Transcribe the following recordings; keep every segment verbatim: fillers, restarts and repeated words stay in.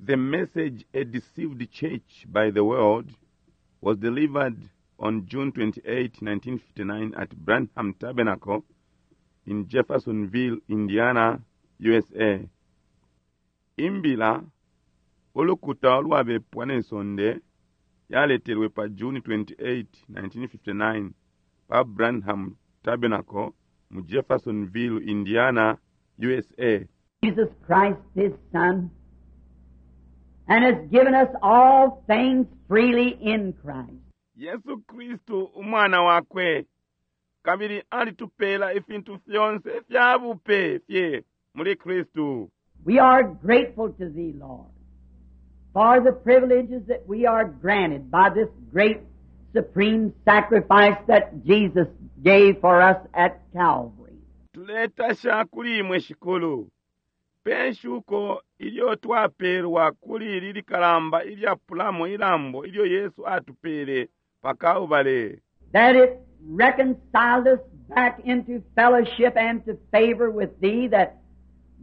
The message, A Deceived Church by the World, was delivered on June twenty-eighth, nineteen fifty-nine at Branham Tabernacle in Jeffersonville, Indiana, U S A. Imbila, Ulukuta Ulwabepwa ne Sonde, yaletelwe pa June twenty-eighth, nineteen fifty-nine pa Branham Tabernacle mu Jeffersonville, Indiana, U S A. Jesus Christ, His Son, and has given us all things freely in Christ. Yesu Kristu umwana wakwe kabili alitupeela ifintu fyonse fya bupe fye muli Kristu. We are grateful to Thee, Lord, for the privileges that we are granted by this great supreme sacrifice that Jesus gave for us at Calvary. Tuletasha kuli imwe Shikulu pe shuko ilyo twapeelwa kuli ili likalamba ilyapulamo ilambo ilyo Yesu atupeele pa Kalbale. That it reconciled us back into fellowship and to favor with Thee, that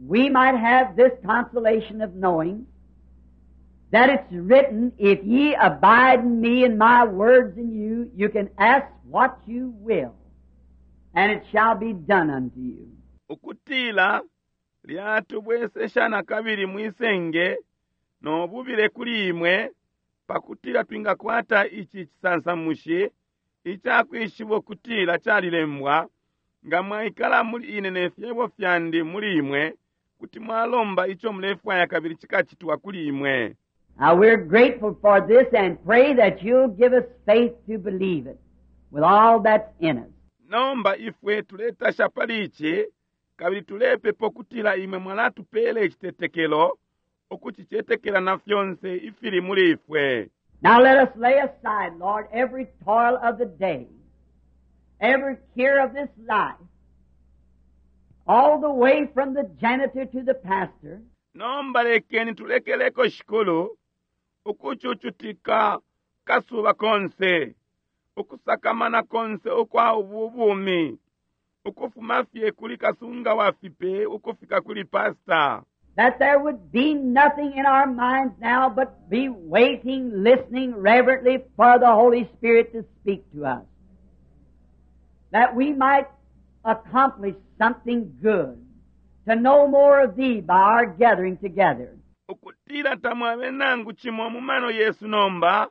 we might have this consolation of knowing that it's written, "If ye abide in me and my words in you, you can ask what you will, and it shall be done unto you." Ukutila lyatubwesesha na kabili mwisenge no bubile kuli imwe pakutila twingakwata ici cisansamushi icakwishiba ukutila calilembwa nga mwaikala muli ine ne fyebo fyandi muli imwe kuti mwalomba ico mulefwaya kabili cikacitwa kuli imwe. Now we're grateful for this and pray that you'll give us faith to believe it with all that's in us. Nomba ifwe tuletasha pali ici kabili tulepepa ukutila imwe mwalatupela icitetekelo ukucicetekela na fyonse ifili muli ifwe. Now let us lay aside, Lord, every toil of the day, every care of this life, all the way from the janitor to the pastor, Nomba lekeni tulekeleko Shikulu ukucucutika kasuba konse ukusakamana konse ukwa ubu bumi ukufuma fye kuli kasunga wa fipe ukufika kuli pasta that there would be nothing in our minds now but be waiting, listening reverently for the Holy Spirit to speak to us, that we might accomplish something good, to know more of Thee by our gathering together. Ukutila tamwabe nangu cimo mu mano yesu nomba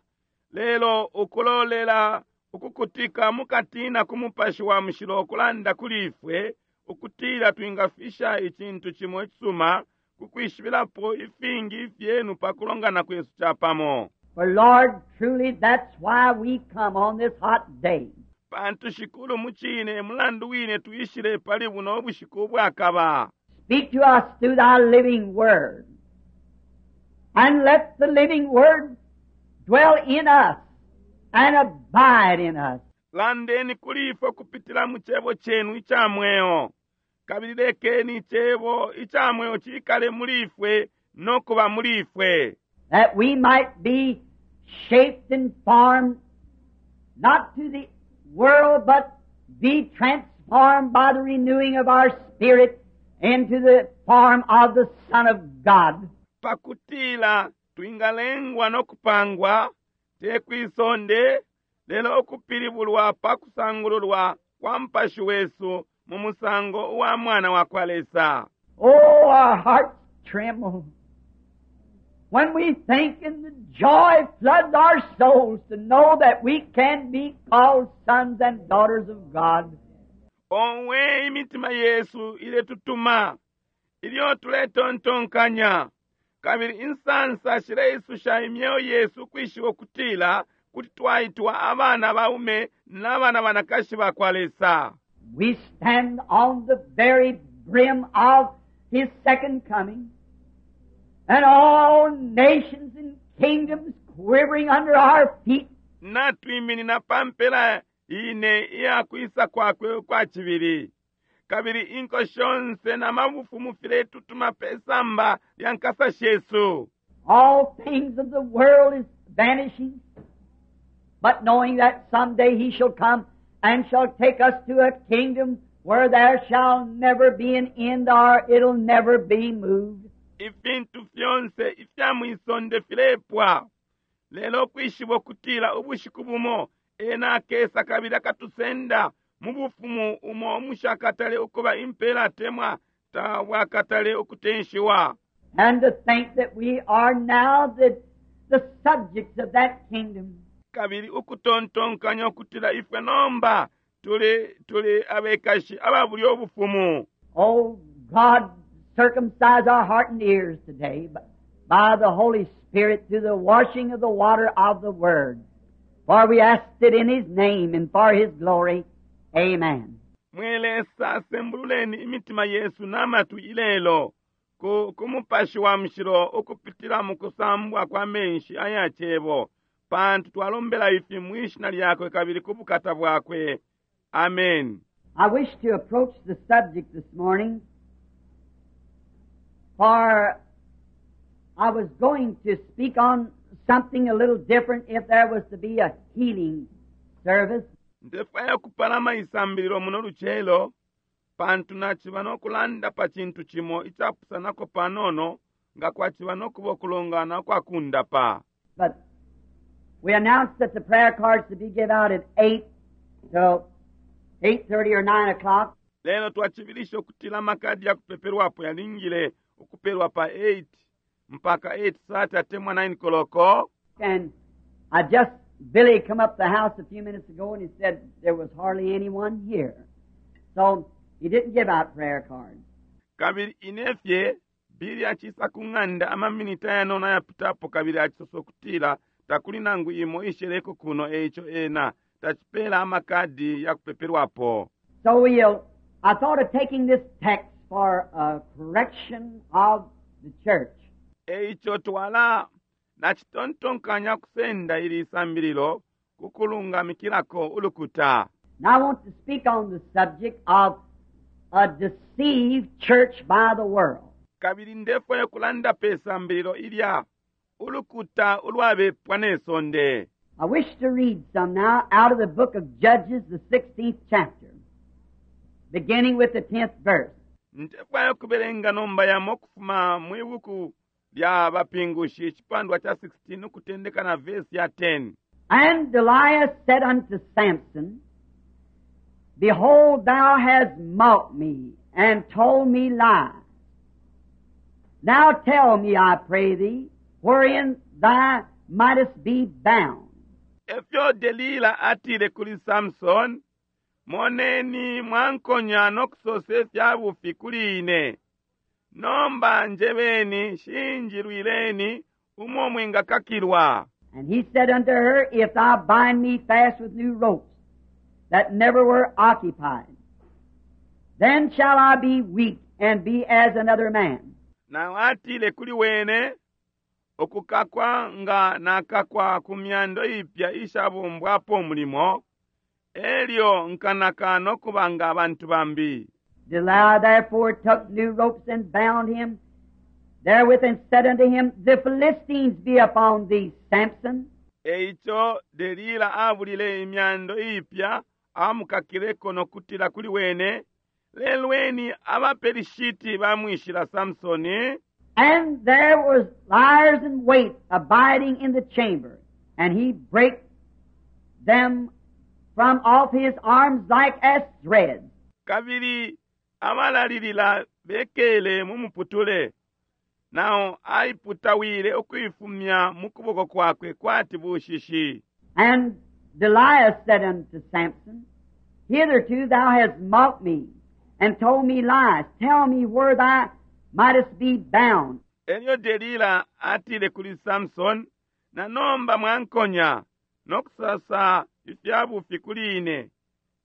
lelo ukulolela ukukutika mukatina ku Mupashi wa Mushilo ukulanda kuli ifwe ukutila twingafisha icintu cimo icisuma kukwishibilapo ifingi ifyenu pa kulongana kwesu capamo. For Lord, truly that's why we come on this hot day. Pantu Shikulu mucine mulandu wine twishile pali buno ubushiku ubwakaba. Speak to us through Thy living Word. And let the living Word dwell in us and abide in us. Landeni kuli ifwe kupitila mu cebo chenu ica mweo kabili lekeni icebo ica mweo cikale muli ifwe no kuba muli ifwe that we might be shaped and formed not to the world, but be transformed by the renewing of our spirit into the form of the Son of God. Pakutila twingalengwa no kupangwa te kwisonde lelo ukupilibulwa pa kusangululwa kwa mpashi wesu mu musango uwa mwana wa kwa Lesa. Oh, our hearts tremble when we think and the joy floods our souls to know that we can be called sons and daughters of God. Owe imitima yesu iletutuma ilyo tuletontonkanya kabili insansa shileisusha imyeo yesu ukwishiba ukutila kuti twaitwa abana baume n'abana banakashi ba kwa Lesa. We stand on the very brim of His second coming, and all nations and kingdoms quivering under our feet. Natwiminina pa mpela ine iya kwisa kwakwe ukwa cibili kabili inko shonse na mabufumu filetutuma pe samba lya nkasa shesu. All things of the world is vanishing, but knowing that someday He shall come and shall take us to a kingdom where there shall never be an end or it'll never be moved. Ifintu fyonse ifya mwisonde filepwa, lelo ukwishiba ukutila ubushiku bumo ena akesa kabili akatusenda mu bufumu umo umushakatale ukuba impela atemwa tabwakatale ukutenshiwa. And to think that we are now the, the subjects of that kingdom. Kabili ukutontonkanya ukutila ifwe nomba tuli tuli abekashi aba bulya ubufumu. Oh God, circumcise our heart and ears today by the Holy Spirit through the washing of the water of the Word. For we asked it in His name and for His glory. Amen. Mwe Lesa, sembululeni imitima yesu n'amatwi ilelo ku ku Mupashi wa Mushilo ukupitila mu kusambwa kwa menshi aya cebo, pantu twalombela ifi mwishina lyakwe kabili ku bukata bwakwe. Amen. I wish to approach the subject this morning, for I was going to speak on something a little different if there was to be a healing service. Ndefwaya kupalama isambililo muno lucelo, pantu naciba nokulanda pa cintu cimo icapusanako panono nga kwaciba nokuba ukulongana kwa kundapa. But we announced that the prayer cards to be given out at eight till eight thirty or nine o'clock. Lelo twacibilisha ukutila amakadi ya kupepelwapo yalingile ukupelwa pa eight mpaka eight thirty atemwa nine koloko. And I just, Billy come up the house a few minutes ago and he said there was hardly anyone here. So he didn't give out prayer cards. Kabili inefye Billy acisa ku ng'anda amaminita yanono ayapitapo kabili acisosa ukutila takuli nangu imo isheleko kuno, eico ena tacipela amakadi ya kupepelwapo. So we'll, I thought of taking this text for a correction of the church. Eico twala nacitontonkanya kusenda ili isambililo kukulungamikilako ulukuta. Now I want to speak on the subject of a deceived church by the world. Kabili ndefwaya kulanda pe sambililo ilya ulukuta ulwabepwa ne sonde. I wish to read some now out of the book of Judges, the sixteenth chapter, beginning with the tenth verse. Ndefwaya kubelenga nomba yamo kufuma mwibuku lya bapingushi icipandwa cha sixteen ukutendeka na verse ya ten. And Delilah said unto Samson, Behold, thou hast mocked me, and told me lies. Now tell me, I pray thee, wherein thou mightest be bound. Efyo Delila atile kuli Samson, Moneni mwankonya nokusose fya bufi kuli ine. Nomba njebeni shinjilwileni umo mwingakakilwa. And he said unto her, If thou bind me fast with new ropes that never were occupied, then shall I be weak and be as another man. Na atile kuli wene, okukakwa nga nakakwa ku myando ipya ishabumbwapo mulimo, elyo nkanaka nokubanga abantu bambi. Delilah therefore took new ropes and bound him therewith, and said unto him, The Philistines be upon thee, Samson. Eico Delila abulile imyando ipya amukakileko nokutila kuli wene, Lelweni abaperishiti bamwishila Samsoni. And there was liers in wait abiding in the chamber, and he brake them from off his arms like as threads. Kabili abalalilila bekele mu muputule, nao aiputawile ukuifumya mu kuboko kwakwe kwati bushishi. And Delilah said unto Samson, Hitherto thou hast mocked me, and told me lies. Tell me where thou mightest be bound. Elyo Delila atile kuli Samson, na nomba mwankonya nokusasa ifyabufi kuli ine,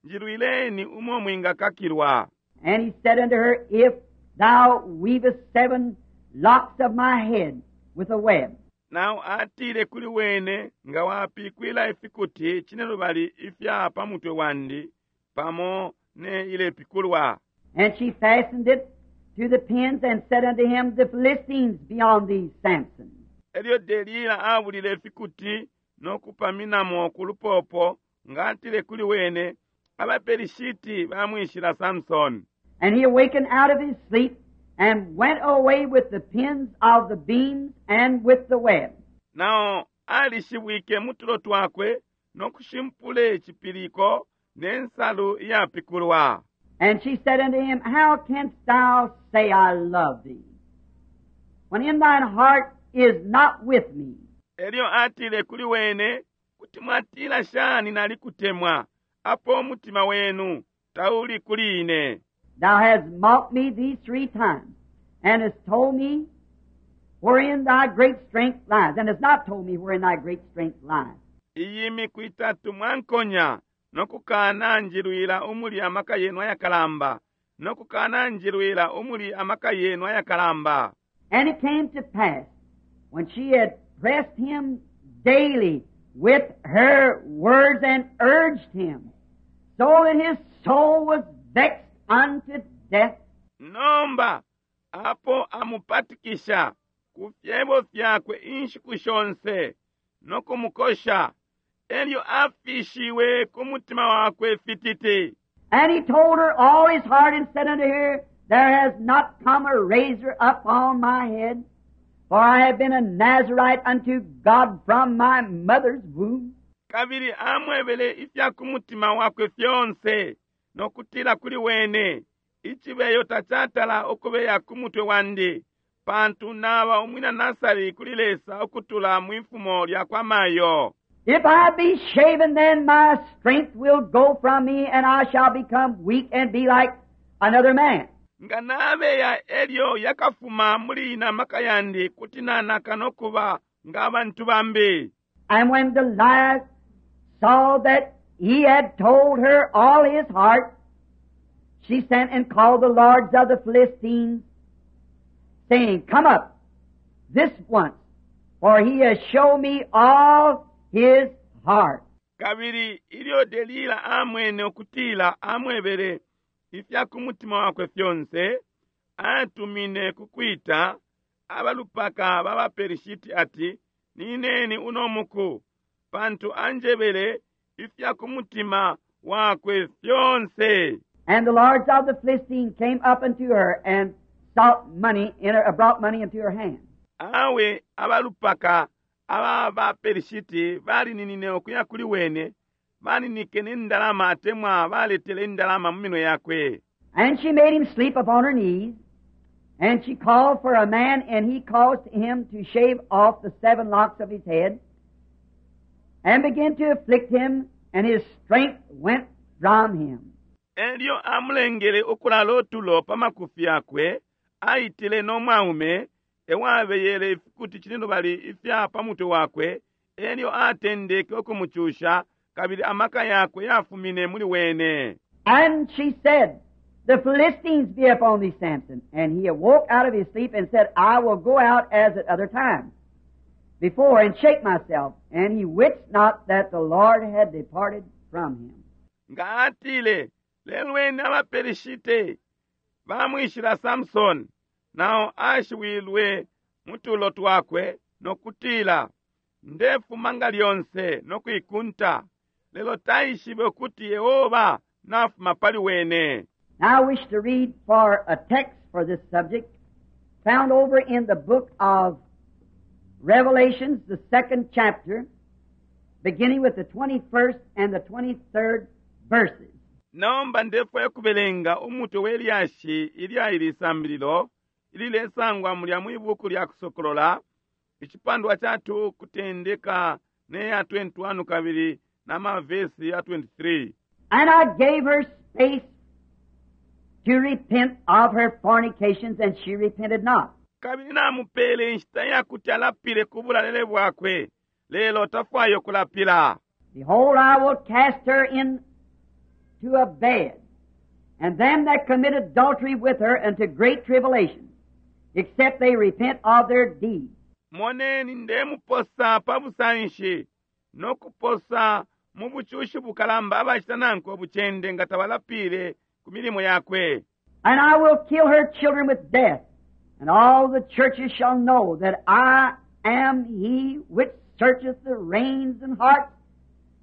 njilwileni umo mwingakakilwa. And he said unto her, If thou weavest seven locks of my head with a web. Nao atile kuli wene, nga wapikwila ifikuti cinelubali ifya pa mutwe wandi pamo ne ilepikulwa. And she fastened it to the pins and said unto him, The Philistines be on thee, Samson. Elyo Delila abulile ifikuti nokupaminamo ku lupopo, nga atile kuli wene, abaperishiti bamwishila Samson. And he awakened out of his sleep and went away with the pins of the beams and with the web. Nao alishibwike mu tulo twakwe nokushimpule cipiliko ne nsalu iyapikulwa. And she said unto him, How canst thou say I love thee, when in thine heart is not with me? Elyo atile kuli wene, kuti mwatila shani nalikutemwa, apo umutima wenu tauli kuli ine. Thou hast mocked me these three times, and hast told me wherein thy great strength lies, and hast not told me wherein thy great strength lies. Iyi miku itatu mwankonya nokukana njilwila umuli amaka yenu ayakalamba, nokukana njilwila umuli amaka yenu ayakalamba. And it came to pass, when she had pressed him daily with her words and urged him, so that his soul was vexed unto death, Nomba apo amupatikisha ku fyebo fyakwe inshiku shonse nokumukosha, elyo afishiwe ku mutima wakwe fititi. And he told her all his heart and said unto her, There has not come a razor upon my head, for I have been a Nazarite unto God from my mother's womb. Kabili amwebele ifya ku mutima wakwe fyonse nokutila kuli wene, icibeyo tacatala ukubeya ku mutwe wandi, pantu naba umwina Nasari kuli Lesa ukutula mwifumo lya kwa mayo. If I be shaven, then my strength will go from me, and I shall become weak and be like another man. Nga nabeya elyo yakafuma muli ine amaka yandi kuti nanaka nokuba ng'abantu bambi. And when Delilah saw that he had told her all his heart, she sent and called the lords of the Philistines, saying, Come up this once, for he has shown me all his heart. Kabili ilyo Delila amwene ukutila amwebele ifya ku mutima wakwe fyonse, atumine ku kwita abalupaka ba baPelishiti ati, Nineni uno muku, pantu anjebele ifya ku mutima wakwe fyonse. And the lords of the Philistines came up unto her and sought money in her, brought money into her hand. Awe abalupaka aba baPelishiti balininine ukuya kuli wene, baninike n'endalama atemwa baletele indalama mu minwe yakwe. And she made him sleep upon her knees. And she called for a man, and he caused him to shave off the seven locks of his head, and began to afflict him, and his strength went from him. Elyo amulengele ukulala otulo pa makufi yakwe, aitile n'omwaume ewabeyele ifikuti cinelubali ifya pa mutwe wakwe, elyo atendeke ukumucusha, kabili amaka yakwe yafumine muli wene. And she said, The Philistines be upon thee, Samson. And he awoke out of his sleep and said, I will go out as at other times before and shake myself. And he wist not that the Lord had departed from him. Nga atile, lelweni abaPelishite bamwishila Samson, nao ashiwilwe mu tulo twakwe nokutila, ndefuma nga lyonse nokuikunta, lelo taishibe ukuti Yehova nafuma pali wene. Now I wish to read for a text for this subject found over in the book of Revelations, the second chapter, beginning with the twenty-first and the twenty-third verses. Nomba ndefwaya kubelenga umutwe we lyashi ilya ili sambililo ililesangwa mulya mwi buku lya Kusokolola icipandwa ca two kutendeka ne ya twenty-one kabili na mavesi ya twenty-three. And I gave her space to repent of her fornications, and she repented not. Kabili namupele inshita yakuti alapile ku bulalele bwakwe, lelo tafwayo kulapila. Behold, I will cast her into a bed, and them that commit adultery with her unto great tribulation, except they repent of their deeds. Moneni ndemuposa pa busanshi nokuposa mu bucushi bukalamba abacita nankwe obucende nga tabalapile ku milimo yakwe. And I will kill her children with death, and all the churches shall know that I am he which searcheth the reins and hearts,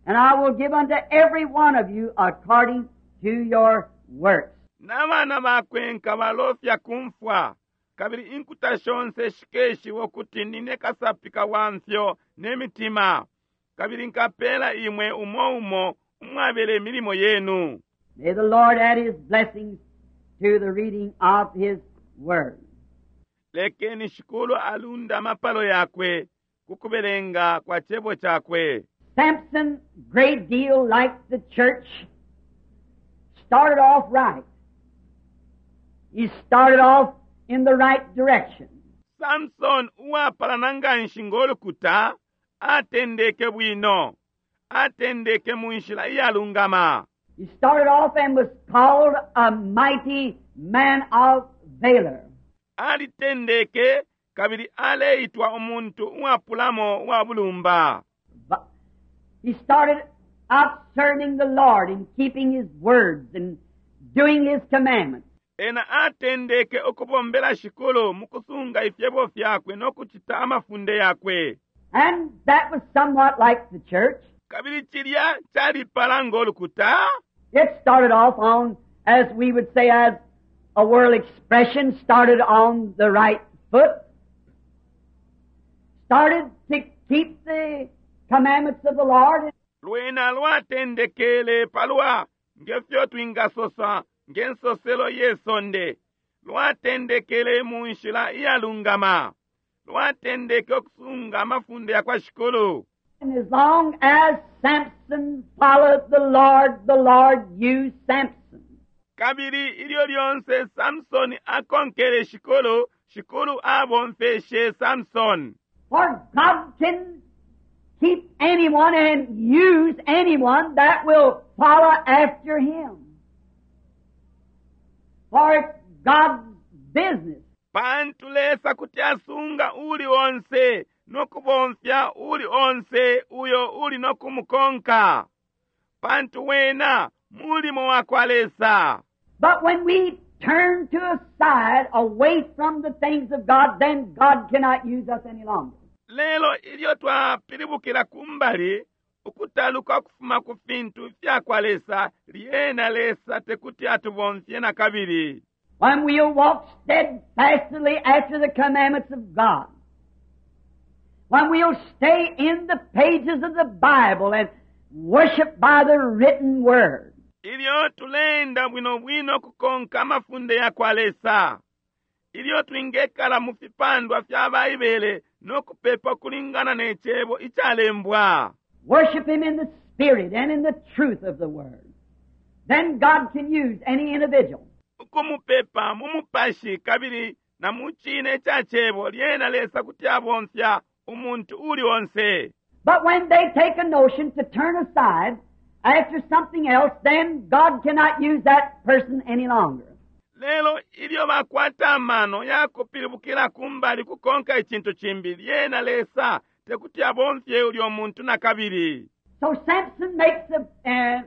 and I will give unto every one of you according to your works. N'abana bakwe nkabalofya kumfwa, Kabili inkuta shonse shikeshiwa ukuti nine kasapika wa mfyo ne mitima, kabili nkapela imwe umo umo umwabele imilimo yenu. May the Lord add His blessings to the reading of His Word. Lekeni Shikulu alunda amapalo yakwe ku kubelenga kwa cebo cakwe. Samson, great deal like the church, started off right. He started off in the right direction. Samson uwapalana nganshi ng'olukuta atendeke bwino, atendeke mu nshila iyalungama. He started off and was called a mighty man of valor. Alitendeke kabili aleitwa umuntu uwapulamo uwa bulumba. But he started out serving the Lord and keeping His words and doing His commandments. Ena atendeke ukubombela Shikulu mu kusunga ifyebo fyakwe no kucita amafunde yakwe. And that was somewhat like the church. Kabili cilya calipala ng'olukuta. It started off on, as we would say, as a world expression, started on the right foot. Started to keep the commandments of the Lord. Lwena lwatendekele palwa ngefyo twingasosa ngensoselo yesonde, lwatendekele mu nshila iyalungama, lwatendeke okusunga amafunde yakwa Shikulu. And as long as Samson followed the Lord, the Lord used Samson. Kabili ilyo lyonse Samsoni akonkele Shikulu, Shikulu abomfeshe Samsoni. For God can keep anyone and use anyone that will follow after Him. For it's God's business. Pantu Lesa kuti asunga uli onse nokubomfya uli onse uyo uli nokumukonka, pantu wena mulimo wakwa Lesa. But when we turn to a side away from the things of God, then God cannot use us any longer. Lelo ilyo twapilibukila kumbali ukutaluka ukufuma ku fintu fyakwa Lesa, lyena Lesa tekuti atubomfye na kabili. When we'll walk steadfastly after the commandments of God, when we'll stay in the pages of the Bible and worship by the written Word. Ilyo tulenda bwino bwino kukonka amafunde yakwa Lesa, ilyo twingekala mu fipandwa fya Baibele no kupepa kulingana ne cebo icalembwa, Worship Him in the Spirit and in the truth of the Word. Then God can use any individual. Ukumupepa mu mupashi kabili na mu cine ca cebo, lyena Lesa kuti abomfya umuntu uli onse. But when they take a notion to turn aside after something else, then God cannot use that person any longer. Lelo ilyo bakwata amano yakupilibukila kumbali kukonka icintu cimbi, lyena Lesa tekuti abomfye ulyo muntu na kabili. So Samson makes a, a,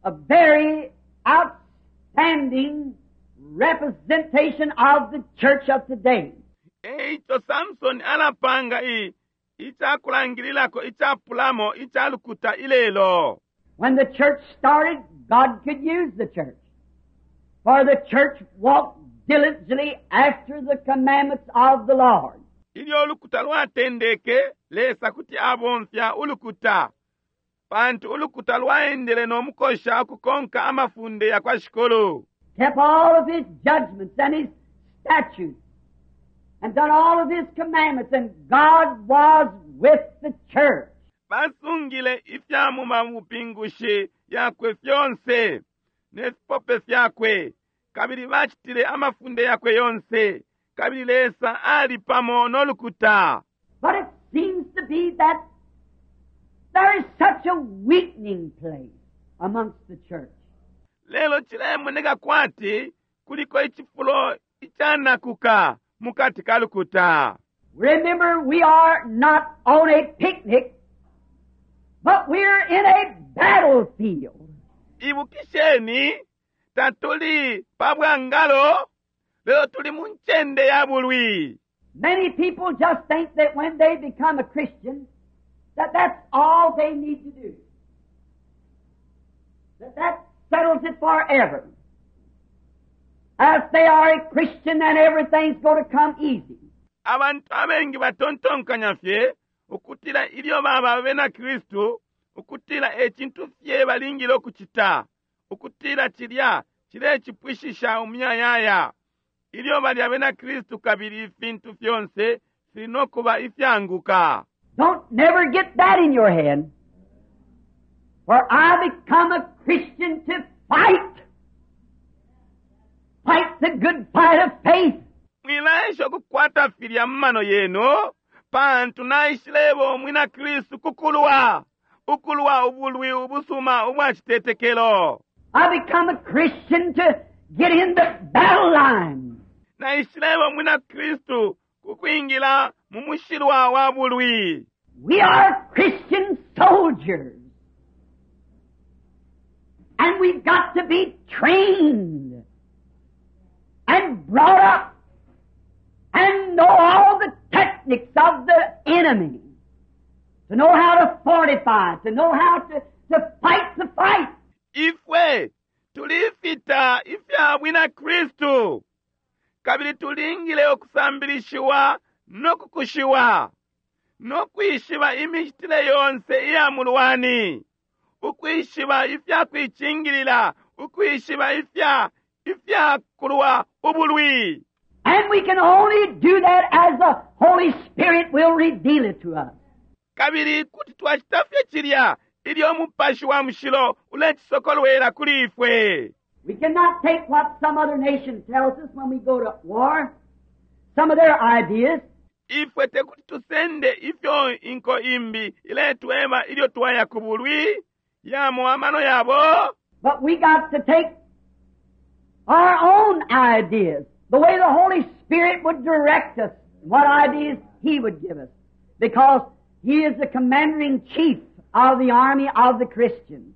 a very outstanding representation of the church of today. Eico Samson alapanga i icakulangililako icapulamo icalukuta ilelo. When the church started, God could use the church. For the church walked diligently after the commandments of the Lord. Ilyo ulukuta lwatendeke, Lesa kuti abomfya ulukuta, pantu ulukuta lwaendele n'omukosha ukukonka amafunde yakwa Shikulu. Kept all of His judgments and His statutes and done all of His commandments, and God was with the church. Basungile ifya mu mabupingushi yakwe fyonse ne fipope fyakwe, kabili bacitile amafunde yakwe yonse, kabili Lesa ali pamo n'olukuta. But it seems to be that there is such a weakening place amongst the church. Lelo cilemoneka kwati kuliko icifulo icanakuka mukati ka lukuta. Remember, we are not on a picnic, but we're in a battlefield. Ibukisheni, tatuli pa bwangalo, lelo tuli mu ncende ya bulwi. Many people just think that when they become a Christian, that that's all they need to do. That that settles it forever. As they are a Christian and everything's going to come easy. Abantu abengi batontonkanya fye ukutila ilyo baba abena Kristu ukutila ecintu fye balingile ukucita ukutila cilya cilecipwishisha umuyayaya ilyo bali abena Kristu kabili ifintu fyonse fili nokuba ifyanguka. Don't never get that in your head. For I become a Christian to fight. Fight the good fight of faith. Mwilaesha ukukwata filya mu mano yenu pantu naishileba umwina Kristu kukulwa ukulwa ubulwi ubusuma ubwa citetekelo. I become a Christian to get in the battle line. Naishileba umwina Kristu kukwingila mu mushilwa wa bulwi. We are Christian soldiers. And we've got to be trained and brought up and know all the techniques of the enemy. To know how to fortify, to know how to, to fight the fight. Ifwe tulifita ifya bwina Kristu kabili tulingile ukusambilishiwa no kukushiwa no kwishiba imicitile yonse iya mulwani, ukwishiba ifya kuicingilila, ukwishiba ifya ifya kulwa ubulwi. And we can only do that as the Holy Spirit will reveal it to us. Kabili kuti twacita fye cilya ilyo Umupashi wa Mushilo ulecisokolwela kuli ifwe. We cannot take what some other nation tells us when we go to war, some of their ideas. Ifwe tekuti tusende ifyo inko imbi iletweba ilyo twaya ku bulwi yamo amano yabo. But we got to take our own ideas, the way the Holy Spirit would direct us, what ideas He would give us, because He is the commander-in-chief of the army of the Christians.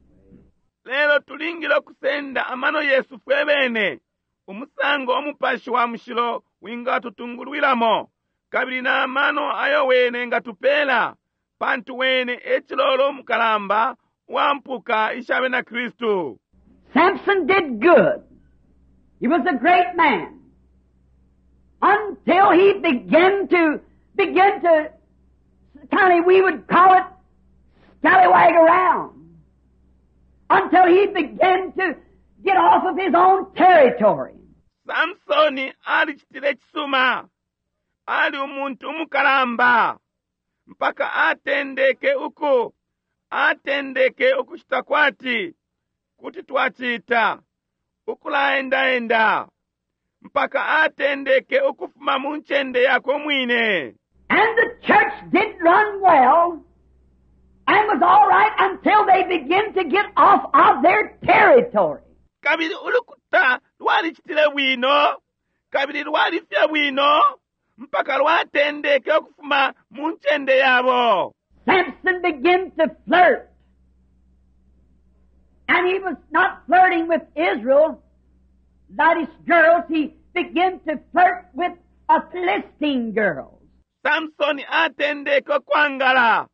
Lelo tulingile okusenda amano yesu fwe bene umusango Umupashi wa Mushilo wingatutungulwilamo kabili na amano ayo wene ngatupela pantu wene ecilolo umukalamba wa mpuka isha bena Kristu. Samson did good. He was a great man. Until he began to, begin to, kind of, we would call it scallywag around. Until he began to get off of his own territory. Samsoni alicitile cisuma. Ali umuntu umukalamba. Mpaka atendeke uku, atendeke ukucita kwati, kuti twacita, ukulaendaenda. Mpaka atendeke ukufuma mu ncende yakwe mwine. And the church did run well and was all right until they began to get off of their territory. Kabili ulukuta lwalicitile bwino, kabili lwalifye bwino, mpaka lwatendeke ukufuma mu ncende yabo. Samson began to flirt. And he was not flirting with Israel, that is girls, he began to flirt with a Philistine girl. Samsoni atendeke okwangala.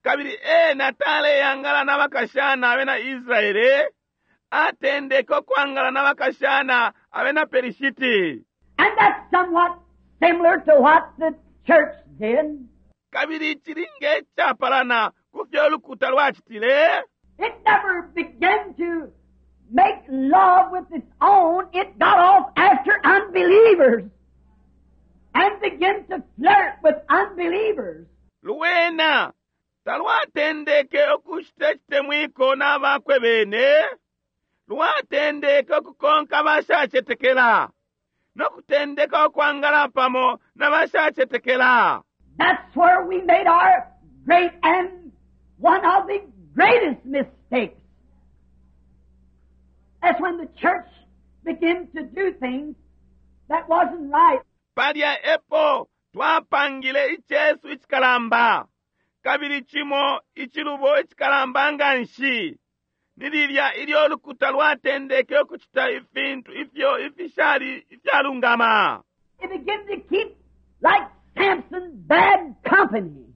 Kabili ena taleyangala n'abakashana abena Israele, atendeke okwangala n'abakashana abena Perishiti. And that's somewhat similar to what the church did. Kabili cili ngecapalana ku fyo ulukuta lwacitile. It never began to make love with its own. It got off after unbelievers and began to flirt with unbelievers. Lwena talwatendeke okucita icitemwiko n'abakwe bene, lwatendeke okukonka bashacetekela nokutendeka okwangala pamo n'abashacetekela. That's where we made our great and one of the greatest mistakes. That's when the church began to do things that wasn't right. Palya epo twapangile icesu icikalamba kabili cimo icilubo icikalamba nga nshi ni lilya ilyo ulukuta lwatendeke ukucita ifintu ifyo ifishali ifyalungama. It began to keep, like Samson, bad company.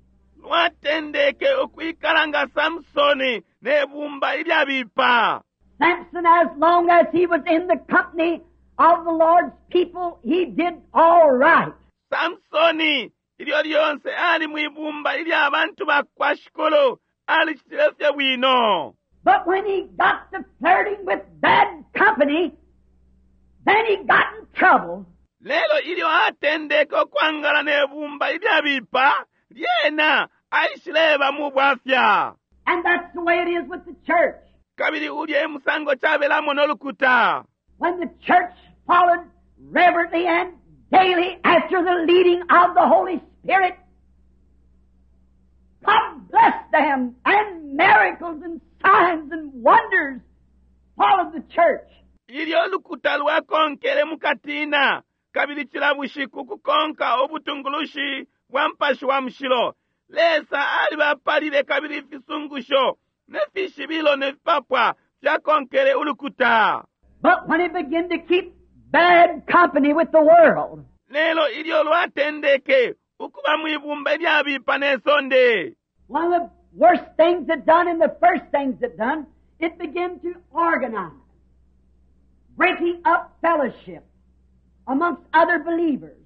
Lwatendeke ukwikala nga Samsoni ne bumba ilyabipa. Samson, as long as he was in the company of the Lord's people, he did all right. Samsoni ilyo lyonse ali mwibumba ilya bantu bakwa shikulu alicitile fye bwino. But when he got to flirting with bad company, then he got in trouble. Lelo ilyo atendeke ukwangala ne bumba ilyabipa lyena aishileba mu bwafya. And that's the way it is with the church. Kabili ulya e musango cabelamo nolukuta. When the church followed reverently and daily after the leading of the Holy Spirit, God blessed them, and miracles and signs and wonders followed the church. Ilyo lukuta lwakonkele mukatina kabili cila bushiku kukonka ubutungulushi bwa mpashi wa mushilo Lesa alibapalile kabili ifisungusho ne fishibilo ne fipapwa fyakonkele ulukuta. But when it began to keep bad company with the world, Lelo ilyo lwatendeke ukuba mwibumba ilyabipa ne sonde, one of the worst things it done and the first things it done, it began to organize, breaking up fellowship amongst other believers,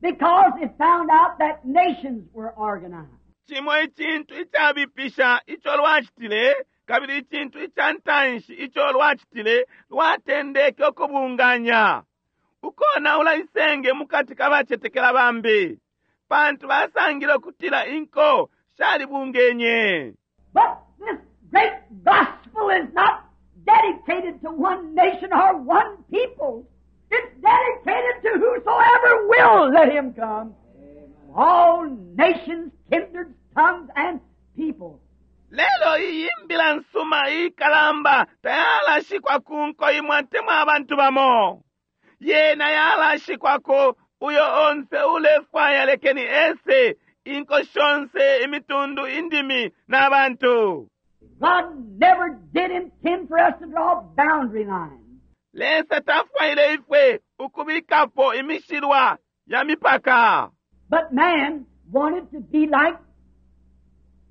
because it found out that nations were organized. Cimo icintu icabipisha ico lwacitile kabili icintu ica ntanshi ico lwacitile lwatendeke ukubunganya ukonaula isenge mukati ka bacetekela bambi pantu basangile ukutila inko shalibungenye. But this great gospel is not dedicated to one nation or one people. It's dedicated to whosoever will let him come. All nations, kindreds, tongues, and people. Lelo iyi mbila nsuma ikalamba tayalashikwa ku nko imwe atemwa abantu bamo. Yena yalashikwako uyo onse ulefwaya lekeni ese inko shonse imitundu indimi n'abantu. God never did intend for us to draw boundary lines. Lesa tafwaile ifwe ukubikapo imishilwa ya mipaka. But man wanted to be like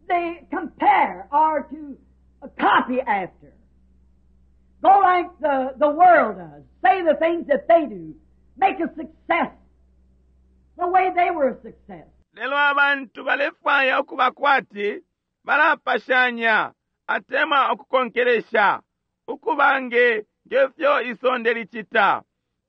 they compare or to copy after. Go like the, the world does. Say the things that they do. Make a success the way they were a success. Lelo abantu balefwaya ukuba kwati balapashanya atemwa ukukonkelesha ukuba nge ngefyo isonde licita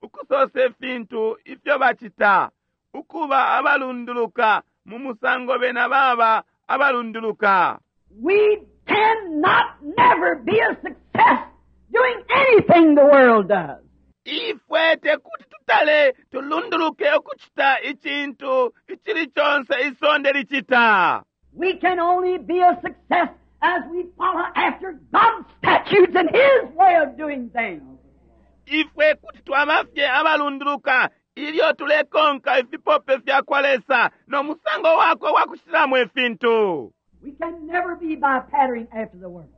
ukusosa ifintu ifyo bacita ukuba abalunduluka mu musango bena baba abalunduluka. We cannot never be a success doing anything the world does. Ifwe tekuti tutale tulunduluke ukucita icintu icili conse isonde licita. We can only be a success as we follow after God's statutes and His way of doing things. Ifwe kuti twaba fye abalunduluka ilyo tulekonka ifipope fya kwa Lesa no musango wakwe wa kucitilamo ifintu. We can never be by patterning after the world.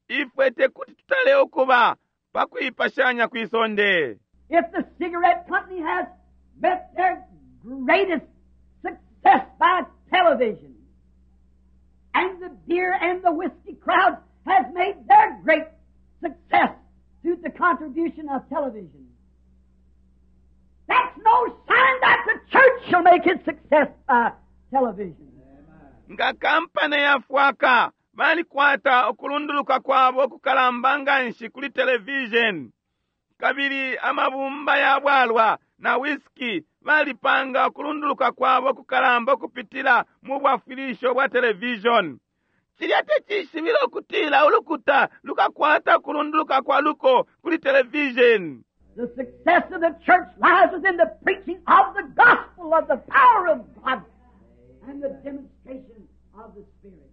Ifwe tekuti tutale ukuba pa kuipashanya kwisonde. If the cigarette company has met their greatest success by television, and the beer and the whiskey crowd has made their great success through the contribution of television, that's no sign that the church shall make its success by television. Nga kampani ya fwaka balikwata ukulunduluka kwabo kukalamba nganshi kuli television, kabili amabumba ya bwalwa na whisky balipanga ukulunduluka kwabo kukalamba kupitila mu bwafwilisho bwa television. Cilya tecishibilo ukutila ulukuta lukakwata ukulunduluka kwa luko kuli television. The success of the church lies within the preaching of the gospel of the power of God and the demonstration of the Spirit.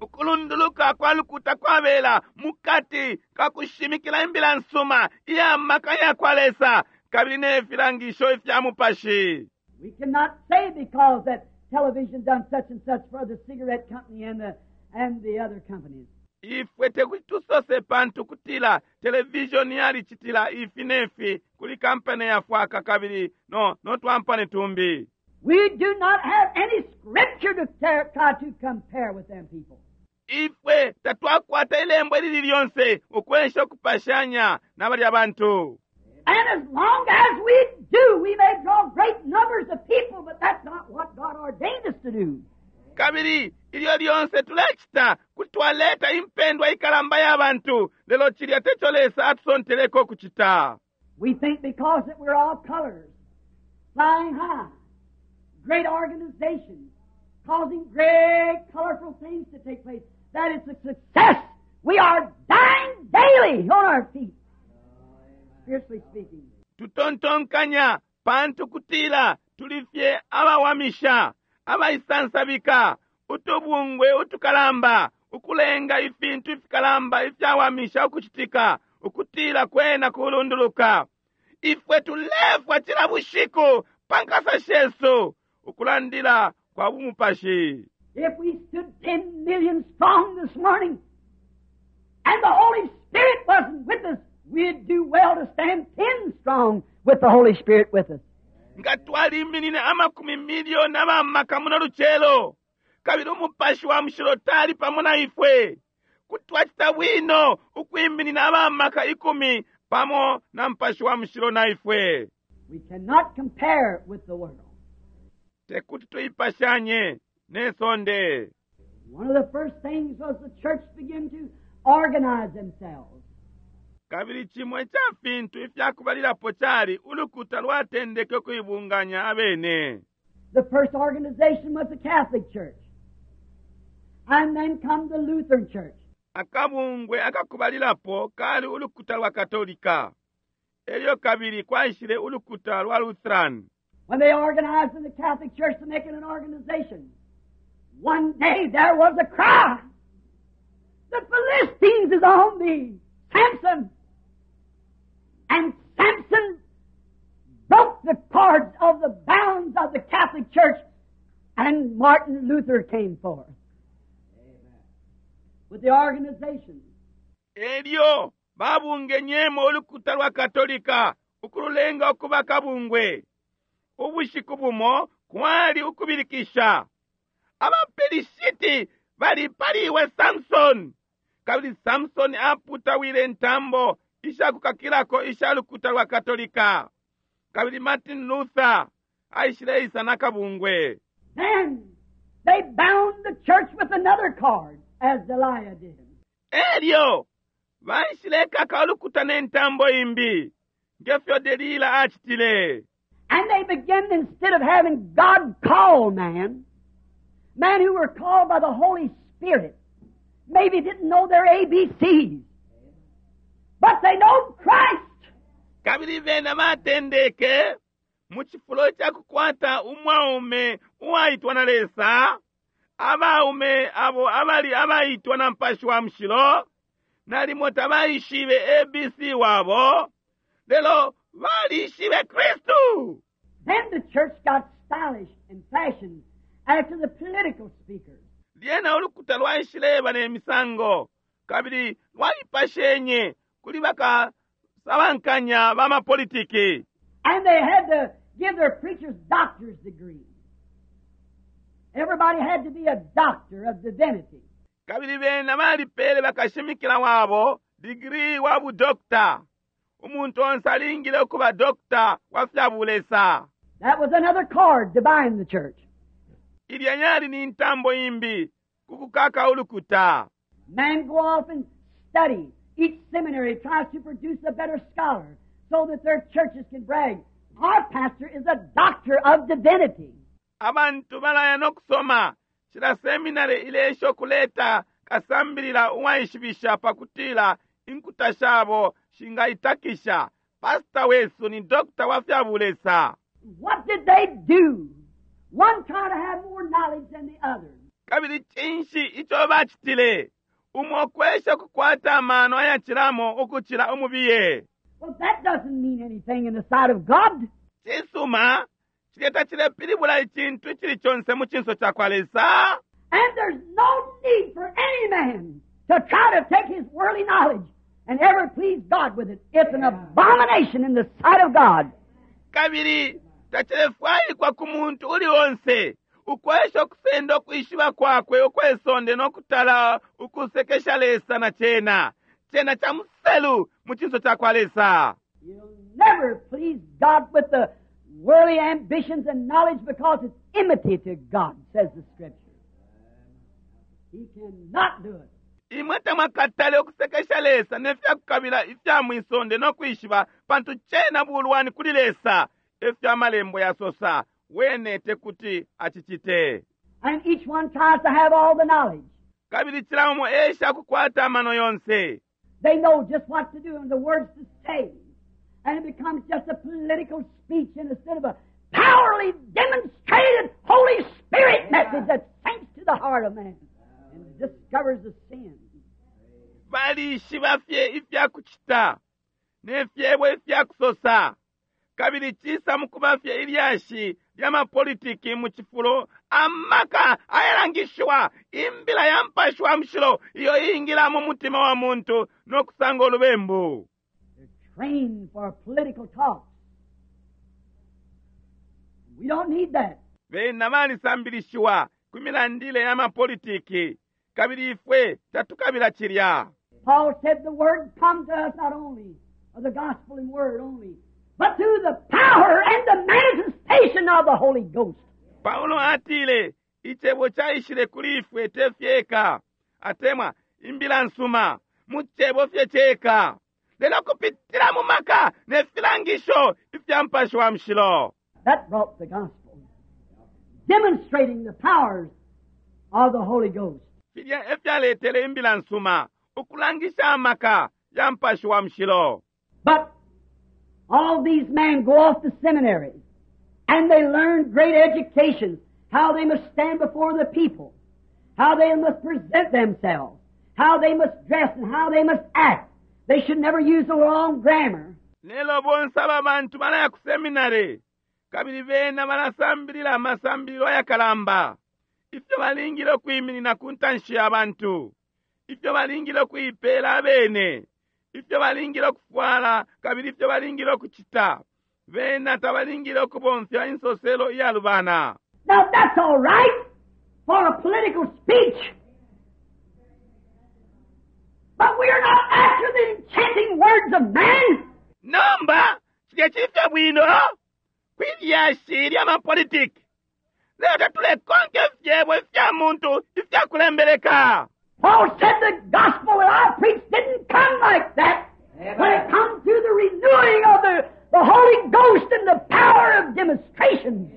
Ukulunduluka kwa lukuta kwabela mukati kakushimikila imbila nsuma iya maka ya kwa Lesa kabili ne filangisho ifya mupashi. We cannot say because that television done such and such for the cigarette company and the, and the other companies. Ifwe tekuti tusose pantu kutila television yalicitila ifi nefi kuli kampani ya fwaka kabili no, no twampani tumbi. We do not have any scripture to ter-, try to compare with them people. Ifwe tatwakwata ilembo ilili lyonse ukwesha ukupashanya na balya bantu. And as long as we do, we may draw great numbers of people, but that's not what God ordained us to do. Kabili ilyo lyonse tulecita kuti twaleta impendwa ikalamba ya bantu, lelo cilya teco Lesa atusonteleko ukucita. We think because that we're all colors, flying high, great organizations, causing great colorful things to take place, that it's a success. We are dying daily on our feet, spiritually speaking. Tutontonkanya pantu kutila tuli fye abawamisha, abaisansabika, utubungwe utukalamba, ukulenga ifintu ifikalamba ifyawamisha ukucitika, ukutila kwena kulunduluka. Ifwe tulefwa cila bushiku pa nkasa shesu, ukulandila kwa bumupashi. If we stood ten million strong this morning, and the Holy Spirit wasn't with us, we'd do well to stand ten strong with the Holy Spirit with us. Nga twaliminine amakumi milioni abamaka muno lucelo, kabili umupashi wa mushilo tali pamo na ifwe, kuti twacita bwino ukwiminina abamaka ikumi pamo na mupashi wa mushilo na ifwe. We cannot compare with the world. Tekuti tuipashanye ne sonde. One of the first things was the church began to organize themselves. Kabili cimwe ca fintu ifyakubalilapo cali ulukuta lwatendeke ukuibunganya abene. The first organization was the Catholic Church. And then come the Lutheran Church. Akabungwe akakubalilapo kali ulukuta lwa Katolika. Elyo kabili kwaishile ulukuta lwa Lutheran. When they organized in the Catholic Church to make it an organization, one day there was a cry. The Philistines is on thee, Samson. And Samson broke the cords of the bounds of the Catholic Church, and Martin Luther came forth. Amen. With the organization. Elyo babungenyemo ulukuta lwa Katolika ukululenga ukuba kabungwe. Ubushiku bumo kwali ukubilikisha. Abapelishiti bali paliwe Samson. Kabili Samson aputawile ntambo ishakukakilako isha lukuta lwa Katolika. Kabili Martin Luther aishileisa na kabungwe. Then they bound the church with another cord, as Delilah did. Elyo baishilekaka ulukuta ne ntambo imbi, ngefyo Delila acitile. And they began, instead of having God call man, men who were called by the Holy Spirit, maybe didn't know their A B Cs, but they know Christ. Kabili bena batendeke mu cifulo ca kukwata umwaume uwaitwa na Lesa, abaume abo abali abaitwa na Mupashi wa Mushilo, nalimo tabaishibe A B C wabo, lelo balishibe Kristu. Then the church got stylish and fashioned after the political speakers. Lyena ulukuta lwaishileba ne misango, kabili lwaipashenye kuli bakasabankanya bamapolitiki. And they had to give their preachers doctor's degrees. Everybody had to be a doctor of divinity. Kabili bena balipele bakashimikila wabo degree wa budokta. Umuntu onse alingile ukuba dokta wa fya bulesa. That was another cord to bind the church. Ilya yali ni ntambo imbi kukukaka ulukuta. Men go off and study. Each seminary tries to produce a better scholar so that their churches can brag. Our pastor is a doctor of divinity. Abantu balaya no kusoma. Cila seminary ilesho kuleta kasambilila uwaishibisha pakutila inkuta shabo shingaitakisha. Pastor wesu ni doctor wa fya bulesa. What did they do? One tried to have more knowledge than the other. Kabili cinshi ico bacitile? Umo kwesha kukwata amano ayacilamo ukucila umubiye. Well, that doesn't mean anything in the sight of God. Cisuma, cilya tacilepilibula icintu icili conse mu cinso ca kwa Lesa. And there's no need for any man to try to take his worldly knowledge and ever please God with it. It's an abomination in the sight of God. Kabili tacilefwaikwa ku muntu uli onse ukwesha ukusenda ukwishiba kwakwe ukwesonde nokutala ukusekesha Lesa na cena. Cena ca muselu mu cinso ca kwa Lesa. You'll never please God with the worldly ambitions and knowledge because it's enmity to God, says the Scripture. He cannot do it. Imwe tamwakatale ukusekesha Lesa nefyakukabila ifya mwisonde nokwishiba, pantu cena bulwani kuli Lesa, efyo amalembo yasosa. Wene tekuti acicite. And each one tries to have all the knowledge. Kabili cila umo esha kukwata amano yonse. They know just what to do and the words to say. And it becomes just a political speech instead of a powerfully demonstrated Holy Spirit message that sinks to the heart of man and discovers the sin. Balishiba fye ifyakucita ne fyebo ifyakusosa, kabili cisa mukuba fye ilyashi lya mapolitiki mu cifulo amaka ayalangishiwa imbila ya Mupashi wa Mushilo iyo iingila mu mutima wa muntu no kusanga ulubembu. They're trained for political talks. We don't need that. Bena balisambilishiwa ku milandile ya mapolitiki, kabili ifwe tatukabila cilya. Paul said the word come to us not only of the gospel and word only, but through the power and the manifestation of the Holy Ghost. Paulo atile icebo caishile kuli ifwe te fyeka, atemwa imbila nsuma mu cebo fye ceka, lelo kupitila mu maka ne filangisho ifya Mupashi wa Mushilo. That brought the gospel, demonstrating the powers of the Holy Ghost. Filya efyaletele imbila nsuma, ukulangisha amaka ya Mupashi wa Mushilo. But all these men go off to seminary, and they learn great educations, how they must stand before the people, how they must present themselves, how they must dress, and how they must act. They should never use the wrong grammar. Lelo bonse aba bantu balaya ku seminary, kabili bena balasambilila amasambililo ayakalamba, ifyo balingile ukwiminina ku ntanshi ya bantu, ifyo balingile ukuipeela abene, ifyo balingile ukufwala, kabili ifyo balingile ukucita. Bena tabalingile ukubomfya insoselo iyalubana. Now that's all right for a political speech. But we are not after the enchanting words of man. Nomba cilya cifye bwino kwilyashi lya mapolitiki, lelo tatulekonka ifyebo ifya muntu ifyakulembeleka. Paul said the gospel that I preached didn't come like that. But it come through the renewing of the, the Holy Ghost and the power of demonstrations.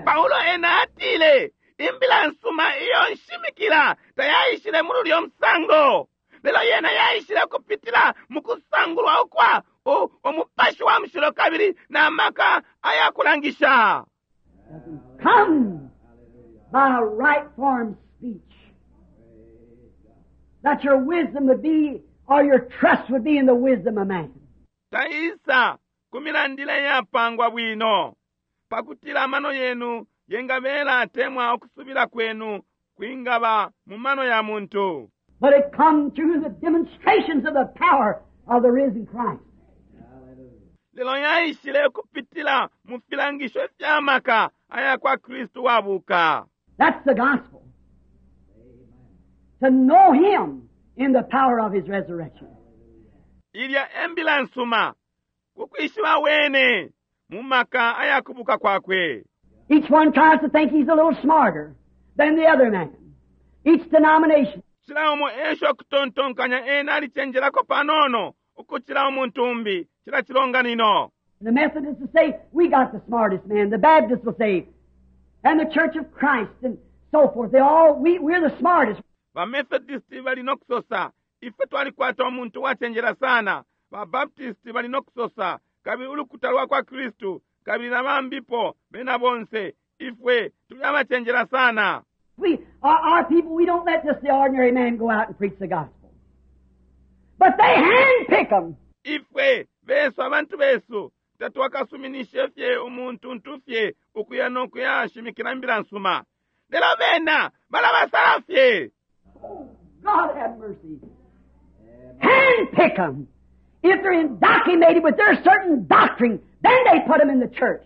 Paulo ena atile imbila nsuma iyo nshimikila tayaishile muri ulyo musango, lelo yena yaishile kupitila mu kusangulwa ukwa u-, Umupashi wa Mushilo kabili na maka ayakulangisha. Doesn't come by a right form speech. That your wisdom would be, or your trust would be in the wisdom of man. Taisa kumilandila yapangwa bwino, pakutila amano yenu yengabela atemwa okusubila kwenu kwingaba mu mano ya muntu. But it come through the demonstrations of the power of the risen Christ. Lelo yaishile kupitila mu filangisho fya maka aya kwa Kristu wabuka. That's the gospel. To know Him in the power of His resurrection. Ilya embila nsuma kukwishiba wene mu maka aya kubuka kwakwe. Each one tries to think he's a little smarter than the other man. Each denomination. Cila umo esha okutontonkanya ena alichenjelako panono ukucila umuntu umbi cila chilonganino. The Methodists will say, we got the smartest man. The Baptists will say, and the Church of Christ and so forth. They all, we, we're the smartest. Ba Methodist bali nokusosa, ife twalikwata umuntu wachenjela sana. Ba Baptist bali nokusosa, kabili ulukuta lwa kwa Kristu, kabili na bambipo bena bonse, ifwe tuli abachenjela sana. We, our, our people, we don't let just the ordinary man go out and preach the gospel. But they handpick 'em. Ifwe besu abantu besu tatwakasuminishe fye umuntu ntufye ukuya nokuya shimikila imbila nsuma. Lelo bena balabasala fye. Oh, God have mercy. Handpick 'em. If they're indoctrinated with their certain doctrine, then they put 'em in the church.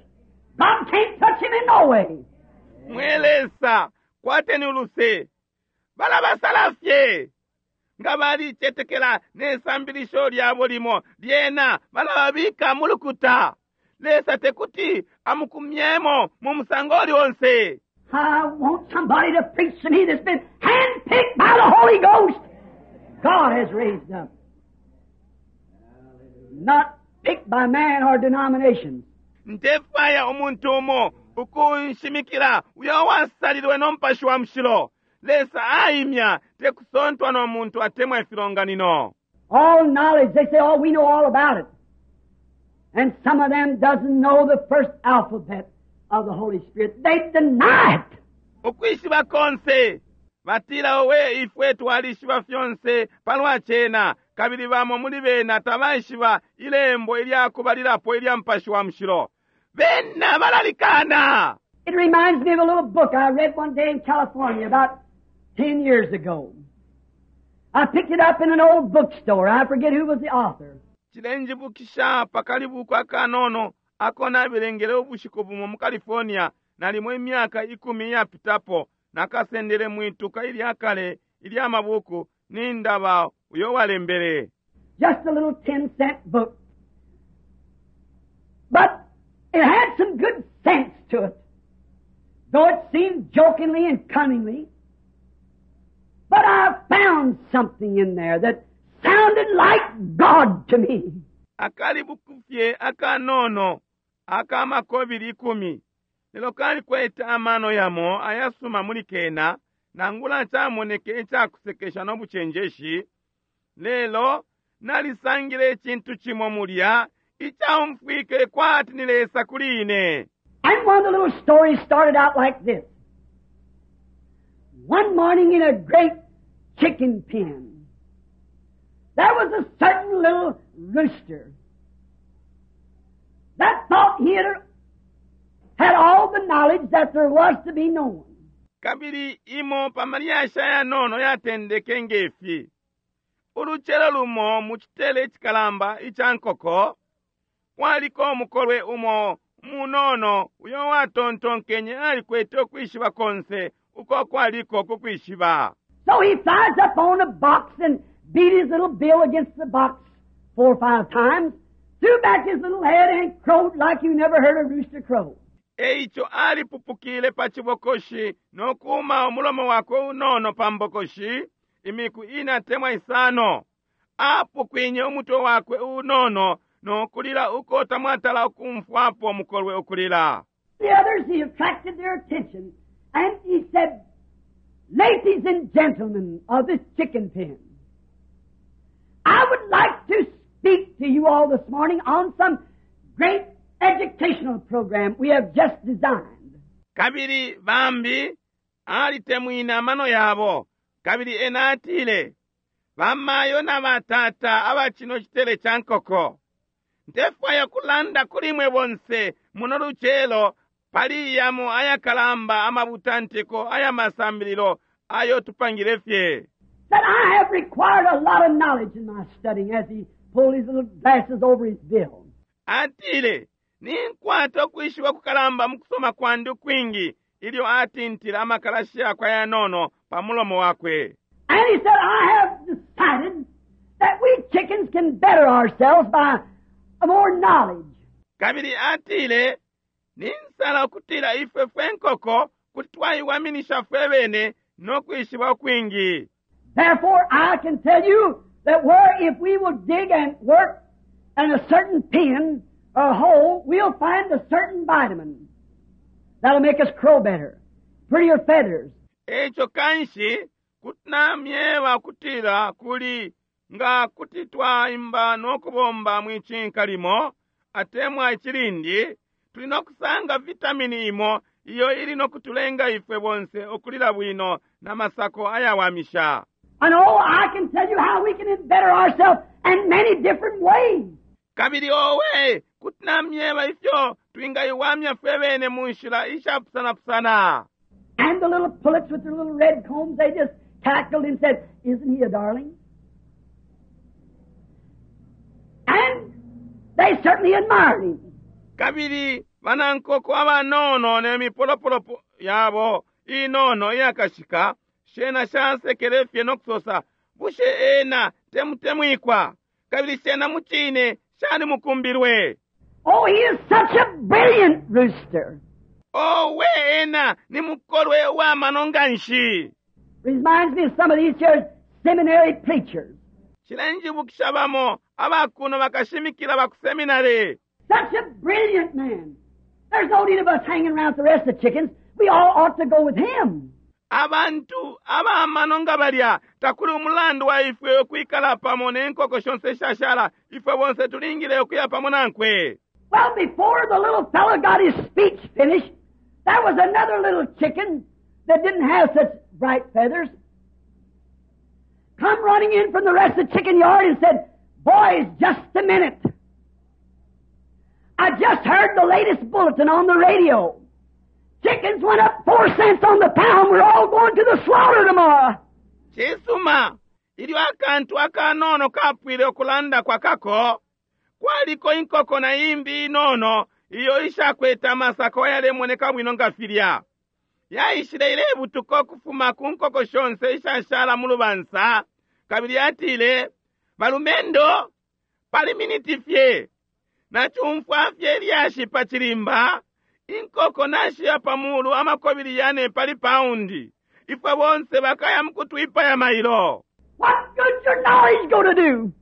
God can't touch him in no way. Mwelesa kwateni uluse. Balabasala fye. Nga balicetekela ne sambilisho lyabo limo, lyena balababika mu lukuta. Lesa tekuti amukumyemo mu musango uli onse. I want somebody to preach to me that's been handpicked by the Holy Ghost. God has raised up. Not picked by man or denominations. Ndefwaya umuntu umo ukunshimikila uyo wasalilwe no Mupashi wa Mushilo. Lesa aimya tekusontwa no muntu atemwa ifilonganino. All knowledge, they say, oh, we know all about it. And some of them doesn't know the first alphabet of the Holy Spirit. They deny it. Ukwishiba konse batila owe ifwe twalishiba fyonse palwa cena, kabili bamo muli bena tabaishiba ilembo ilyakubalilapo ilya Mupashi wa Mushilo. Bena balalikana. It reminds me of a little book I read one day in California about ten years ago. I picked it up in an old bookstore. I forget who was the author. Cilenjibukisha pakalibuku akanono ako nabelengele ubushiku bumo mu California nalimo imyaka ikumi iyapitapo. Nakasendele mwituka ilyakale ilyamabuku nindaba uyo walembele. Just a little ten cent book. But it had some good sense to it. Though it seemed jokingly and cunningly. But I found something in there that sounded like God to me. Akalibuku fye akanono akamakobili ikumi. Lelo kalikwete amano yamo ayasuma muli kena, nangula camoneke icakusekesha no bucenjeshi. Lelo nalisangile icintu cimo mulya icaumfwike kwati ni Lesa kuli ine. And one of the little stories started out like this. One morning in a great chicken pen, there was a certain little rooster that thought he had, had all the knowledge that there was to be known. Kabili imo pamalyashi ayanono yatendeke ngefi. Ulucelo lumo mu citele icikalamba ica nkoko, kwaliko umukolwe umo munono uyo watontonkenye alikwete ukwishiba konse uko kwaliko kukwishiba. So he flies up on a box and beat his little bill against the box four or five times, threw back his little head and crowed like you never heard a rooster crow. Eico alipupukile pa cibokoshi no kuuma umulomo wakwe unono pa mbokoshi imiku ina temwa isano. Apukwinye umutwe wakwe unono no kulila uko tamwatala ukumfwapo mukolwe ukulila. The others, he attracted their attention, and he said, Ladies and gentlemen of this chicken pen, I would like to speak to you all this morning on some great educational program we have just designed. Kabili bambi alitemwina amano yabo, kabili ena atile, bamayo na batata aba cino citele ca nkoko, ndefwaya kulanda kuli mwe bonse muno lucelo pali yamo ayakalamba amabutantiko aya masambililo ayo tupangile fye. That I have required a lot of knowledge in my studying, as he pulled his little glasses over his bill. Atile, ninkwata ukwishiba kukalamba mu kusoma kwandi ukwingi, ilyo atintila amakalashi yakwe ayanono pa mulomo wakwe. And he said, I have decided that we chickens can better ourselves by more knowledge. Kabili atile, ninsala ukutila ifwe fwe nkoko kuti twaiwaminisha fwe bene no kwishiba ukwingi. Therefore, I can tell you that where if we will dig and work in a certain pen or hole, we'll find a certain vitamin that'll make us crow better, prettier feathers. Eco kanshi kuti namyeba kutila kuli nga kuti twaimba no kubomba mwicinka limo atemwa icilindi, tuli no kusanga vitamini imo iyo ili no kutulenga ifwe bonse ukulila bwino na masako ayawamisha. And oh, I can tell you how we can better ourselves in many different ways. Kabili owe kuti namyeba ifyo twingaiwamya fwe bene mu nshila ishapusanapusana. And the little pullets with their little red combs, they just cackled and said, Isn't he a darling? And they certainly admired him. Kabili banankoko abanono ne mipolopolo yabo inono iyakashika shena shasekele fye no kusosa, Bushe ena temutemwikwa? Kabili cena mucine cali mukumbilwe. Oh, he is such a brilliant rooster. Owe, ena ni mukolwe uwamano nganshi. Reminds me of some of these here seminary preachers. Cilenjibukisha bamo abakuno bakashimikila baku seminary. Such a brilliant man. There's no need of us hanging around with the rest of the chickens. We all ought to go with him. Abantu abamano nga balya, takuli umulandu wa ifwe ukwikala pamo ne nkoko shonse shashala. Ifwe bonse tulingile ukuya pamo nankwe. Well, before the little fellow got his speech finished, there was another little chicken that didn't have such bright feathers come running in from the rest of the chicken yard and said, "Boys, just a minute. I just heard the latest bulletin on the radio. Chickens went up four cents on the pound. We're all going to the slaughter tomorrow." Cisuma, ilyo akantu akanono kapwile ukulanda kwa kako, kwaliko inkoko na imbi inono iyo ishakwete amasako ayalemoneka bwino nga filya. Yaishile ilebutuka ukufuma ku nkoko shonse ishashala mu lubansa, kabili yatile, "Balumendo, pali miniti fye, nacumfwa fye lyashi pa chilimba, inkoko nashiya pa mulu amakobili yane pali paundi. Ifwe bonse bakaya mukutwipaya mailo." What good's your knowledge going to do?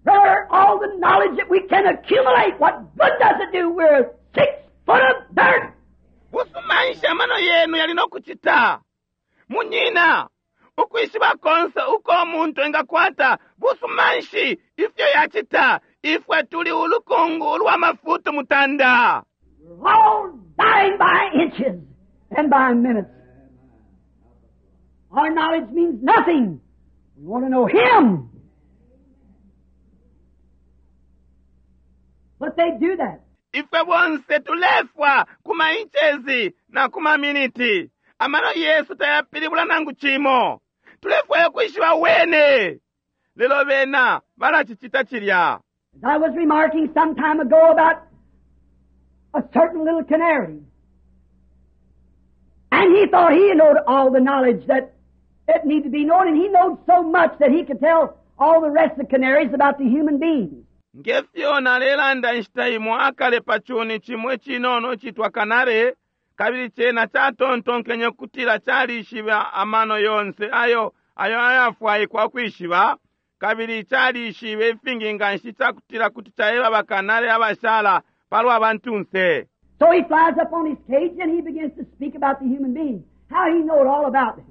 Brother, all the knowledge that we can accumulate, what good does it do? We're six foot of dirt. Busuma nshi amano yenu yali nokucita? Munyina, ukwishiba konse uko umuntu engakwata, busuma nshi ifyo yacita? Ifwe tuli ulukungu ulwa mafutu mutanda. We're all dying by inches and by minutes. Our knowledge means nothing. We want to know Him. But they do that. Ifwe bonse tulefwa kuma inches na kuma miniti. Amano Yesu tayapilibula nangu chimo. Tulefwa kwishiba wene. Lelo bena balachicita chilya. As I was remarking some time ago about a certain little canary. And he thought he knowed all the knowledge that it needed to be known, and he knowed so much that he could tell all the rest of the canaries about the human beings. Ngefyo nalelanda inshita imo akale pa chuni chimwe chinono chitwa kanare, kabili chena chatontonkenye kutila chalishiba amano yonse ayo ayo ayafwaikwa kwishiba, kabili chalishibe ifingi nganshi chakutila kuti chaeba bakanare abashala palwa bantunse. So he flies up on his cage and he begins to speak about the human being, how he knowed all about it.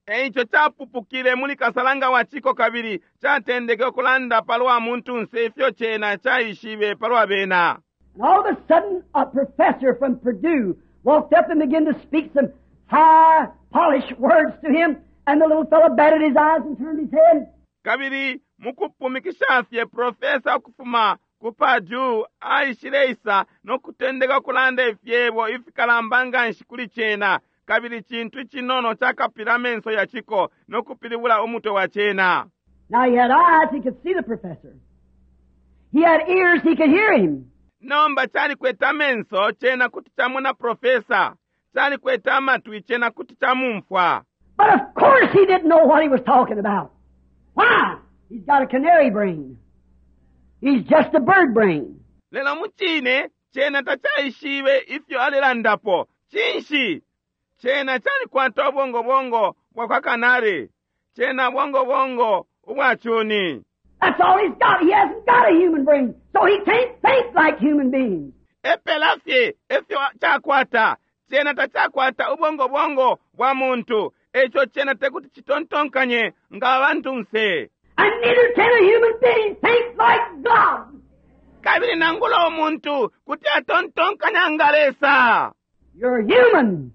Eicho chapupukile muli kasalanga wa chiko kabili chatendeke okulanda palwa muntunse ifyo chena chaishibe palwa bena. And all of a sudden a professor from Purdue walked up and began to speak some high, polished words to him, and the little fellow batted his eyes and turned his head. Kabili mukupumikisha fye profesa okufuma ku Purdue aishileisa nokutendeka okulanda ifyebo ifikalamba nganshi kuli chena, kabili chintu chinono chakapila amenso ya chiko nokupilibula umutwe wa chena. Now he had eyes, he could see the professor. He had ears, he could hear him. Nomba chalikwete amenso chena kuti chamona profesa, chalikwete amatwi chena kuti chamumfwa. But of course he didn't know what he was talking about. Why? He's got a canary brain. He's just a bird brain. Lelo muchine chena tachaishibe ifyo alilandapo. Chinshi chena chalikwata ubongo bongo bwa kwa kanari, chena bongo bongo ubwa chuni. That's all he's got. He hasn't got a human brain, so he can't think like human beings. Epela fye efyo chakwata, chena tachakwata ubongo bongo bwa muntu, echo chena tekuti chitontonkanye nga bantunse. And neither can a human being think like God. Kabili nangula omuntu kuti atontonkanya nga Lesa. You're human.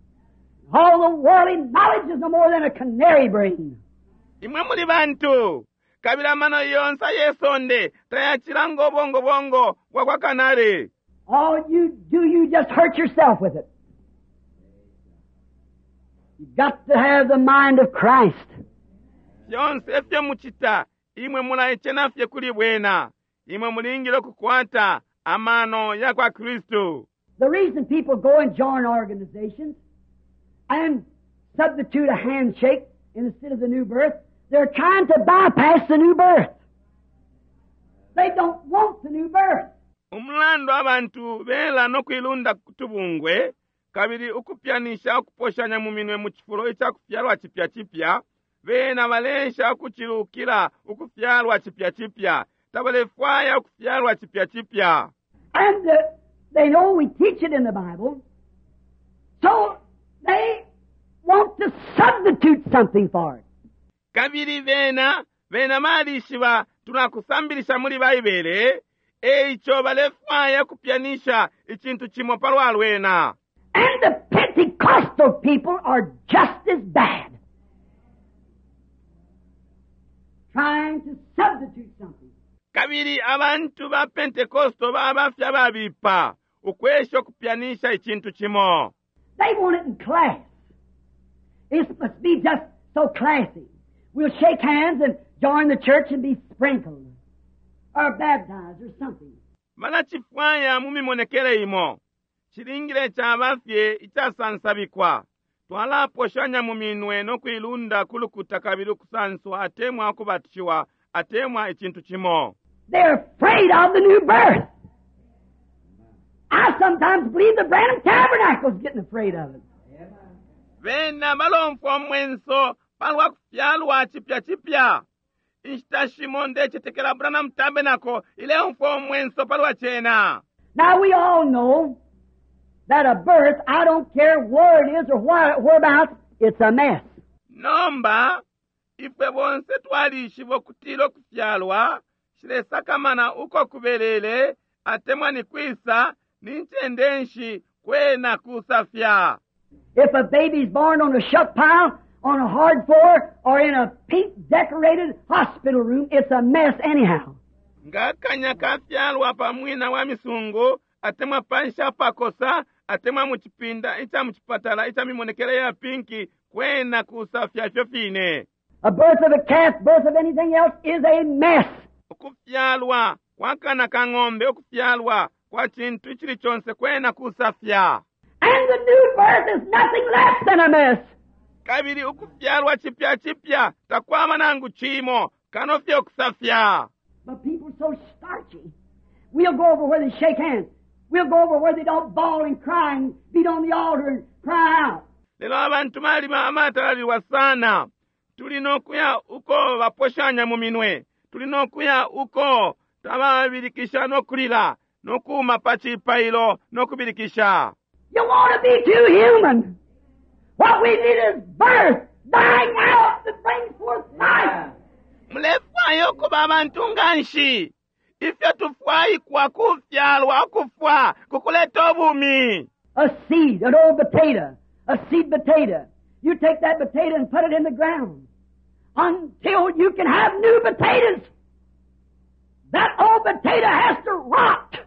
All the worldly knowledge is no more than a canary brain. Imwe muli bantu. Kabili amano yonse yesonde tayachilanga obongo bongo bwa kwa kanari. All you do, you just hurt yourself with it. You've got to have the mind of Christ. Yonse efyo muchita, imwe mulaichena fye kuli bwena. Imwe mulingile okukwata amano ya kwa Kristu. The reason people go and join organizations and substitute a handshake instead of the new birth, They're trying to bypass the new birth. They don't want the new birth. Umulandu abantu bela nokuilunda kutubungwe kabili ukupyanisha ukuposhanya mu minwe mu cifulo icakufyalwa cipya cipya, bena balesha ukucilukila ukufyalwa cipya cipya, tabalefwaya ukufyalwa cipya cipya. And uh, they know we teach it in the Bible, so they want to substitute something for it. Kabili bena bena balishiba tulakusambilisha muli Baibele, eico balefwaya kupyanisha icintu cimo palwa lwena. And the Pentecostal people are just as bad. Trying to substitute something. Kabili abantu ba Pentecosto baba fye ababipa, ukwesha ukupyanisha icintu cimo. They want it in class. It must be just so classy. We'll shake hands and join the church and be sprinkled or baptized or something. Balacifwaya mu mimonekele imo. Cilingile caba fye icasansabikwa. Twalaposhanya mu minwe no kuilunda ku lukuta kabili ukusanswa atemwa ukubatishiwa atemwa icintu cimo. They're afraid of the new birth. I sometimes believe the Branham Tabernacle's getting afraid of it. Bena balomfwa umwenso palwa kufyalwa cipya cipya. Inshita shimo ndecetekela Branham Tabernacle ileumfwa umwenso palwa cena. Now we all know that a birth, I don't care where it is or why, whereabouts, it's a mess. Nomba ifwe bonse twalishiba ukutila ukufyalwa shilesakamana uko kubelele atemwa ni kwisa ni ncende nshi kwena kusafya. If a baby's born on a shuck pile, on a hard floor, or in a pink decorated hospital room, it's a mess anyhow. Nga kanya kafyalwa pa mwina wa misungu atemwa panshi apakosa atemwa mu cipinda ica mu cipatala ica mimonekele ya pinki kwena kusafya ifyo fine. A birth of a calf, birth of anything else is a mess. Ukufyalwa kwa kana ka ng'ombe, ukufyalwa kwa cintu icili conse kwena kusafya. And the new birth is nothing less than a mess. Kabili ukufyalwa cipya cipya takwaba nangu cimo kano fye ukusafya. But people are so starchy. We'll go over where they shake hands. We'll go over where they don't bawl and cry and beat on the altar and cry out. Lelo abantu balima amatalalilwa sana. Tuli nokuya uko baposhanya mu minwe. Tuli nokuya uko tababilikisha nokulila nokuma pa cipailo nokubilikisha. You want to be too human. What we need is birth, dying out that brings forth life. Mulefwaya ukuba abantu nganshi. Ifyo tufwaikwa kufyalwa ukufwa kukuleta ubumi. A seed, an old potato, a seed potato. You take that potato and put it in the ground until you can have new potatoes. That old potato has to rot.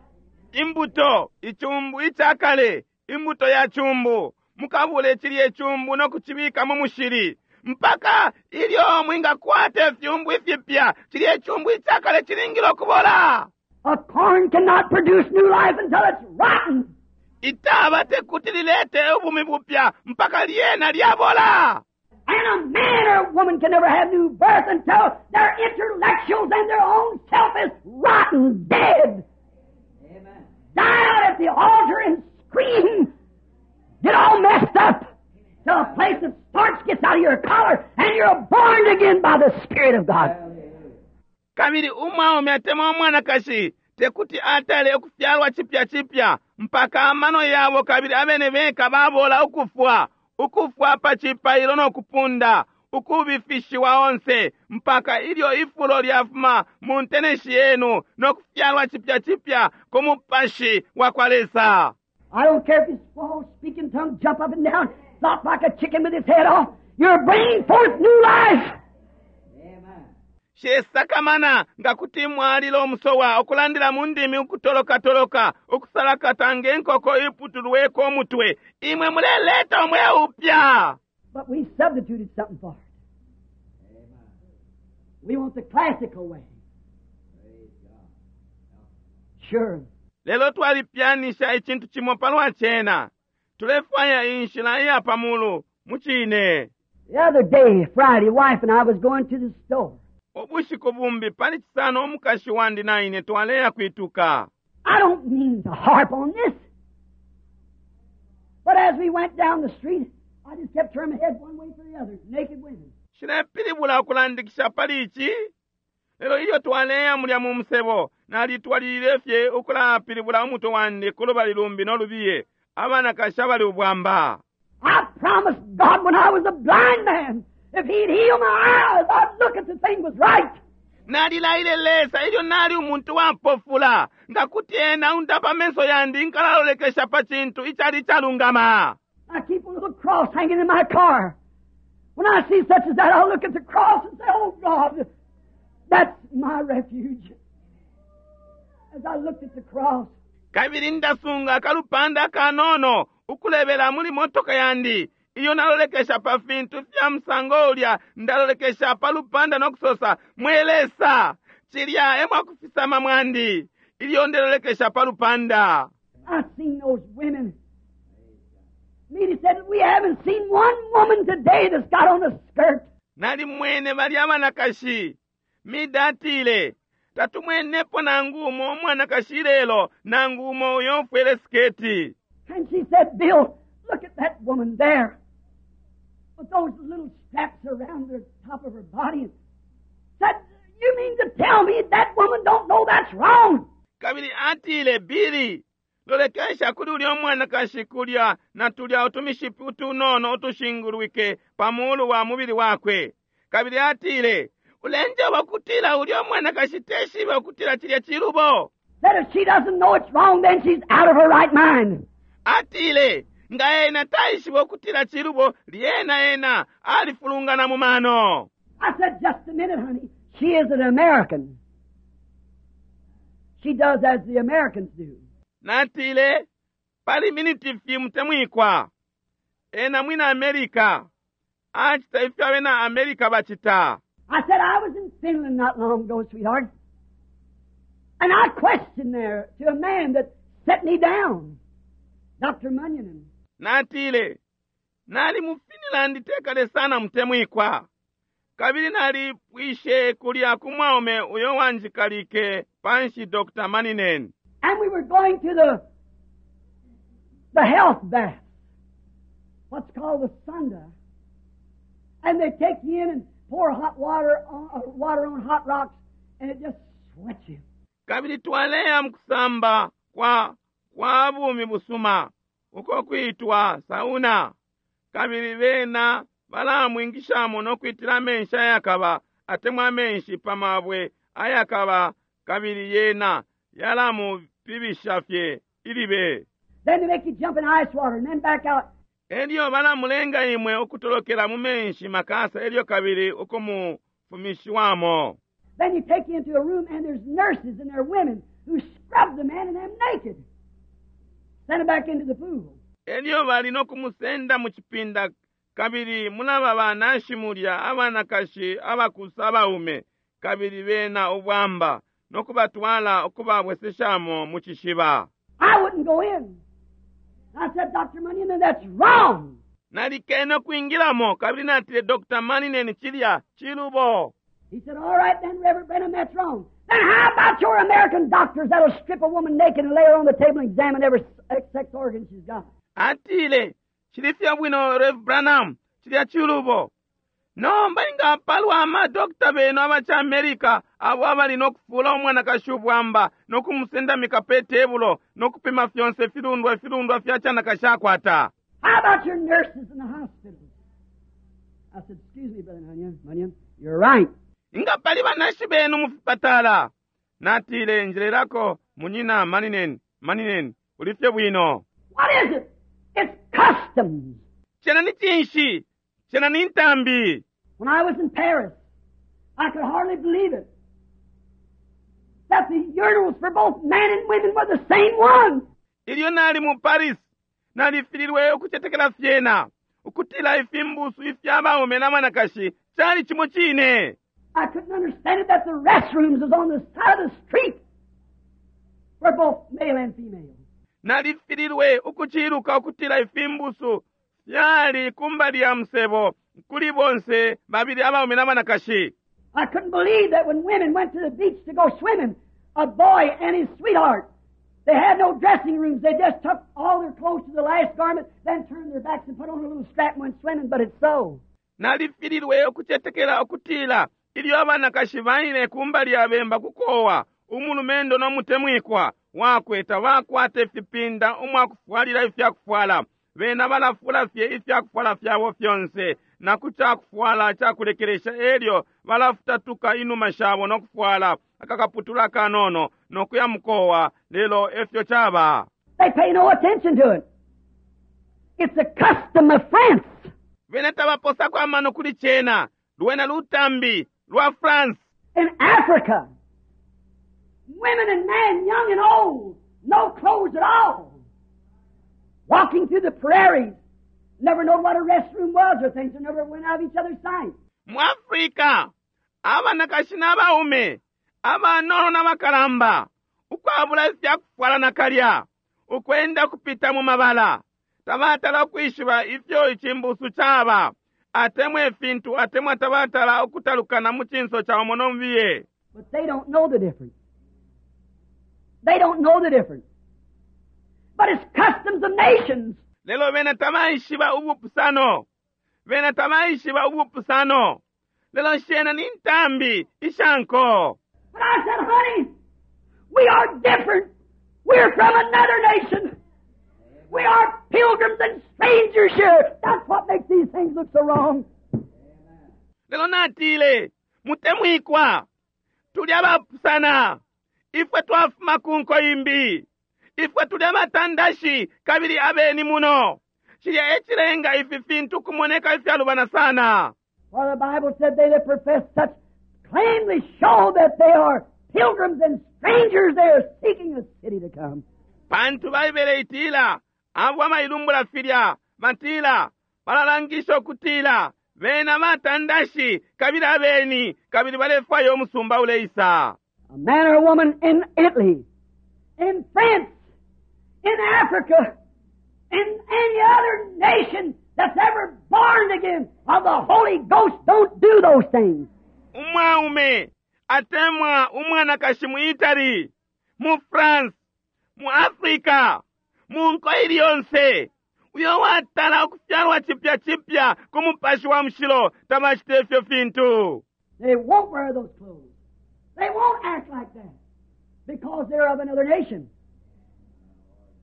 Imbuto, icumbu icakale, imbuto ya cumbu. Mukabule chilye chumbu nokuchibika mu mushili mpaka ilyo mwingakwata ifyumbu ifipya. Chilye chumbu icakale chilingile okubola. A corn cannot produce new life until it's rotten. Itaba tekuti lilete ubumi bupya mpaka lyena lyabola. And a man or a woman can never have new birth until their intellectuals and their own self is rotten, dead. Amen. Die out at the altar and scream. Get all messed up till a place of starch gets out of your collar and you're born again by the Spirit of God. Kabili umwaume atemwa umwanakashi tekuti atale ukufyalwa cipya cipya mpaka amano yabo kabili abene beka babola ukufwa, ukufwa pa cipailo no kupunda, ukubifishiwa onse mpaka ilyo ifulo lyafuma mu nteneshi yenu no kufyalwa cipya cipya ku mupashi wa kwa Lesa. I don't care if you swallow, speak in tongues, jump up and down, flop like a chicken with its head off. You're bringing forth new life. Amen. Shesakamana nga kuti mwalila omusowa okulandila mu ndimi ukutolokatoloka ukusalakata ng'enkoko iputulweko omutwe, imwe muleleta omwe upya. But we substituted something for it. Amen. We want the classical way. Praise God. Sure. Lelo twalipyanisha icintu cimo palwa cena. Tulefwaya inshila iya pamulu mu cine. The other day, Friday, wife and I was going to the store. Ubushiku bumbi pali Cisano umukashi wandi na ine twaleya kwituka. I don't mean to harp on this. But as we went down the street, I just kept turning my head one way for the other. Naked women. Nshilepilibula ukulandikisha pali ici, lelo ilyo twaleya mulya mu musebo nalitwalilile fye ukulapilibula umutwe wandi ku lubali lumbi no lubiye, abanakashi abali ubwamba. I promised God when I was a blind man, if He'd heal my eyes, I'd look at the thing was right. Nalilaile Lesa ilyo nali umuntu wapofula, nga kuti ena aundapa amenso yandi nkalalolekesha pa cintu icali icalungama. I keep a little cross hanging in my car. When I see such as that, I'll look at the cross and say, "Oh God, that's my refuge." As I looked at the cross, Kabili ndasunga akalupanda akanono ukulebela muli motoka yandi. Iyo nalolekesha pa fintu fya musango ulya, ndalolekesha pa lupanda no kusosa, "Mwe Lesa, cilya e mwakufisama mwandi." Ilyo ndelolekesha pa lupanda, I seen those women. Meda said, "We haven't seen one woman today that's got on a skirt." Nalimwene balya abanakashi. Mida atile, "Tatumwenepo nangu umo umwanakashi lelo, nangu umo uyo ufwele siketi." And she said, "Bill, look at that woman there, with those little straps around the top of her body." And said, "You mean to tell me that woman don't know that's wrong?" Kabili atile, "Billy, lolekesha kuli ulya umwanakashi kulya na tulya utumishipi utunono utushingulwike pa mulu wa mubili wakwe." Kabili atile, "Ulenjeba ukutila ulya umwanakashi teshibe ukutila cilya cilubo?" Said, "If she doesn't know it's wrong, then she's out of her right mind." Atile, "Nga ena taishiba ukutila cilubo, lyena ena alifulungana mu mano." I said, "Just a minute, honey. She is an American. She does as the Americans do." Natile, "Pali miniti fye, mutemwikwa. Ena mwina America. Acita ifyo abena America bacita." I said, "I was in Finland not long ago, sweetheart. And I questioned there to a man that set me down, Doctor Munyon." Natile, "Nali mu Finland tekale sana, mutemwikwa. Kabili nalipwishe kulya ku mwaume uyo wanjikalike panshi, Doctor Maninen." And we were going to the, the health bath, what's called the sauna. And they take you in and pour hot water on, uh, water on hot rocks, and it just sweats you. Kabili twaleya mukusamba kwa kwa bumi busuma uko kwitwa sauna, kabili bena balamwingishamo nokwitila amenshi ayakaba atemwa amenshi pa mabwe ayakaba, kabili yena yalamupibisha fye ilibe. Then they make you jump in ice water and then back out. Elyo balamulenga imwe ukutolokela mu menshi makasa elyo kabili ukumufumishiwamo. Then you take you into a room and there's nurses and there are women who scrub the man and them naked. Send him back into the pool. Elyo bali nokumusenda mu cipinda, kabili mulaba banashi mulya, abanakashi abakusa abaume, kabili bena ubwamba, nokubatwala ukubabweseshamo mu cishiba. I wouldn't go in. I said, "Doctor Munyon, that's wrong." Nalikene ukwingilamo, kabili natile, "Doctor Maninen, cilya cilubo." He said, "All right then, Reverend Branham, that's wrong. Then how about your American doctors that'll strip a woman naked and lay her on the table and examine every sex organ she's got?" Atile, "Cili fye bwino, Rev Branham, cilya cilubo. Nomba inga palwa amadokita benu abaca America abo abali nokufula umwanakashi ubwamba nokumusendamika pe tebulo nokupima fyonse filundwa ifilundwa fya canakashi akwata?" How about your nurses in the hospitals? I said, "Excuse me, Brother Munyon, Munyon, you're right." Inga pali banashi benu mu fipatala? Natile, "Njelelako, munyina Maninen, Maninen, uli fye bwino." What is it? It's customs. Cena ni cinshi? Cena ni ntambi. When I was in Paris, I could hardly believe it, that the urinals for both men and women were the same one. Ilyo nali mu Paris, nalifililwe ukucetekela fyena ukutila ifimbusu ifya baume na banakashi cali cimo cine. I couldn't understand it that the restrooms was on the side of the street for both male and female. Nalifililwe ukuciluka ukutila ifimbusu fyali kumbali ya musebo. Kuli bonse babili abaume n'abanakashi. I couldn't believe that when women went to the beach to go swimming, a boy and his sweetheart, they had no dressing rooms. They just took all their clothes to the last garment, then turned their backs and put on a little strap and went swimming, but it's so. Nalifililwe ukucetekela ukutila ilyo abanakashi baile kumbali ya bemba kukowa, umulumendo n'omutemwikwa wakwe tabakwata ifipinda umwakufwalila ifyakufwala. Bena balafula fye ifyakufwala fyabo fyonse na ku cakufwala cakulekelesha, elyo balafutatuka inuma shabo nokufwala akakaputula kanono nokuya mukowa, lelo efyo caba. They pay no attention to it. It's a custom of France. Bena tabaposako amano kuli cena, lwena lutambi lwa France. In Africa, women and men, young and old, no clothes at all, walking through the prairies, never know what a restroom was or things, and never went out of each other's sight. Mu Afrika, abanakashi n'abaume, abanono n'abakalamba, ukwabula ifyakufwala nakalya, ukwenda kupita mu mabala, tabatala ukwishiba ifyo icimbusu caba, atemwa ifintu, atemwa tabatala ukutalukana mu cinso ca umo nomubiye. But they don't know the difference. They don't know the difference. But it's customs of nations. Lelo bena tabaishiba ubupusano. Bena tabaishiba ubupusano. Lelo shena ni ntambi ishanko. But I said, "Honey, we are different. We're from another nation. We are pilgrims and strangers here. That's what makes these things look so wrong." Lelo natile, mutemwikwa, tuli abapusana. Ifwe twafuma ku nko imbi. Ifwe tuli abatandashi kabili abeni muno. Cilya e cilenga ifi fintu kumoneka ifyalubana sana. For the Bible said they that profess such plainly show that they are pilgrims and strangers. They are seeking a city to come. Pantu Baibele itila abo abailumbula filya batila balalangisha ukutila bena batandashi kabili abeni kabili balefwaya umusumba uleisa. A man or a woman in Italy, in France, in Africa, in any other nation that's ever born again of the Holy Ghost don't do those things. Umwaume atemwa umwanakashi mu Italy, mu France, mu Africa, mu nko ili yonse uyo watala ukufyalwa cipya cipya ku Mupashi wa Mushilo tabacita ifyo fintu. They won't wear those clothes. They won't act like that because they're of another nation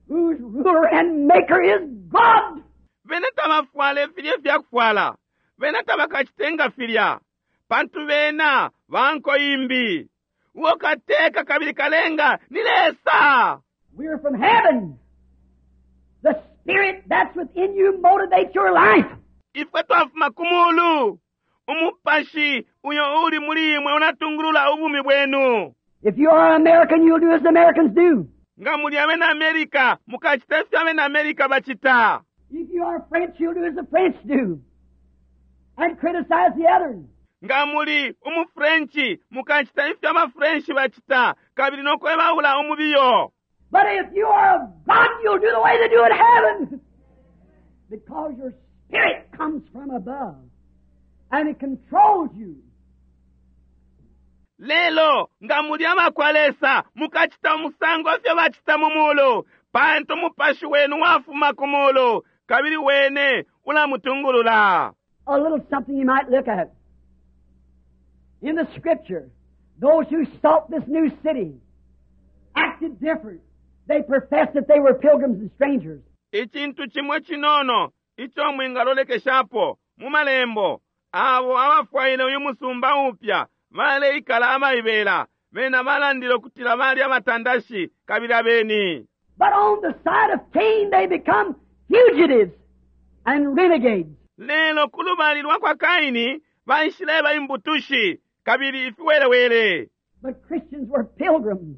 whose ruler and maker is God. Bena tabafwala filya ifyakufwala, bena tabakacitenga filya pantu bena banko imbi, uo kateka kabili kalenga ni Lesa. We're from heaven. The Spirit that's within you motivates your life. Ifwe twafuma ku mulu. Umupashi uyo uli muli imwe unatungulula ubumi bwenu. If you are American, you'll do as the Americans do. Nga muli abena America, mukacita ifyo abena America bacita. If you are French, you'll do as the French do and criticize the others. Nga muli umufrenchi, mukacita ifyo abafrenchi bacita kabili nokwebaula umubiyo. But if you are of God, you'll do the way they do in heaven. Because your spirit comes from above and it controls you. Lelo nga muli abakwa Lesa, mukacita umusango ifyo bacita mu mulu, pantu umupashi wenu wafuma ku mulu kabili wene ulamutungulula. A little something you might look at. In the Scripture, those who sought this new city acted different. They professed that they were pilgrims and strangers. Icintu cimwe cinono ico mwingalolekeshapo mu malembo, abo abafwaile uyu musumba upya baleikala abaibela, bena balandile ukutila bali abatandashi kabili abeni. But on the side of Cain, they become fugitives and renegades. Lelo ku lubali lwa kwa Kaini baishileba imbutushi kabili ifiwelewele. But Christians were pilgrims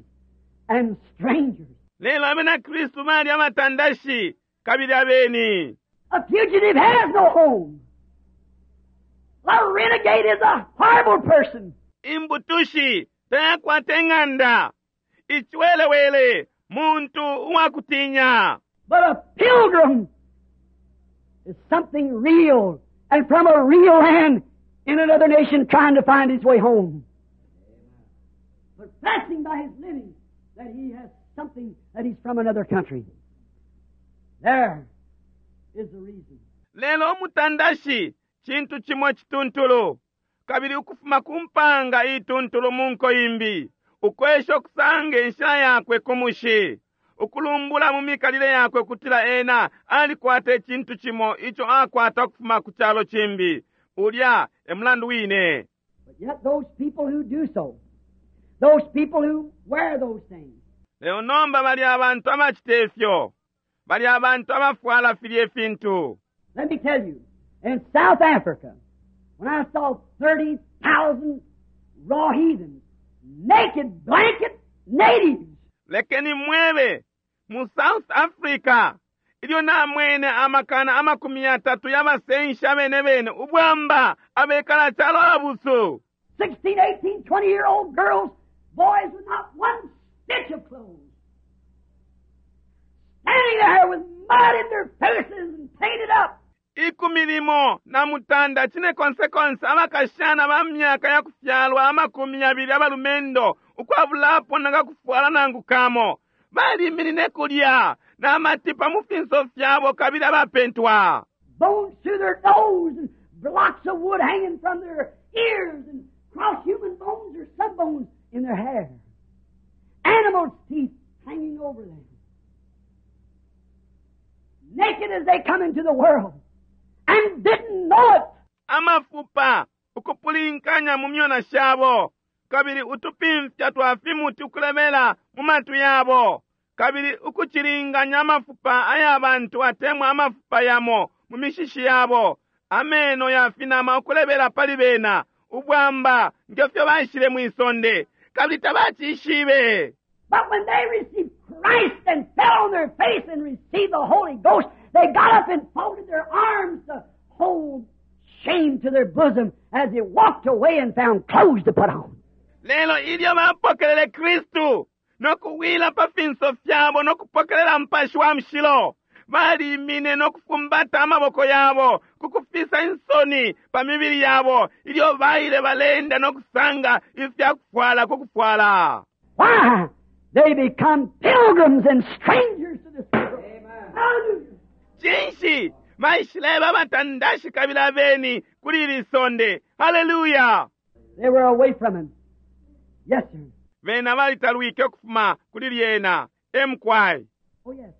and strangers. Lelo abena Kristu bali abatandashi kabili abeni. A fugitive has no home. A renegade is a horrible person. Imbutushi tayakwata ing'anda. Iciwelewele muntu uwakutinya. But a pilgrim is something real and from a real land in another nation trying to find his way home. Professing by his living that he has something, that he's from another country. There is the reason. Lelo umutandashi cintu cimo cituntulu kabili ukufuma ku mpanga ituntulu mu nko imbi ukwesha okusanga inshila yakwe ku mushi ukulumbula mu mikalile yakwe ukutila ena alikwata icintu cimo ico akwata ukufuma ku calo cimbi ulya e mulandu wine. But yet those people who do so, those people who wear those things, Lelo nomba bali abantu abacita ifyo bali abantu abafwala filya ifintu. Let me tell you, in South Africa, when I saw thirty thousand raw heathens, naked blanket natives, Lekeni mwebe mu South Africa ilyo namwene amakana amakumi yatatu y'abasenshi abene bene ubwamba abekala calo abusu. sixteen, eighteen, twenty year old girls, boys with not one stitch of clothes, standing there with mud in their faces and painted up. Ikumi limo na mutanda cine konsekonse abakashana ba myaka ya kufyalwa amakumi yabili abalumendo ukwabulapo nangakufwala nangu kamo baliminine kulya n'amatipa mu finso fyabo kabili abapentwa. Bones through their nose and blocks of wood hanging from their ears and cross human bones or some bones in their hair. Animals' teeth hanging over them. Naked as they come into the world and didn't know it. Amafupa ukupulinkanya mu myona shabo kabili utupimfya twa fimuti ukulemela mu matwi yabo kabili ukucilinganya amafupa aya bantu atemwa amafupa yamo mu mishishi yabo ameno ya finama ukulebela pali bena ubwamba ngefyo baishile mwisonde kabili tabacishibe. But when they received Christ and fell on their face and received the Holy Ghost, they got up and folded their arms to hold shame to their bosom as they walked away and found clothes to put on. Lelo ilyo bapokelele Kristu nokuwila pa finso fyabo nokupokelela Mupashi wa Mushilo balimine nokufumbata amaboko yabo kukufisa insoni pa mibili yabo ilyo baile balenda nokusanga ifyakufwala kukufwala. Why? They become pilgrims and strangers to this world. Hallelujah. Cinshi baishileba abatandashi kabili abeni kuli ili sonde. Haleluya. They were away from him. Yes, sir. Bena balitalwike ukufuma kuli lyena emkwai. Oh, yes.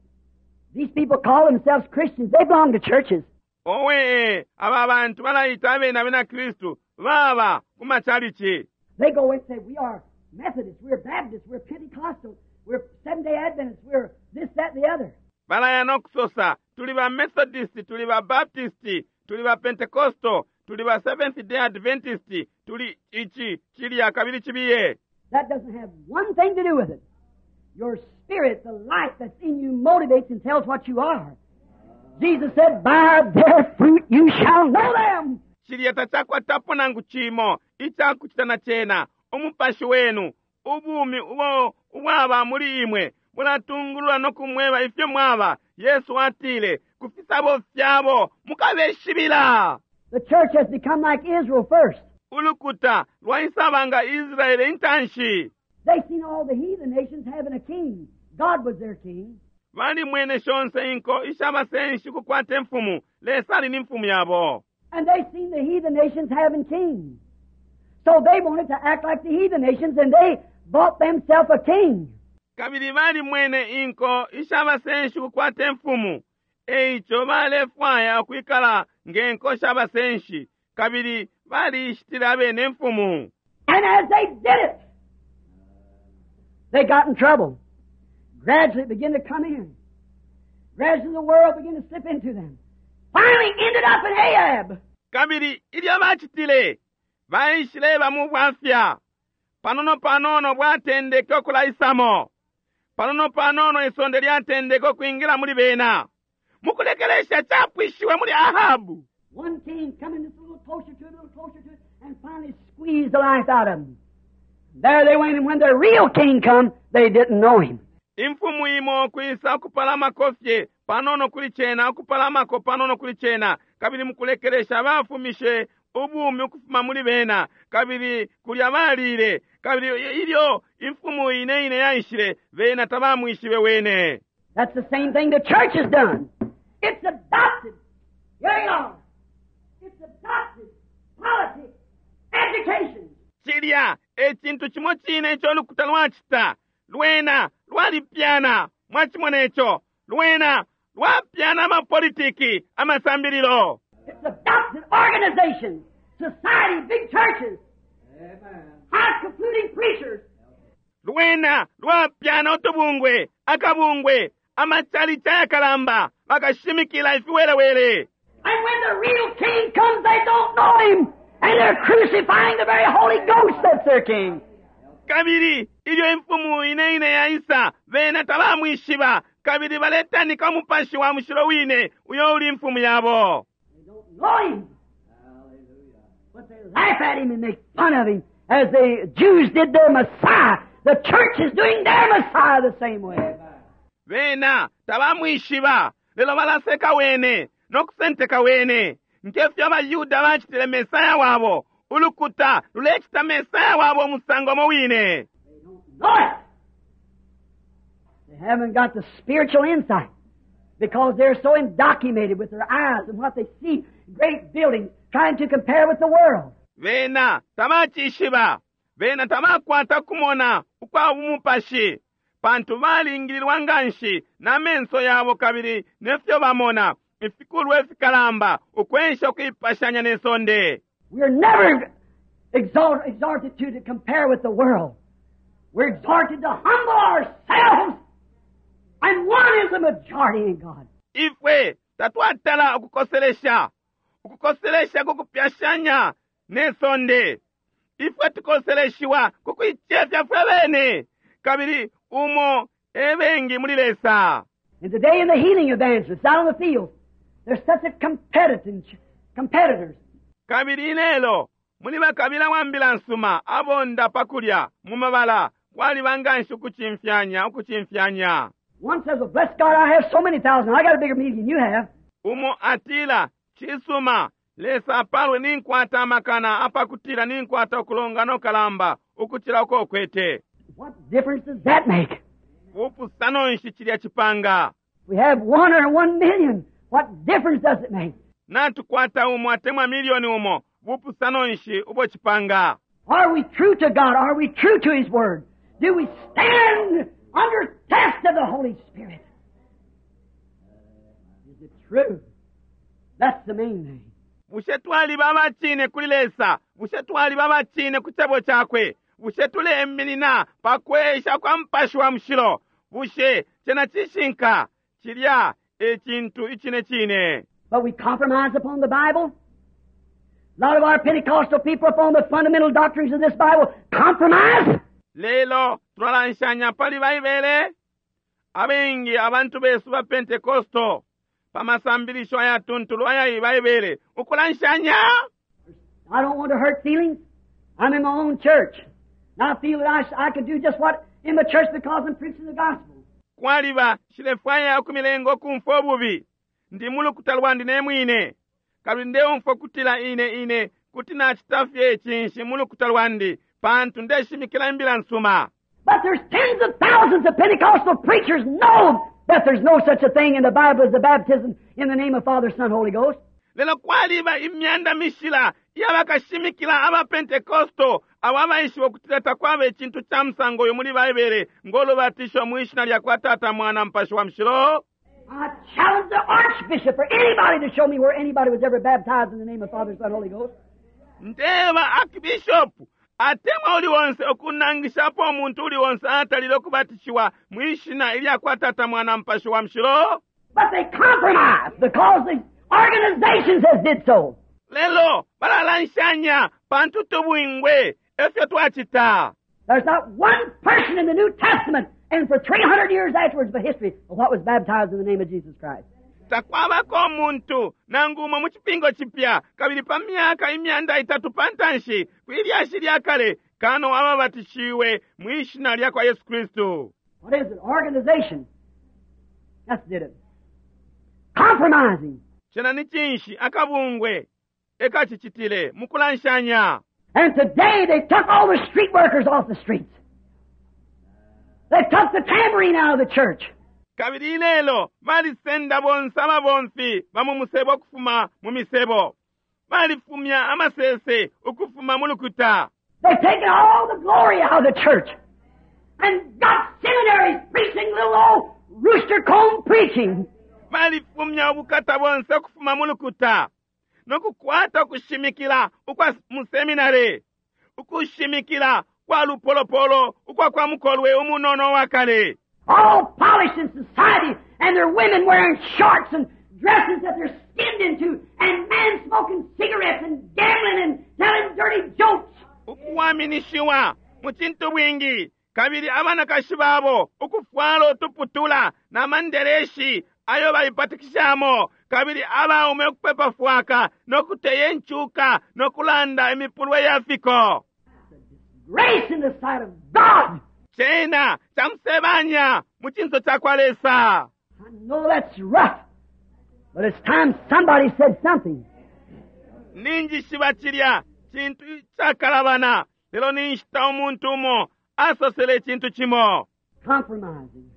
These people call themselves Christians. They belong to churches. Owe aba bantu balayita abene abena Kristu baba ku machalichi. They go and say, "We are Methodists, we're Baptists, we're Pentecostal, we're Seventh day Adventists, we're this, that, and the other." Balaya n'okusosa tuli ba Methodist, tuli ba Baptist, tuli ba Pentecostal, tuli ba Seventh Day Adventist, tuli ichi chilya kabili chibiye. That doesn't have one thing to do with it. Your spirit, the life that's in you, motivates and tells what you are. Jesus said, "By their fruit you shall know them." Chilya tachakwatapo nangu chimo ichakuchita na chena umupashi wenu ubumi ubo ubwaba muli imwe bulatungulula nokumweba ifyo mwaba. Yesu atile ku fisabo fyabo mukabeshibila. The church has become like Israel first. Ulukuta lwaisaba nga Israele intanshi. They seen all the heathen nations having a king. God was their king. Balimwene shonse inko ishabasenshi kukwata imfumu. Lesa ali ni mfumu yabo. And they seen the heathen nations having kings. So they wanted to act like the heathen nations, and they bought themselves a king. Kabili balimwene inko ishabasenshi kukwata imfumu eico balefwaya ukwikala nge nko shabasenshi kabili balishitile abene imfumu. And as they did it, they got in trouble. Gradually it began to come in. Gradually the world began to slip into them. Finally ended up in Ahab. Kabili ilyo bacitile baishileba mu bwafya panono panono bwatendeke okulaisamo panono panono isonde lyatendeke okwingila muli bena mukulekelesha chapwishiwe muli Ahabu. One king coming just a little closer to it, a little closer to it, and finally squeezed the life out of them. There they went, and when the real king come, they didn't know him. Imfumu imo kwisa okupalamako fye panono kuli cena okupalamako panono kuli cena Kabili mukulekelesha bafumishe ubumi ukufuma muli bena, kabili kulya balile. Kabili ilyo imfumu ine ine yaishile, bena tabamwishibe wene. That's the same thing the church has done. It's adopted. Here you are. It's adopted. Politics, education. Cilya e cintu cimo cine ico ulukuta lwacita. Lwena lwalipyana. Mwacimona ico? Lwena lwapyana amapolitiki, amasambililo. It's adopted organizations, society, big churches, Amen. high concluding preachers. Lwena lwapyana utubungwe, akabungwe, amachalichi ayakalamba, bakashimikila ifiwelewele. And when the real king comes, they don't know him. And they're crucifying the very Holy Ghost that's their king. Kabili ilyo imfumu ine ine yaisa, bena tabamwishiba, kabili baletanika umupashi wa mushilo wine uyo uli imfumu yabo. They don't know him. Hallelujah. But they laugh at him and make fun of him as the Jews did their Messiah. The church is doing their Messiah the same way. Amen. Bena tabamwishiba, lelo balaseka wene nokusenteka wene ngefyo abayuda bacitile Mesaya wabo. Ulukuta lulecita Mesaya wabo umusango mo wine. They don't know it. They haven't got the spiritual insight because they're so indoctrinated with their eyes and what they see, great buildings, trying to compare with the world. Bena tabacishiba. Bena tabakwata kumona ukwa bumupashi, pantu balingililwa nganshi na menso yabo kabili nefyo bamona ifikulwa ifikalamba ukwensha ukuipashanya ne sonde. We are never exalt, exhorted to, to compare with the world. We're exhorted to humble ourselves, and one is the majority in God. Ifwe tatwatala ukukoselesha ukukoselesha kukupyashanya ne sonde. Ifwe tukoseleshiwa kukuicefya fwe bene, kabili umo ebengi muli Lesa. And today in the healing evangelists out on the field, there's such a competitive, competitors. Kabili ilelo muli bakabila wa mbila nsuma abonda pakulya mu mabala, kwaliba nganshi ukucimfyanya, ukucimfyanya. One says, "Well, bless God, I have so many thousand. I got a bigger meeting than you have." Umo atila, "Cisuma, Lesa apalwe, ninkwata amakana apakutila ninkwata ukulongana ukalamba ukucila uko ukwete." What difference does that make? Bupusano nshi cilya cipanga? We have one or one million. What difference does it make? Natukwata umo atemwa milioni umo, bupusano nshi ubo cipanga? Are we true to God? Are we true to His Word? Do we stand under test of the Holy Spirit? Is it true? That's the main thing. Bushe twaliba abacine kuli Lesa? Bushe twaliba abacine ku cebo cakwe? Bushe tuleminina pa kwesha kwa Mupashi wa Mushilo? Bushe cena cishinka? Cilya e cintu icine cine. But we compromise upon the Bible. A lot of our Pentecostal people upon the fundamental doctrines of this Bible compromise. Lelo tulalanshanya pali Baibele. Abengi abantu besu ba Pentecosto pa masambilisho ayatuntulu aya Baibele ukulanshanya. I don't want to hurt feelings. I'm in my own church. And I feel that I, I could do just what in my church because I'm preaching the gospel. Kwaliba shilefwaya ukumilenga ukumfwa ububi. Ndi mu lukuta lwandi ne mwine, kabili ndeumfwa kutila ine ine kuti nacita fye cinshi mu lukuta lwandi pantu ndeshimikila imbila nsuma. But there's tens of thousands of Pentecostal preachers know that there's no such a thing in the Bible as the baptism in the name of Father, Son, Holy Ghost. Lelo kwaliba imyanda mishila y'abakashimikila aba Pentekosto abo abaishiba ukutila takwaba icintu ca musango uyu muli Baibele ng'olubatisho mu ishina lya kwa Tata, Mwana, Mupashi wa Mushilo. I challenge the archbishop or anybody to show me where anybody was ever baptized in the name of Father, Son, Holy Ghost. Ndeba archbishop atemwa uli wonse okunangishapo omuntu uli wonse atalile okubatishiwa mu ishina ilya kwa Tata, Mwana, Mupashi wa Mushilo. But they compromise because the organizations has did so. Lelo balalanshanya pantu tubwingwe efyo twacita. There's not one person in the New Testament and for three hundred years afterwards the history of what was baptized in the name of Jesus Christ. Takwabako omuntu nangu umo mu cipingo cipya kabili pa myaka imyanda itatu pantanshi kwilyashi lya kale kano ababatishiwe mu ishina lya kwa Yesu Kristu. What is it? Organization. That's did it. Compromising. Cena ni cinshi akabungwe ekacicitile mukulanshanya. And today they took all the street workers off the streets. They took the tambourine out of the church. Kabili ilelo balisenda bonse ababomfi ba mu musebo ukufuma mu misebo. Balifumya amasese ukufuma mu lukuta. They've taken all the glory out of the church. And got seminaries preaching little old rooster comb preaching. Balifumya ubukata bonse ukufuma mu lukuta nokukwata ukushimikila ukwa mu seminary, ukushimikila kwa lupolopolo ukwa kwa mukolwe umunono wa kale. All polished in society, and their women wearing shorts and dresses that they're skinned into, and men smoking cigarettes and gambling and telling dirty jokes. Ukuwaminishiwa mu cintu bwingi, kabili abanakashi babo ukufwala utuputula na mandereshi ayo baipatikishamo, kabili abaume ukupepa fwaka nokuteya incuka nokulanda imipulwe ya fiko. Grace in the sight of God. Cena camusebanya mu cinso ca kwa Lesa. I know that's rough, but it's time somebody said something. Ninjishiba cilya cintu cakalabana, lelo ninshita umuntu umo asosele icintu cimo. Compromising.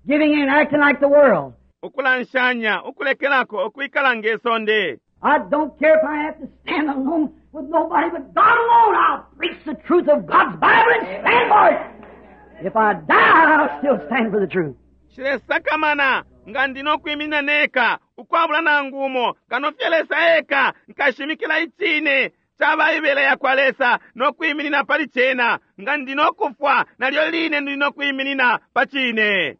Giving in, acting like the world. Ukulanshanya, ukulekelako, ukwikala nge sonde. I don't care if I have to stand alone with nobody but God alone. I'll preach the truth of God's Bible and stand for it. If I die, I'll still stand for the truth. Nshilesakamana nga ndi nokwiminina neka ukwabula nangu umo kano fye Lesa eka, nkashimikila icine ca Baibele yakwa Lesa nokwiminina pali cena. Nga ndi nokufwa, nalyo line ndi nokwiminina pa cine.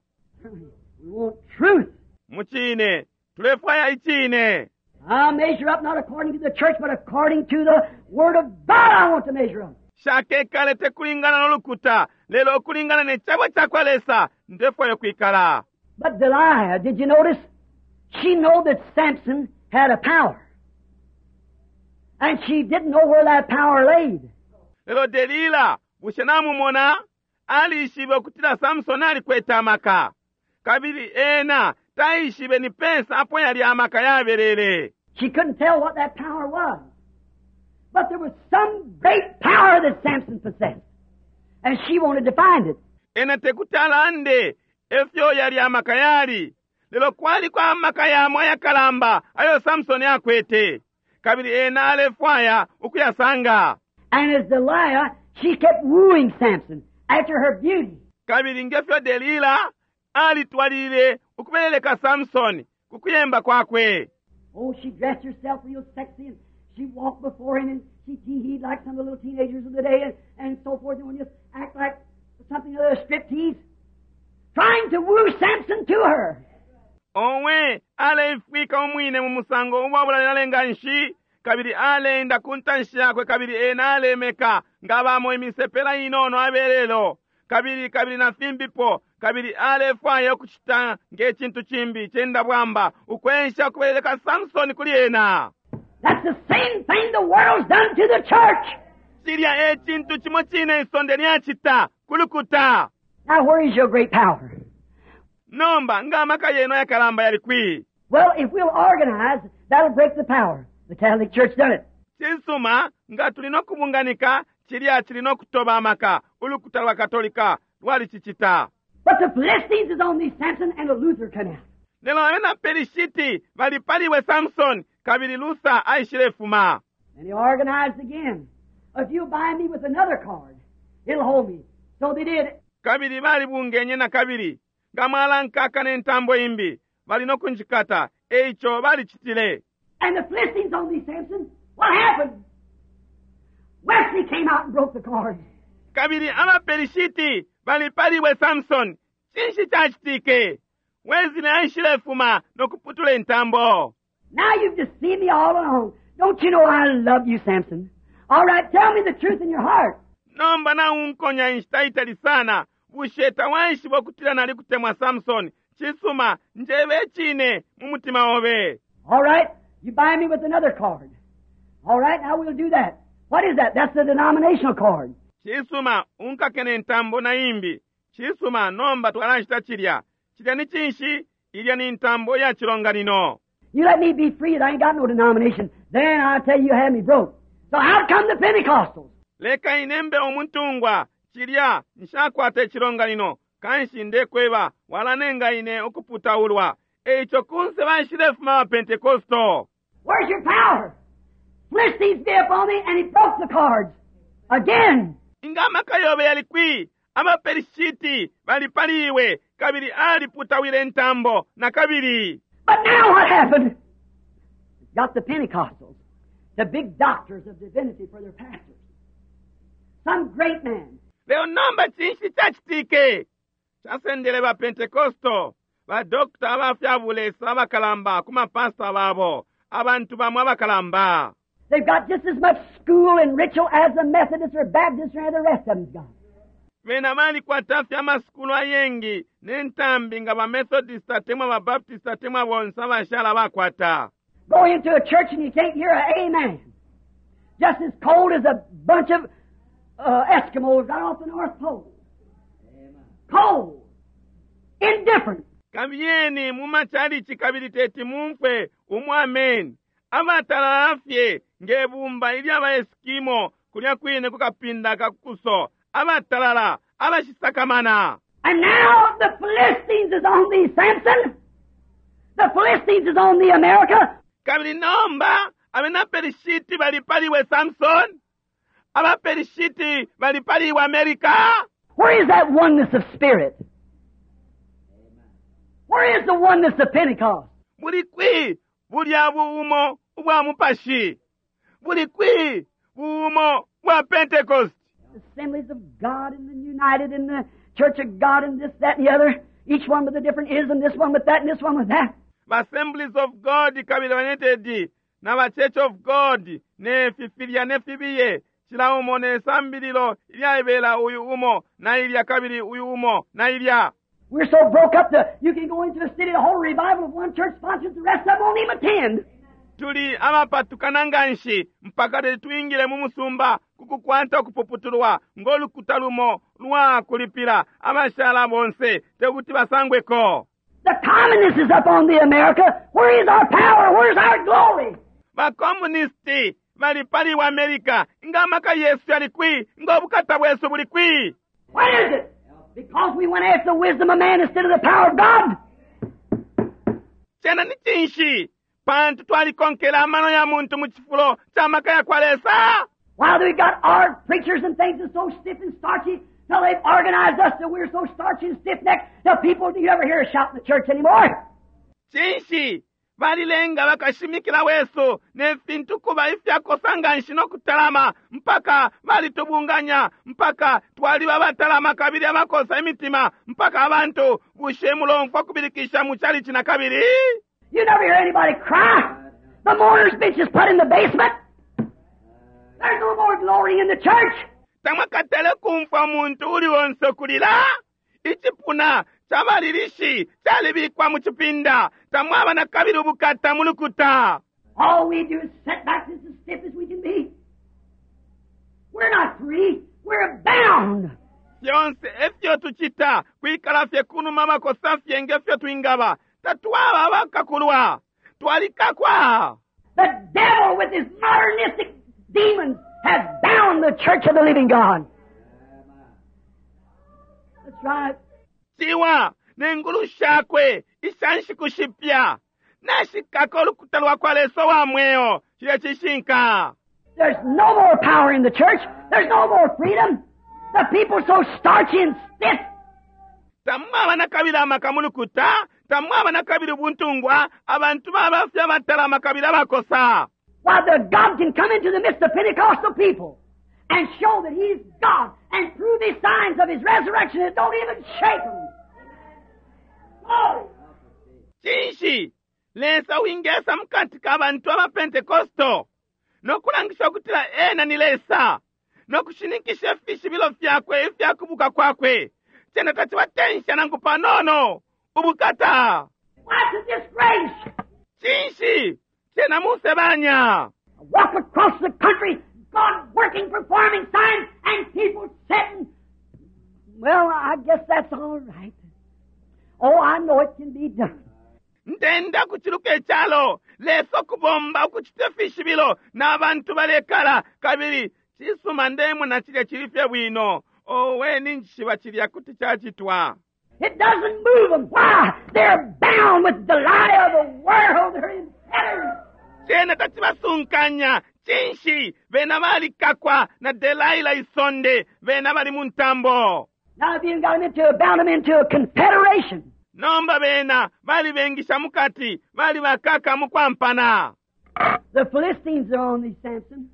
We want truth. Mucine tulefwaya icine. I'll measure up not according to the church, but according to the Word of God I want to measure up. Nshakekale te kulingana no lukuta, lelo ukulingana ne cebo ca kwa Lesa ndefwaya kwikala. But Delilah, did you notice? She knew that Samson had a power. And she didn't know where that power laid. Lelo Delila, bushe namumona? Alishibe ukutila Samson alikwete amaka. Kabili ena taishibe ni pesa apo yali amaka yabelele. She couldn't tell what that power was. But there was some great power that Samson possessed. And she wanted to find it. Ena tekuti alande efyo yali amaka yali. Lelo kwali kwa amaka yamo ayakalamba ayo Samson akwete. Kabili ena alefwaya ukuyasanga. And as Delilah, she kept wooing Samson after her beauty. Kabili ngefyo Delila alitwalile ukubeleleka Samson ku kuyemba kwakwe. Oh, she dressed herself real sexy and she walked before him and she tee-heed like some of the little teenagers of the day and, and so forth, and would just act like something of a striptease, trying to woo Samson to her. Owe aleifwika umwine mu musango uwabulale nganshi, kabili aleenda ku ntanshi yakwe, kabili ena alemeka nga bamo imisepela inono abelelo, kabili kabili na fimbipo, kabili alefwaya ukucita nge cintu cimbi cenda bwamba ukwensha ukubeleleka Samson kuli ena. That's the same thing the world's done to the church. Cilya e cintu cimo cine isonde lyacita kulukuta. Now, where is your great power? Nomba nga amaka yenu ayakalamba yali kwi? Well, if we'll organize, that'll break the power. The Catholic Church done it. Cisuma, nga tuli nokubunganika, cilya cili nokutoba amaka. Ulukuta lwa Katolika lwalicicita. But the Philistines is on thee, Samson, and a Luther come out. Lelo abena Pelishiti bali paliwe Samson, kabili Luther aishilefuma. And he organized again. If you bind me with another cord, it'll hold me. So they did. Kabili balibungenye na kabili. Nga mwalankaka ne ntambo imbi, bali nokunjikata. Eico balicitile. And the Philistines on thee, Samson. What happened? Wesley came out and broke the cord. Kabili abaPelishiti bali paliwe Samson. Cinshi cacitike? Wesley aishilefuma nokuputula intambo. Now you've deceived me all along. Don't you know I love you, Samson? All right, tell me the truth in your heart. Nomba naunkonya inshita itali sana. Bushe tawaishiba ukutila nalikutemwa Samson? Cisuma, njebe icine mu mutima obe. All right, you bind me with another cord. All right, now we'll do that. What is that? That's the denominational cord. Cisuma, unkake ne ntambo na imbi. Cisuma, nomba twalacita cilya. Cilya ni cinshi? Ilya ni ntambo ya cilonganino. You let me be free that I ain't got no denomination. Then I tell you, you have me broke. So out come the Pentecostals. Leka inembe umuntungwa cilya nshakwata icilonganino kanshi ndekweba walanenga ine ukuputaulwa eico kunse baishilefuma abapentekosto. Where's your power? Philistines be upon me, and he broke the cords. Again. Inga amaka yobe yali kwi? Abaperishiti bali pali iwe kabili aliputawile intambo na kabili. But now what happened? Got the Pentecostals, the big doctors of divinity for their pastors. Some great man. Lelo nomba cinshi cacitike? Casendele ba Pentekosto, ba doctor aba fya bulesa abakalamba ku mapasta babo, abantu bamo abakalamba. They've got just as much school and ritual as the Methodists or Baptists or any of the rest of them's got. Bena balikwata fye amasukulu ayengi ne ntambi nga ba Methodist atemwa ba Baptist atemwa bonse abashala bakwata. Go into a church and you can't hear an amen. Just as cold as a bunch of uh, Eskimos right off the North Pole. Cold. Indifferent. Kabiyeni mu machalichi kabili teti mumfwe umu amen. Abatalala fye nge bumba ilya ba Eskimo kulya kwine kukapinda kakuso. Abatalala, abashisakamana. And now the Philistines is on thee, Samson. The Philistines is on thee, America. Kabili nomba abena Perishiti bali pali we Samson. Aba Perishiti bali pali we America. Where is that oneness of spirit? Where is the oneness of Pentecost? Buli kwi bulya buumo ubwa mupashi? Buli kwi buumo bwa Pentecost? Assemblies of God and the United and the Church of God and this, that, and the other. Each one with a different ism, this one with that and this one with that. Assemblies of God kabili United na ba Church of God ne fifilya ne fibiye cila umo ne sambililo ilyaibela uyu umo na ilya kabili uyu umo na ilya. We're so broke up that you can go into a city, the whole revival of one church sponsors, the rest of them won't even attend. Tuli abapatukana nganshi mpaka tetwingile mu musumba kukukwata ukupuputulwa ng'olukuta lumo lwa kulipila abashala bonse tekuti basangweko. The communists is up on the America. Where is our power? Where's our glory? Bakomunisti bali pali wa America nga amaka yesu yali kwi nga obukata bwesu buli kwi. What is it? Because we went after the wisdom of man instead of the power of God. Cena ni cinshi? Pantu twalikonkela amano ya muntu mu cifulo ca maka ya kwa Lesa. While we got our preachers and things are so stiff and starchy, till they've organized us that we're so starchy and stiff-necked, the people, do you ever hear a shout in the church anymore? Cinshi? Balilenga bakashimikila wesu ne fintu kuba ifyakosa nganshi no kutalama mpaka balitubunganya mpaka twaliba batalama kabili abakosa imitima mpaka abantu bushe mulomfwa kubilikisha mu chalichi na kabili. You never hear anybody cry. The mourner's bench is put in the basement. There's no more glory in the church. Tamwakatale kumfwa muntu uli wonse kulila. Icipuna chabalilishi chalibikwa mu chipinda. Tamwaba na kabili ubukata mu lukuta. All we do is sit back just as stiff as we can be. We're not free. We're bound. Fyonse efyo tuchita kwikala fye kunuma makosa fye ngefyo twingaba. Tatwaba abakakulwa. Twalikakwa. The devil with his modernistic demons has bound the church of the living God. That's right. Ciwa nengulu shakwe ishanshi kushipya. Nashikako ulukuta lwa kwa Lesa wa mweo. Cilya cishinka. There's no more power in the church. There's no more freedom. The people are so starchy and stiff. Tamwaba na kabili amaka mu lukuta. Tamwaba na kabili ubuntungwa. Abantu baba fye abatalama kabili abakosa. While the God can come into the midst of Pentecostal people and show that He's God and prove His signs of His resurrection that don't even shake them. Glory! Cinshi Lesa wingesa mukati ka bantu aba Pentecosto nokulangisha ukutila ena ni Lesa nokushininkisha ifishibilo fyakwe ifyakubuka kwakwe cena tacibatensha nangu panono ubukata. What's a disgrace? Cinshi cena musebanya. Walk across the country, God working, performing signs, and people sitting. Well, I guess that's all right. Oh, I know it can be done. Ndenda kuciluka icalo Lesa ukubomba ukucita ifishibilo n'abantu balekala kabili cisuma ndemona cilya cili fye bwino owe ninjishiba cilya kuti cacitwa. It doesn't move them. Why? They're bound with the lie of the world. They're in fetters. Cena tacibasunkanya cinshi bena balikakwa na Delaila isonde bena bali mu ntambo. Now, if you got them into, bound them into a confederation. Nomba bena balibengisha mukati bali bakaka mu kwampana. The Philistines are on thee, Samson.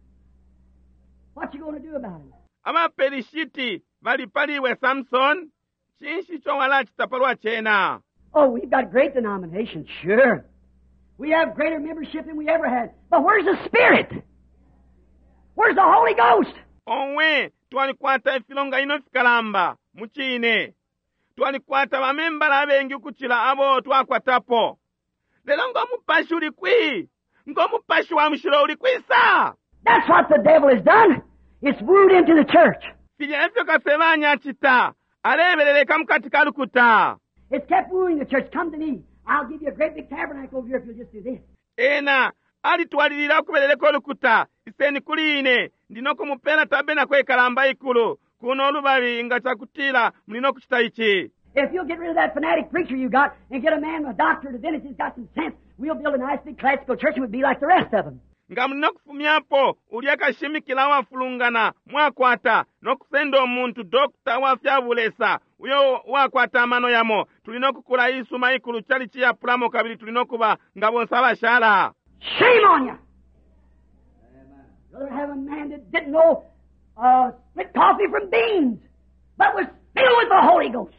What you going to do about it? Abapelishiti bali paliwe Samson cinshi ico walacita palwa cena? Oh, we've got great denominations, sure. We have greater membership than we ever had. But where's the Spirit? Where's the Holy Ghost? Owe twalikwata ifilonganino fikalamba mucine twalikwata bamembala abengi ukucila abo twakwatapo lelo ngo mupashi uli kwi ngo mupashi wa mushilo uli kwisa. That's what the devil has done. It's wooed into the church. Filya efyo kasebanya acita alebeleleka mukati ka lukuta. It's kept wooing the church. Come to me. I'll give you a great big tabernacle over here if you'll just do this. Ena alitwalilila ukubeleleka ulukuta iseni kuli ine ndino kumupela tabernacle ikalamba ikulu kuno lubali nga cakutila muli no kucita ici. If you'll get rid of that fanatic preacher you got and get a man with a doctorate of divinity who's got some sense, we'll build a nice big classical church and we'll be like the rest of them. Nga muli no kufumyapo ulya kashimikila wafulungana mwakwata no kusenda umuntu dokta wa fya bulesa uyo wakwata amano yamo tuli no kukula isuma ikulu cali ciyapulamo kabili tuli no kuba nga bonse abashala. Shame on you! Rather have a man that didn't know uh, split coffee from beans, but was filled with the Holy Ghost.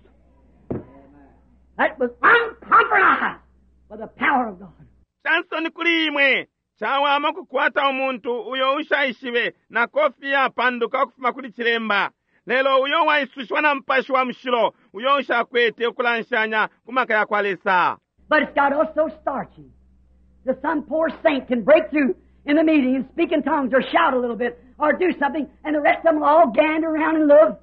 That was uncompromised by the power of God. Chansoni kuli imwe chawama kukwata umuntu uyo ushaishibe na kofi yapanduka ukufuma kuli chilemba lelo uyo waisushiwa na mupashi wa mushilo uyo ushakwete ukulanshanya ku maka ya kwa Lesa. But it's got us so starchy that some poor saint can break through in the meeting and speak in tongues or shout a little bit or do something, and the rest of them will all gander around and look.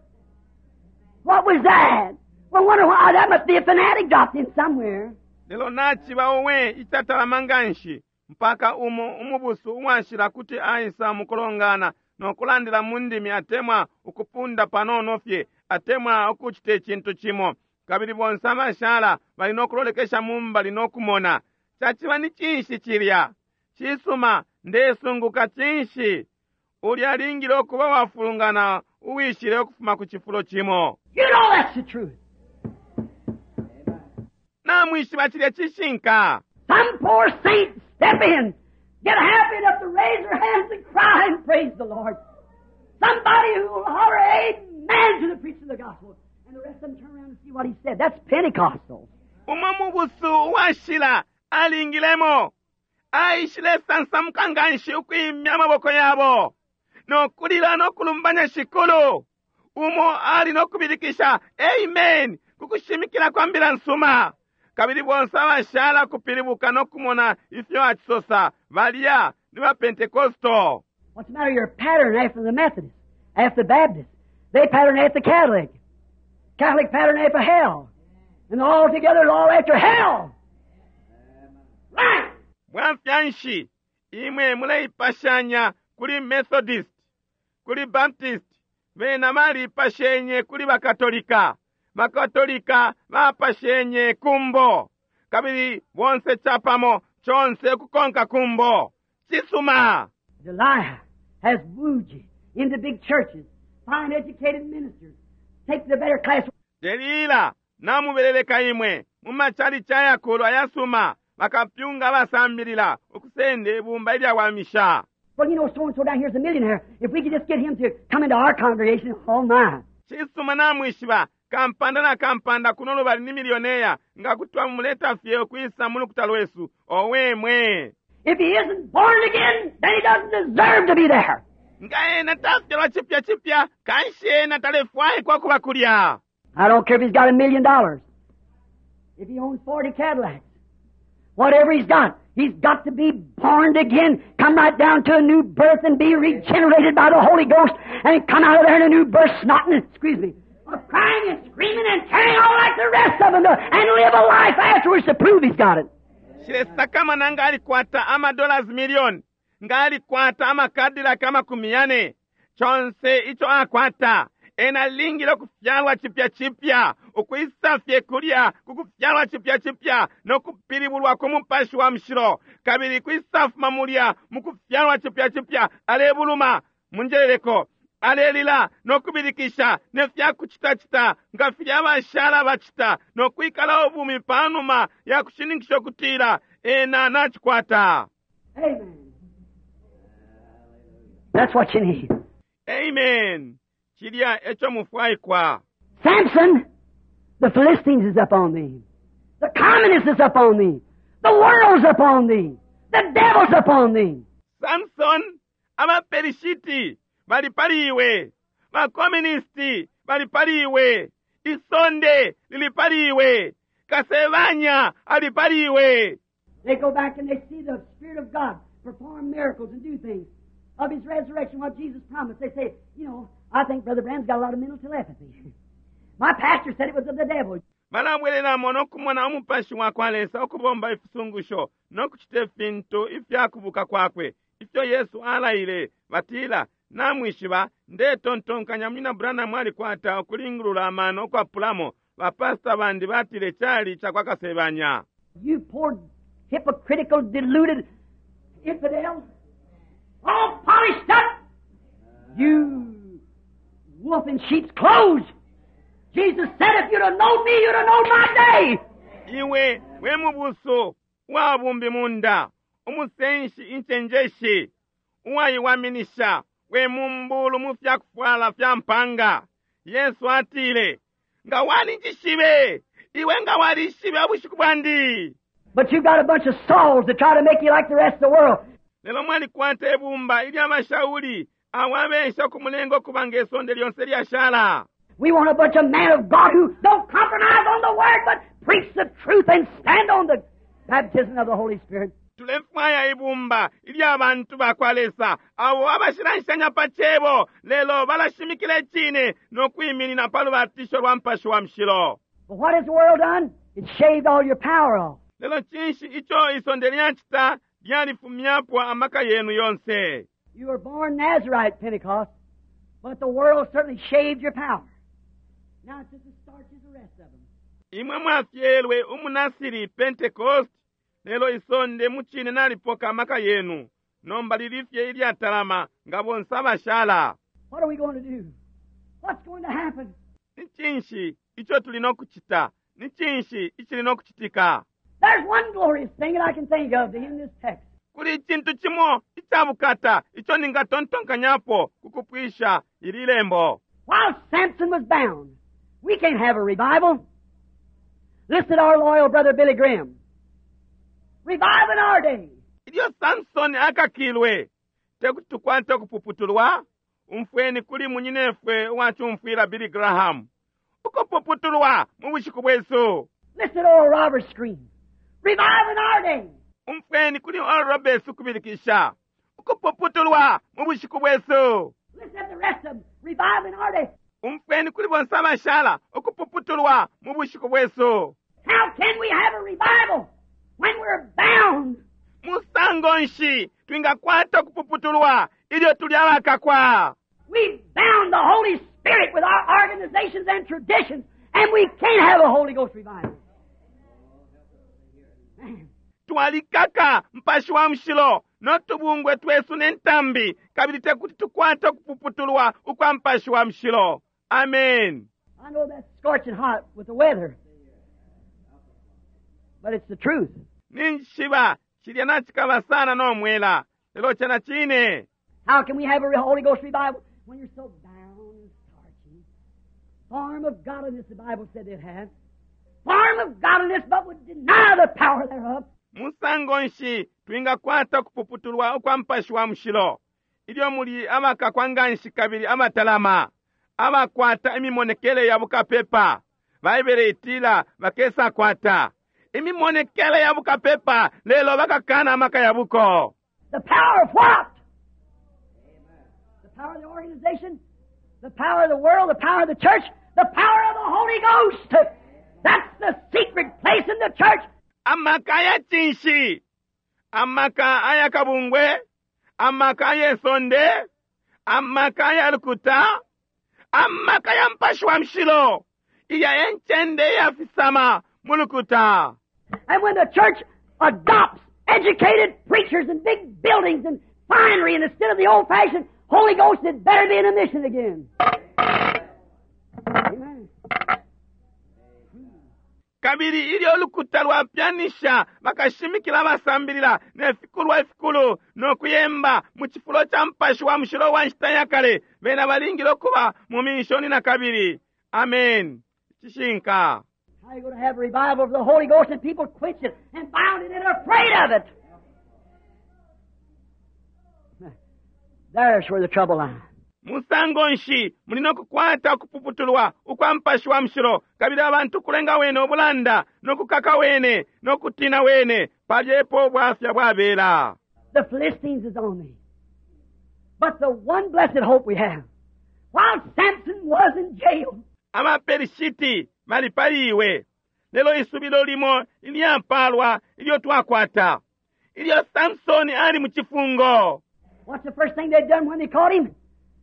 What was that? Well, wonder why. That must be a fanatic dropped in somewhere. Lelo naciba owe icatalama nganshi mpaka umo umubusu uwashila kuti aisa mukulongana no kulandila mu ndimi atemwa ukupunda panono fye atemwa ukucita icintu cimo kabili bonse abashala bali no kulolekesha mumbali no kumona caciba ni cinshi cilya cisuma ndesunguka cinshi ulya alingile ukuba wafulungana uwishile ukufuma ku cifulo cimo. You know that's the truth. Namwishiba cilya cishinka. Some poor saint step in, get happy enough to raise their hands and cry and praise the Lord. Somebody who will holler amen to the preaching of the gospel. And the rest of them turn around and see what he said. That's Pentecostal. Umo mubusu uwashila alingilemo aishile sansamuka nganshi ukwimya amaboko yabo no kulila no kulumbanya shikulu umo ali no kubilikisha amen kukushimikila kwa mbila nsuma kabili bonse abashala kupilibuka no kumona ifyo acisosa balya ni ba Pentecostal. What's the matter? You're pattern after the Methodist, after the Baptist. They pattern after the Catholic. Catholic pattern after hell. And all together, all after hell. Right! Bwafya nshi imwe muleipashanya kuli Methodist, kuli Baptist, bena baliipashenye kuli Bakatolika, Bakatolika bapashenye kumbo, kabili bonse capamo conse kukonka kumbo. Cisuma! Delilah has wooed you into big churches, fine educated ministers, take the better class. Delila namubeleleka imwe mu machalichi ayakulu ayasuma bakapyunga abasambilila ukusenda ibumba ilyawamisha. Well, you know, so-and-so down here is a millionaire. If we could just get him to come into our congregation, oh my. Cisuma namwishiba kampanda na kampanda kuno lubali ni milioneya nga kuti twamuleta fye ukwisa mu lukuta lwesu owe mwe. If he isn't born again, then he doesn't deserve to be there. Nga ena tafyalwa chipya chipya kanshi ena talefwaikwa kuba kulya. I don't care if he's got a million dollars, if he owns forty Cadillacs, whatever he's got, he's got to be born again, come right down to a new birth and be regenerated by the Holy Ghost and come out of there in a new birth, snotting, excuse me, of crying and screaming and carrying on like the rest of them to, and live a life afterwards to prove he's got it. Nshilesakamana nga alikwata ama dollars million, nga alikwata ama Cadillac amakumi yane, conse ico akwata, ena alingile ukufyalwa cipya cipya, ukwisa fye kulya kukufyalwa cipya cipya no kupilibulwa ku Mupashi wa Mushilo, kabili kwisafuma mulya mukufyalwa cipya cipya, alebuluma munjeleleko, alelila no kubilikisha ne fya kucitacita nga filya abashala bacita no kwikala ubumi panuma ya kushininkisha ukutila ena nacikwata. Amen. That's what you need. Amen. Cilya eco mufwaikwa. Samson, the Philistines is up on thee. The communists is up on thee. The world's up on thee. The devil's up on thee. Samson, abaperishiti bali pali iwe, bakomunisti bali pali iwe, isonde lili pali iwe, kasebanya ali pali iwe. They go back and they see the Spirit of God perform miracles and do things of His resurrection, what Jesus promised. They say, you know, I think Brother Branham's got a lot of mental telepathy. My pastor said it was of the devil. Balabwelelamo nokumona umupashi wa kwa Lesa ukubomba ifisungusho nokucita ifintu ifyakubuka kwakwe ifyo Yesu alaile. Batila, namwishiba, ndetontonkanya Munyina Branham alikwata ukulingulula amano ukwapulamo. Bapasta bandi batile cali ca kwa kasebanya. You poor hypocritical, deluded infidel, all polished up, you wolf in sheep's clothes. Jesus said, if you'd have known me, you'd have known my day. Iwe we mubusu wa bumbi munda, umusenshi incenjeshi, uwaiwaminisha, we mumbulu mu fyakufwala fya mpanga. Yesu atile, nga walinjishibe, iwe nga walishibe ubushiku bwandi. But you got a bunch of Sauls that try to make you like the rest of the world. Lelo mwalikwata ibumba ilya bashauli abo abesha ukumulenga ukuba nge sonde lyonse lyashala. We want a bunch of men of God who don't compromise on the Word, but preach the truth and stand on the baptism of the Holy Spirit. Tulefwaya ibumba ilya bantu ba kwa Lesa abo abashilanshanya pa cebo, lelo balashimikila icine no kwiminina pa lubatisho lwa Mupashi wa Mushilo. But what has the world done? It shaved all your power off. Lelo cinshi ico isonde lyacita? Lyalifumyapo amaka yenu yonse. You were born Nazarite, Pentecost, but the world certainly shaved your power. Now it's just as starch as the rest of them. Imwe mwafyelwe umunasiri Pentecost, lelo isonde mucine nalipoka amaka yenu. Nomba lilifye ilyatalama nga bonse abashala. What are we going to do? What's going to happen? Ni cinshi ico tuli no kucita? Ni cinshi icili no kucitika? There's one glorious thing that I can think of in this text. Kuli icintu cimo icabukata ico ningatontonkanyapo kukupwisha ili lembo. While Samson was bound, we can't have a revival. Listen to our loyal brother Billy Graham. Revival in our day. Ilyo Samson akakilwe, tekuti tukwate ukupuputulwa. Umfweni kuli munyinefwe uwacumfwila Billy Graham. Ukupuputulwa mu bushiku bwesu. Listen to Oral Roberts scream. Revival in our day. Umfweni kuli Oral Roberts ukubilikisha. Ukupuputulwa mu bushiku bwesu. Listen to the rest of them. Revival in our day. Umfweni kuli bonse abashala. Ukupuputulwa mu bushiku bwesu. How can we have a revival when we're bound? Musango nshi twingakwata ukupuputulwa ilyo tuli abakakwa? We bound the Holy Spirit with our organizations and traditions, and we can't have a Holy Ghost revival. Man. Twalikaka Mupashi wa Mushilo no tubungwe twesu ne ntambi, kabili tekuti tukwate ukupuputulwa ukwa Mupashi wa Mushilo. Amen. I know that's scorching hot with the weather, but it's the truth. Ninjishiba cilya nacikaba sana no mwela, lelo cena cine. How can we have a Holy Ghost revival when you're so bound and starchy? Form of godliness, the Bible said it had. Form of godliness, but would deny the power thereof. Musango nshi twingakwata ukupuputulwa ukwa Mupashi wa Mushilo ilyo muli abakakwa nganshi kabili abatalama, abakwata imimonekele ya bukapepa? Baibele itila bakesakwata imimonekele ya bukapepa, lelo bakakana amaka ya buko. The power of what? The power of the organization, the power of the world, the power of the church, the power of the Holy Ghost. That's the secret place in the church. Amaka ya cinshi? Amaka ayakabungwe? Amaka ayesonde? Amaka ayalukuta? Amaka ya Mupashi wa Mushilo iya encende iyafisama mu lukuta. And when the church adopts educated preachers and big buildings and finery and instead of the old-fashioned Holy Ghost, it better be in a mission again. Amen. Kabili ilyo ulukuta lwapyanisha bakashimikila abasambilila ne fikulwa ifikulu no kuyemba mu cifulo ca Mupashi wa Mushilo wa nshita ya kale, bena balingile ukuba mu minshoni na kabili. Amen. Cishinka. How you going to have a revival of the Holy Ghost and people quench it and bound it and afraid of it? There's where the trouble lies. Musango nshi muli no kukwata ukupuputulwa ukwa Mupashi wa Mushilo, kabili abantu kulenga wene ubulanda no kukaka wene no kutina wene, palyepo ubwafya bwabela. The Philistines is on me. But the one blessed hope we have, while Samson was in jail, Abaperishiti bali pali iwe, lelo isubilo limo ilyapalwa ilyo twakwata, ilyo Samsoni ali mu cifungo. What's the first thing they'd done when they caught him?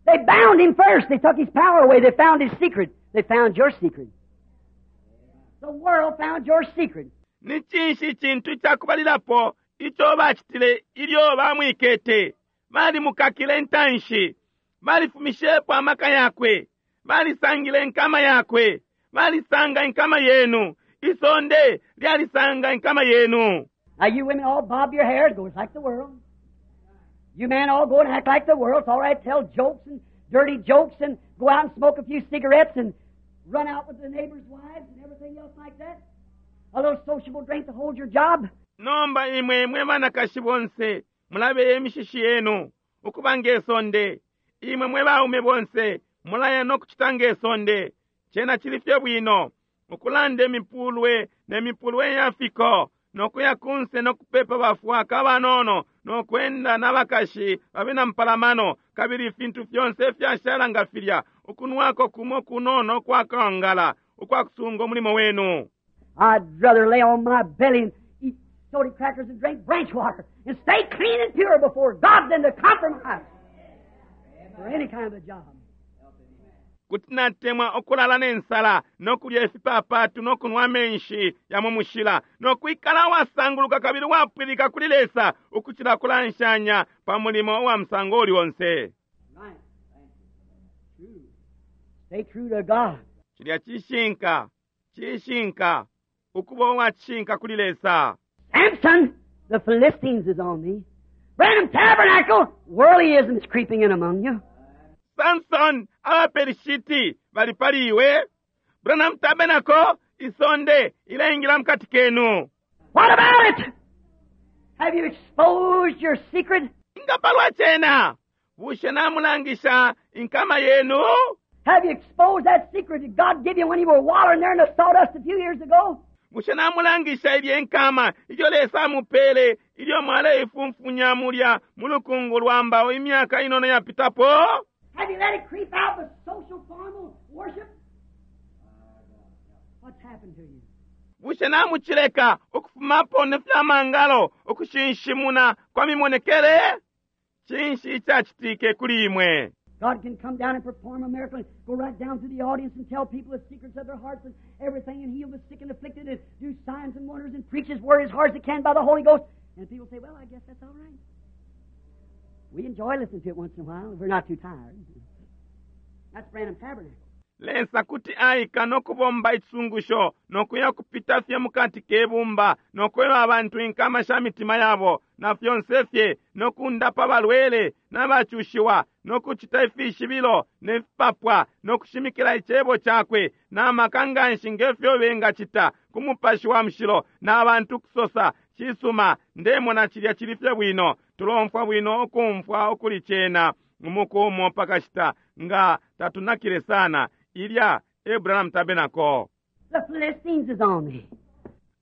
They bound him first. They took his power away. They found his secret. They found your secret. The world found your secret. Ni cinshi icintu icakubalilapo ico bacitile ilyo bamwikete? Balimukakile intanshi, balifumishepo amaka yakwe, balisangile inkama yakwe, balisanga inkama yenu, isonde lyalisanga inkama yenu. Now you women all bob your hair, it goes like the world. You men all go and act like the world. It's all right, tell jokes and dirty jokes and go out and smoke a few cigarettes and run out with the neighbors' wives and everything else like that. A little sociable drink to hold your job. Nomba imwe mwe banakashi bonse mulabeye imishishi yenu ukuba ngesonde. Imwe mwe baume bonse mulaya no kucita ngesonde. Cena cili fye bwino ukulanda imipulwe ne mipulwe ya fiko no kuya kunse no kupepa bafwaka abanono no kwenda n'abakashi babena mpalamano, kabili ifintu fyonse fyashala nga filya, ukunwako kumo kunono kwakangala ukwakusunga umulimo wenu. I'd rather lay on my belly and eat soda crackers and drink branch water and stay clean and pure before God than to compromise for any kind of a job. Kuti natemwa ukulala nensala no kulya ifipapatu no kunwa amenshi ya mu mushila no kwikala wasanguluka kabili wapwilika kuli Lesa ukucila kulanshanya pa mulimo wa musango uli onse. Right. True. Stay true to God. Cilya cishinka, cishinka, ukuba uwacishinka kuli Lesa. Samson, the Philistines is on thee. Branham Tabernacle, worldlyism is creeping in among you. Samson, abaperishiti bali pali iwe. Branham Tabernacle, isonde ilaingila mukati kenu. What about it? Have you exposed your secret? Inga palwa cena, bushe namulangisha inkama yenu? Have you exposed that secret that God gave you when you were wallowing there in the sawdust a few years ago? Bushe namulangisha ilye nkama ilyo Lesa amupele ilyo mwaleifunfunya mulya mu lukungu lwa mbao imyaka inono yapitapo? Have you let it creep out with social formal worship? What's happened to you? Bushe namuchileka ukufumapo ne fyamangalo ukushinshimuna kwa mimonekele? Cinshi icacitike kuli imwe? God can come down and perform a miracle and go right down to the audience and tell people the secrets of their hearts and everything and heal the sick and afflicted and do signs and wonders and preach His word as hard as He can by the Holy Ghost. And people say, well, I guess that's all right. We enjoy listening to it once in a while if we're not too tired. That's Branham Tabernacle. Lesa kuti aika nokubomba ichisungusho nokuya kupita fye mukati kebumba nokweba abantu inkama sha mitima yabo na fyonse fye nokundapa balwele n'abacushiwa nokucita ifishibilo ne fipapwa nokushimikila icebo cakwe n'amaka nganshi ngefyo bengacita ku mupashi wa mushilo n'abantu kusosa cisuma ndemona cilya cili fye bwino tulomfwa bwino ukumfwa ukuli cena umuku umo pakashita nga tatunakile sana ilya Abraham Tabernacle. The Philistines is on me.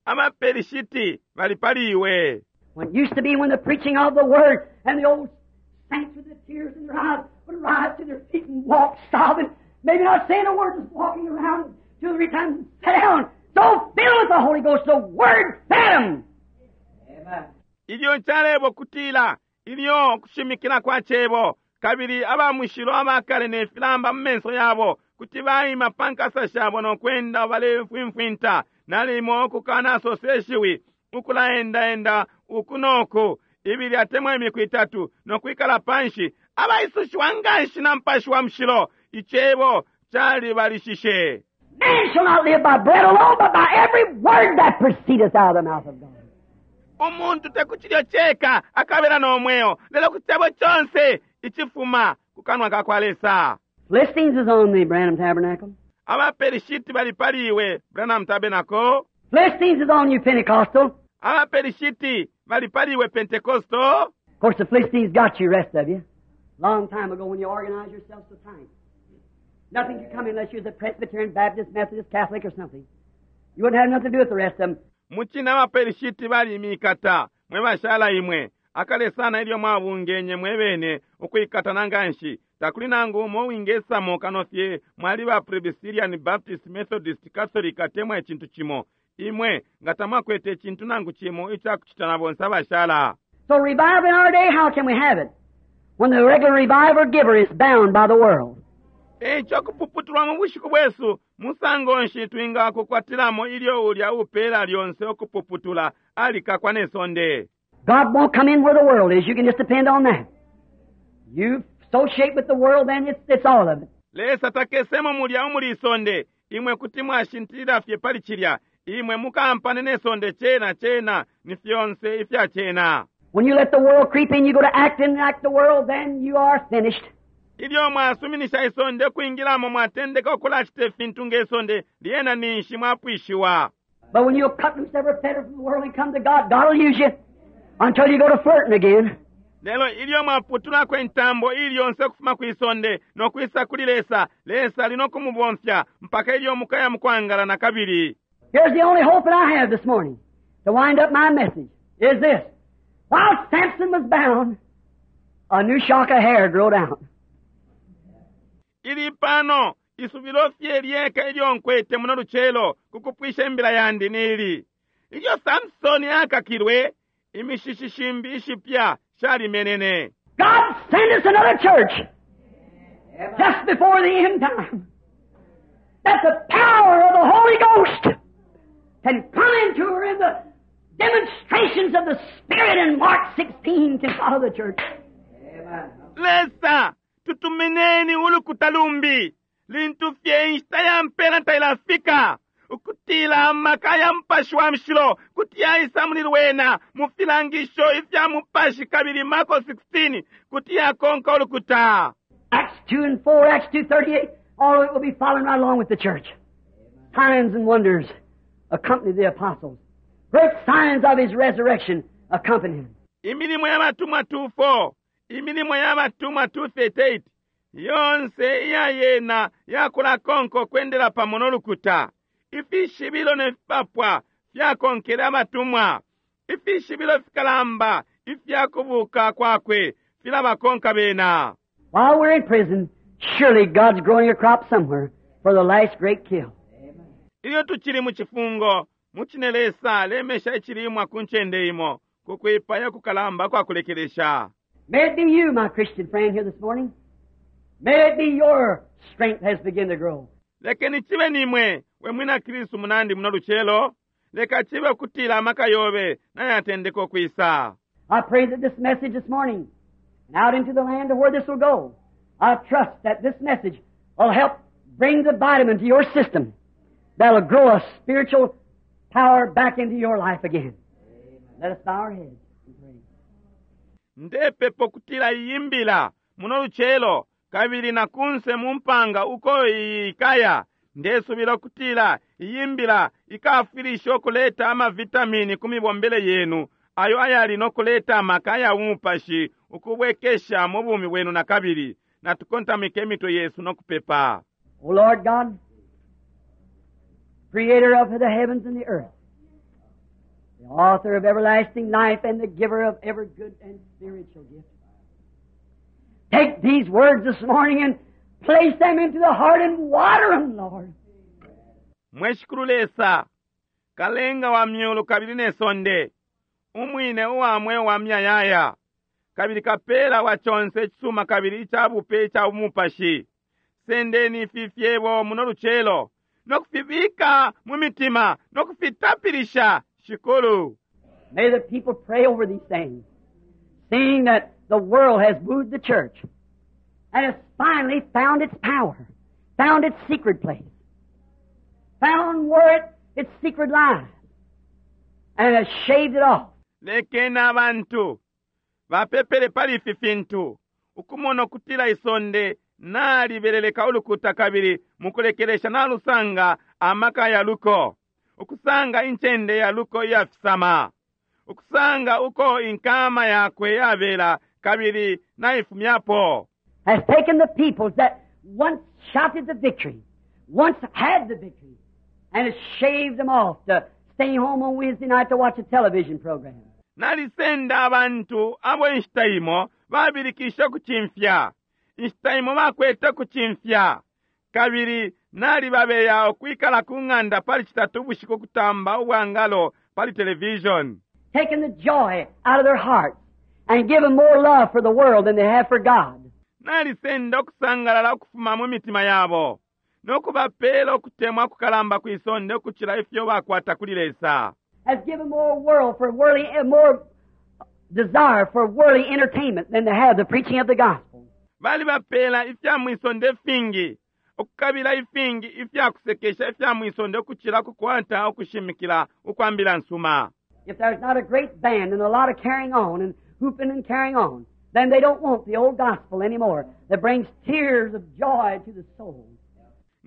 Abaperishiti bali pali iwe. When it used to be when the preaching of the word and the old saints with the tears in their eyes would rise to their feet and walk sobbing, maybe not saying a word, just walking around two or three times and sit down. So Though filled with the Holy Ghost, the Word fed them. Amen. Ilyo calebo kutila ilyo kushimikila kwa cebo kabili aba mushilo abakale ne filamba mu menso yabo kuti baima pa nkasa shabo no kwenda balefwimfwinta nalimo ukukanasosa ishiwi ukulaendaenda uku noku ibili atemwa imiku itatu no kwikala panshi abaisushiwa nganshi na mupashi wa mushilo icebo calibalishishe. Man shall not live by bread alone, but by every word that proceedeth out of the mouth of God. Umuntu tekuchilyo cheka akabera nomweo lelo ku cebo chonse ichifuma ku kanwa ka kwa Lesa. Philistines is on the Branham Tabernacle. Abaperishiti bali paliwe Branham Tabernacle. Philistines is on you, Pentecostal. Abaperishiti bali paliwe Pentecostal. Of course, the Philistines got you, rest of you. Long time ago when you organized yourself so tight. Nothing could come unless you was a Presbyterian, Baptist, Methodist, Catholic, or something. You wouldn't have nothing to do with the rest of them. Muchina abaperishiti bali mikata mwe bashala imwe akale sana ilyo mwabungenye mwebene ukwikatana nganshi takuli nangu umo wingesamo kano fye mwali ba Presbyterian, Baptist, Methodist, Catholic atemwa icintu cimo imwe nga tamwakwete icintu nangu cimo icakucita na bonse abashala. So revival in our day, how can we have it? When the regular revival giver is bound by the world. Eico kupuputulwa mu bushiku bwesu musango nshi twingakukwatilamo ilyo ulya upela lyonse ukupuputula alikakwa ne sonde. God won't come in where the world is. You can just depend on that. You associate with the world, then it's, it's all of it. Lesa takesemo mulya umuli isonde imwe kuti mwashintilila fye pali cilya imwe mukampane ne sonde cena cena ni fyonse ifya cena. When you let the world creep in, you go to acting like the world, then you are finished. Ilyo mwasuminisha isonde kwingilamo mwatendeka ukulacita ifintu nge sonde lyena ninshi mwapwishiwa. But when you cut loose every fetter from the world and come to God, God will use you until you go to flirting again. Lelo ilyo mwaputulako intambo ili yonse ukufuma kwisonde no kwisa kuli Lesa, Lesa ali no kumubomfya mpaka ilyo mukaya mukwangala na kabili. Here's the only hope that I have this morning to wind up my message is this. While Samson was bound, a new shock of hair grew out. Ili pano isubilo fye lyeka ilyo nkwete muno lucelo kukupwisha imbila yandi nili ilyo Samsoni akakilwe imishishi shimbi ishipya shalimenene. God send us another church just before the end time that the power of the Holy Ghost can come into her in the demonstrations of the Spirit in Mark sixteen can follow the church. Amen. Lesa tutumineni ulukuta lumbi lintu fye inshita ya mpela tailafika ukutila amaka ya mupashi wa mushilo kuti yaisa muli lwena mu filangisho ifya mupashi kabili Marko sixteen kuti yakonka ulukuta. Acts two and four, Acts two thirty-eight, all of it will be following right along with the church. Signs and wonders accompany the apostles. Great signs of his resurrection accompany him. Imilimo ya batumwa two four, imilimo ya batumwa two thirty-eight, yonse iya yena yakulakonko kwendela pamo n'olukuta. Ifishibilo ne fipapwa fyakonkele abatumwa. Ifishibilo fikalamba ifyakubuka kwakwe filabakonka bena. While we're in prison, surely God's growing a crop somewhere for the last great kill. Ilyo tuchili mu chifungo, muchine Lesa lemesha ichilimwa ku ncende imo, kukwipaya kukalamba kwa kulekelesha. May it be you, my Christian friend, here this morning. May it be your strength has begun to grow. Lekeni chibe nimwe, we mwina Kristu munandi muno lucelo, leka chibe kutila amaka yobe nayatendeka okwisa. I pray that this message this morning, and out into the land of where this will go, I trust that this message will help bring the vitamin to your system that'll grow a spiritual power back into your life again. Let us bow our heads and pray. Ndepepo kutila iyimbila muno lucelo kabili na kunse mumpanga uko ikaya ndesubila kutila iyimbila ikafirisha okuleta amavitamini ku mibombele yenu ayo ayali nokuleta amaka ya umupashi ukubwekesha mu bumi bwenu na kabili natukontamike emitwe yesu nokupepa. O Lord God, creator of the heavens and the earth, the author of everlasting life and the giver of every good and spiritual gift, take these words this morning and place them into the heart and water them, Lord. Mweshikulu Lesa Kalenga wa myulu kabili ne sonde, umwine uwa mweo wa myayaya, kabili kapela wa conse icisuma kabili ica bupe ica bumupashi. Sendeni ifi fyebo muno lucelo no kufibika mu mitima no kufitapilisha Shikulu. May the people pray over these things, seeing that the world has moved the church and has finally found its power, found its secret place, found where it, its secret lies, and has shaved it off. Lekeni abantu bapepele pali ifi fintu ukumona ukutila isonde nalibeleleka ulukuta kabili mukulekelesha nalusanga amaka ya luko, ukusanga incende ya luko iyafisama, ukusanga uko inkama yakwe yabela kabili naifumyapo. Has taken the peoples that once shouted the victory, once had the victory, and has shaved them off to stay home on Wednesday night to watch a television program. Nalisenda abantu abo inshita imo babilikisha ukucimfya, inshita imo bakwete ukucimfya, kabili nalibabeya ukwikala ku ng'anda pali citatu ubushiku kutamba ubwangalo pali television. Taking the joy out of their hearts and give them more love for the world than they have for God. Nalisenda ukusangalala ukufuma mu mitima yabo nokubapela ukutemwa kukalamba kwisonde ukucila ifyo bakwata kuli Lesa. Has given more world for worldly, eh, more desire for worldly entertainment than they have the preaching of the gospel. Balibapela ifya mwisonde ifingi, ukukabila ifingi ifya kusekesha ifya mwisonde ukucila kukwata ukushimikila ukwambila nsuma. If there's not a great band and a lot of carrying on and hooping and carrying on, then they don't want the old gospel anymore that brings tears of joy to the soul.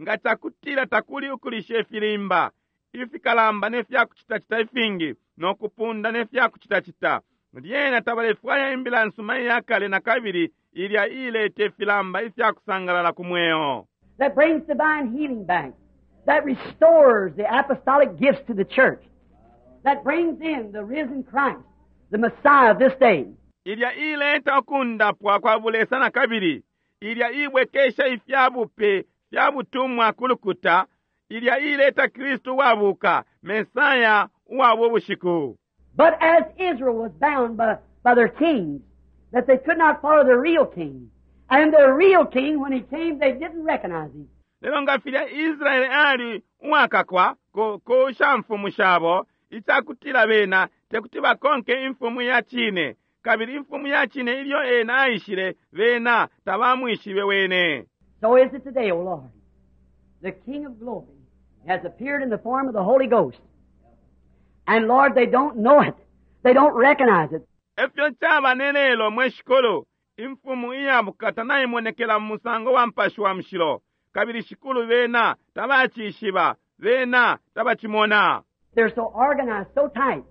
Nga cakutila takuli ukulisha ifilimba ifikalamba ne fya kucitacita ifingi no kupunda ne fya kucitacita, lyena tabalefwaya imbila nsuma iya kale na kabili ilya ileta ifilamba ifya kusangalala ku mweo. That brings divine healing back, that restores the apostolic gifts to the church, that brings in the risen Christ, the Messiah of this day. Ilya ileta ukundapwa kwa bulesa na kabili, ilya ibwekesha ifya bupe fya butumwa ku lukuta, ilya ileta Kristu uwabuka, Mesaya uwa bushiku. But as Israel was bound by, by their kings, that they could not follow the real king. And the real king, when he came, they didn't recognize him. Lelo nga filya Israeli ali uwakakwa ku, ku shamfumu shabo, icakutila bena tekuti bakonke imfumu ya cine, kabili imfumu ya cine ilyo ena aishile bena tabamwishibe wene. So is it today, O Lord. The King of glory has appeared in the form of the Holy Ghost. And Lord, they don't know it. They don't recognize it. Efyo caba ne lelo mwe Shikulu, imfumu iyabukata naimonekela mu musango wa mpashi wa mushilo, kabili Shikulu bena tabacishiba, bena tabacimona. They're so organized, so tight,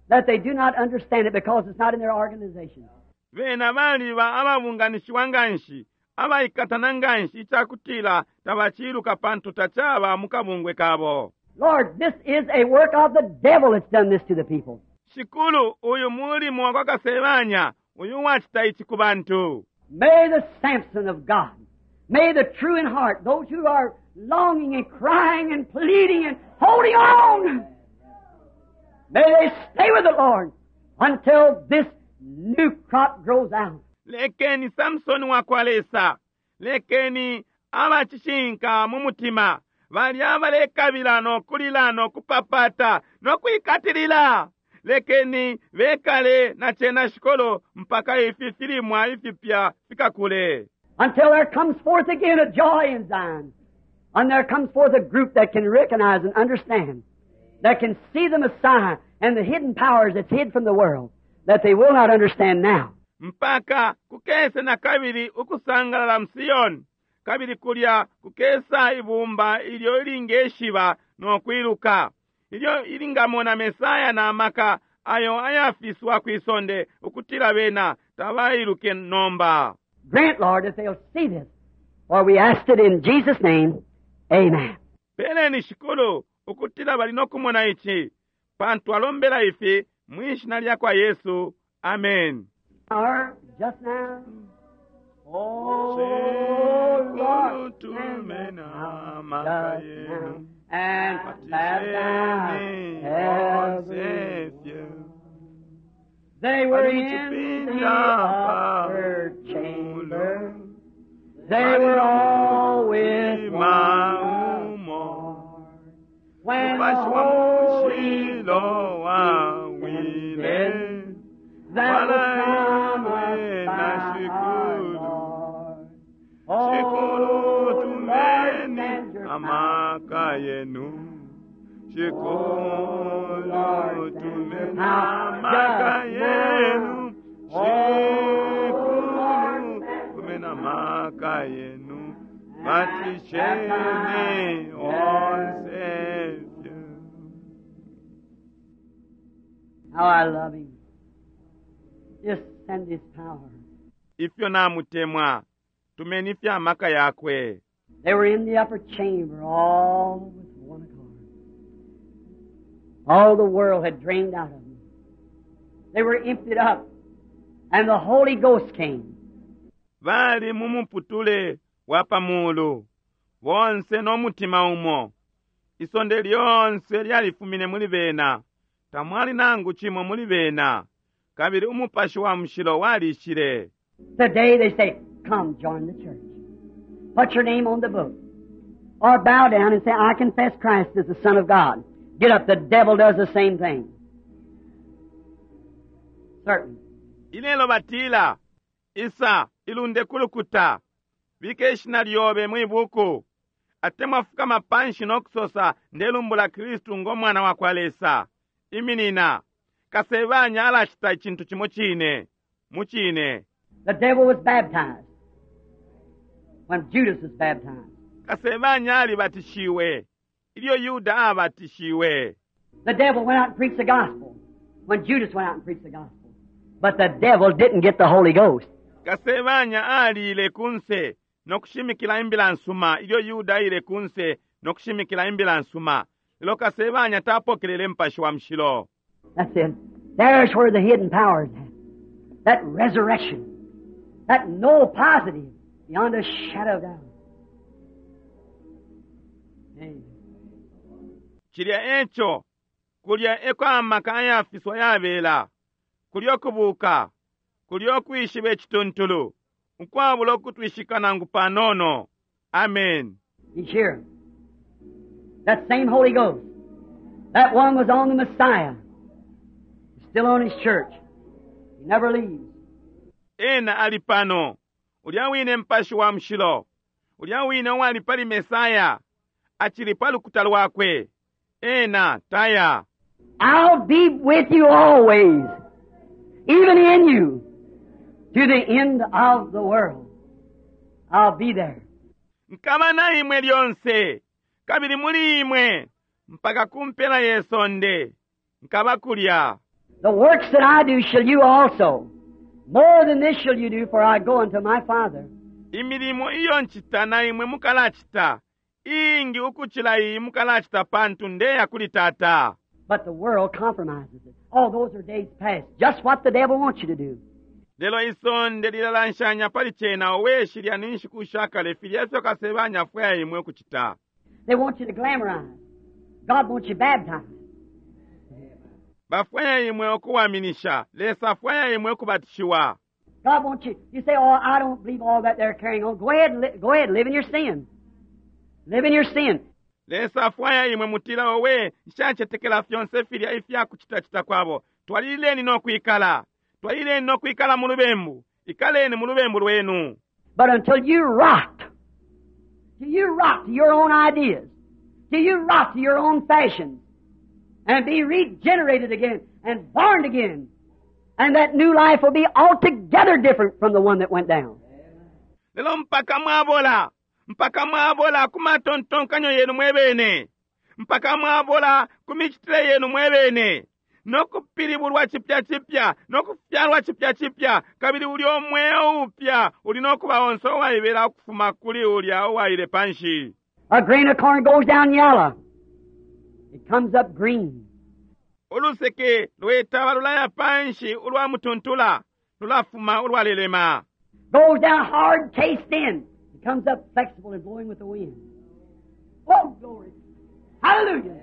that they do not understand it because it's not in their organization. Bena baliba ababunganishiwa nganshi, abaikatana nganshi icakutila tabaciluka pantu tacaba mu kabungwe kabo. Lord, this is a work of the devil that's done this to the people. Shikulu, uyu mulimo wa kasebanya, uyu wacita ici ku bantu. May the Samson of God, may the true in heart, those who are longing and crying and pleading and holding on, may they stay with the Lord until this new crop grows out. Lekeni Samson wa kwa Lesa, lekeni abacishinka mu mutima, balya abalekabila no kulila no kupapata no kwikatilila. Lekeni bekale na cena shikolo mpaka ifi filimwa ifipya fikakule. Until there comes forth again a joy in Zion. And there comes forth a group that can recognize and understand, that can see the Messiah and the hidden powers that's hid from the world, that they will not understand now. Mpaka kukese na kabili ukusangalala mu Siyoni, kabili kulya kukesa ibumba ilyo ilingeshiba no kwiluka, ilyo ilingamona Mesaya na maka ayo ayafiswa kwisonde ukutila bena tabailuke nomba. Grant, Lord, that they'll see this. For we asked it in Jesus' name. Amen. Peleni Shikulu ukutila bali nokumona ici, pantu alombela ifi mwishina lya kwa Yesu. Amen. Or just now, Oh, Shikulu Lord, tumeni amaka yenu and baptize Batisheni everyone. onse They were in the Bali muchipinda upper pa chamber. mulu. They were all with one Maumo. accord. When the Mupashi wa Holy mushilo wawile descended, that was promised Walaimwe by na our shikulu. Lord. Shikulu Oh, Lord, tumeni send your amaka yenu Shikulu tumeni amaka yenu Shikulu tumeni amaka yenu Batisheni onse How I love him. Just send his power. Ifyo namutemwa tumeni ifya amaka yakwe They were in the upper chamber, all with one accord. All the world had drained out of them. They were emptied up, and the Holy Ghost came. Bali mu muputule wa pamulu bonse n'omutima umo isonde lyonse lyalifumine muli bena tamwali nangu chimo muli bena kabili umupashi wa mushilo walishile Today they say, Come join the church. Put your name on the book. Or bow down and say, I confess Christ as the Son of God. Get up. The devil does the same thing. Certain. Ilelo batila isa ilunde kulukuta bike ishina lyobe mwibuku atemwa fukama panshi nokusosa ndelumbula kristu ng'omwana wa kwa lesa iminina kasebanya alacita icintu cimo cine mucine The devil was baptized when Judas was baptized. Kasebanya alibatishiwe ilyo Yuda abatishiwe The devil went out and preached the gospel when Judas went out and preached the gospel. But the devil didn't get the Holy Ghost. Kasebanya aliile kunse nokushimikila imbila nsuma ilyo Yuda aile kunse nokushimikila imbila nsuma lelo kasebanya tapokelele mpashi wa mushilo That's it. There's where the hidden power is at. That resurrection. That no positive beyond a shadow of doubt. Amen. Cilya eco kulya eko amaka ayafiswa yabela kulya okubuuka kulya okwishiba ekituntulu ukwabula okutwishika nangu panono amen He's here. That same Holy Ghost. That one was on the Messiah. He's still on his church. He never leaves. Ena ali pano ulya wine mpashi wa mushilo ulya wine uwali pali Mesaya acili pa lukuta lwakwe ena taya I'll be with you always, even in you, to the end of the world. I'll be there. Nkaba na imwe lyonse kabili muli imwe mpaka ku mpela ye sonde nkaba kulya The works that I do shall you also. More than this shall you do, for I go unto my Father. Imilimo iyo ncita na imwe mukalacita iingi ukucila iyi mukalacita pantu ndeya kuli tata But the world compromises it. Oh, those are days past. Just what the devil wants you to do. Lelo isonde lilalanshanya pali cena owe shilya ni nshiku sha kale filya ifyo kasebanya afwaya imwe ukucita They want you to glamorize. God wants you baptized. Bafwaya imwe okuwaminisha lesa afwaya imwe okubatishiwa God wants you. You say, Oh, I don't believe all that they're carrying on. Go ahead, and li- go ahead, live in your sin. Live in your sin. Lesa afwaya imwe mutila owe nshacetekela fyonse filya ifya kucitacita kwabo twalileni nokwikala twalileni nokwikala mu lubembu ikaleni mu lubembu lwenu But until you rot, till you rot to your own ideas, till you rot to your own fashions, and be regenerated again and born again, and that new life will be altogether different from the one that went down. Lelo mpaka mwabola mpaka mwabola ku matontonkanyo yenu mwebene mpaka mwabola ku micitile yenu mwebene nokupilibulwa cipya cipya nokufyalwa cipya cipya kabili ulya umweo upya uli nokuba onse uwaibela ukufuma kuli ulya uwaile panshi A grain of corn goes down yellow. It comes up green. Uluseke lwetaba lulaya panshi ulwa mutuntula lulafuma ulwalelema Goes down hard, cased in. It comes up flexible and blowing with the wind. Oh, glory. Hallelujah.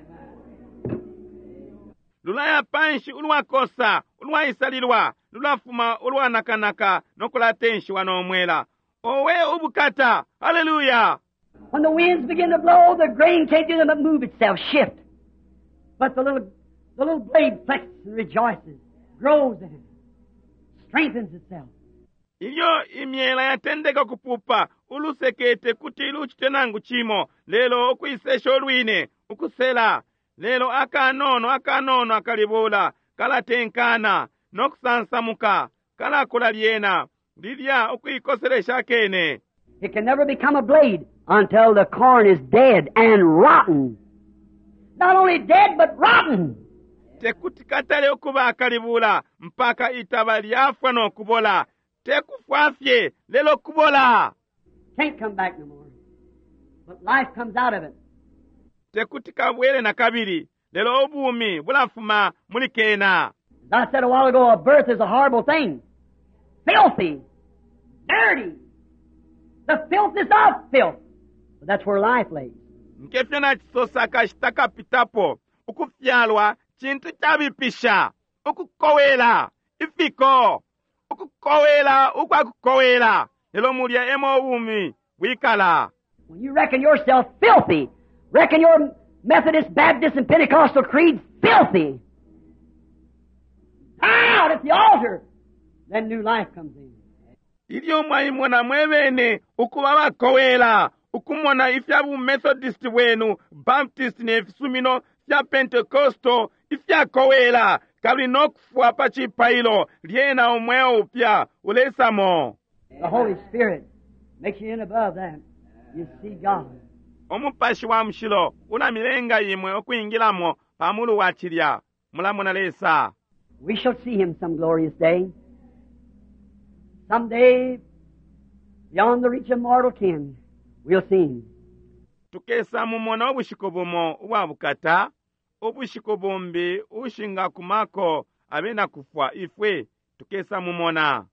Lulaya panshi ulwakosa ulwaisalilwa lulafuma ulwanakanaka nokulatenshiwa n'omwela. Owe ubukata! Haleluya! When the winds begin to blow, the grain can't do nothing but move itself, shift. But the little, the little blade flexes and rejoices, grows in it, strengthens itself. Ilyo imyela yatendeka kupupa ulusekete kuti lucite nangu chimo lelo ukwisesha olwine ukusela lelo akanono akanono akalibula kalatenkana nokusansamuka kalakula lyena lilya ukuikoselesha kene. It can never become a blade until the corn is dead and rotten. Not only dead, but rotten. Tekuti katale ukuba akalibula mpaka itaba lyafwa nokubola tekufwa fye lelo kubola. Can't come back no more. But life comes out of it. Tekuti kabwele na kabili lelo ubumi bulafuma muli kena. As I said a while ago, a birth is a horrible thing. Filthy. Dirty. The filth is of filth. But that's where life lays. Nkefyo nacisosa akashita kapitapo ukufyalwa cintu cabipisha ukukowela ifiko ukukowela ukwakukowela lelo mulya emo ubumi bwikala. When you reckon yourself filthy, reckon your Methodist, Baptist, and Pentecostal creeds filthy, out at the altar, then new life comes in. Ilyo mwaimona mwebene ukuba bakowela ukumona ifya bumethodist bwenu Baptist ne fisumino fya Pentecostal ifyakowela kabili nokufwa pa cipailo lyena umweo upya ulesamo. The Holy Spirit makes you in above that. You see God. Umupashi wa mushilo ulamilenga imwe ukwingilamo pamulu wa cilya mulamona Lesa. We shall see Him some glorious day. Someday, beyond the reach of mortal ken, we'll see Him. Tukesa mumona ubushiku bumo ubwa bukata ubushiku bumbi ushingakumako abena kufwa ifwe tukesa mumona.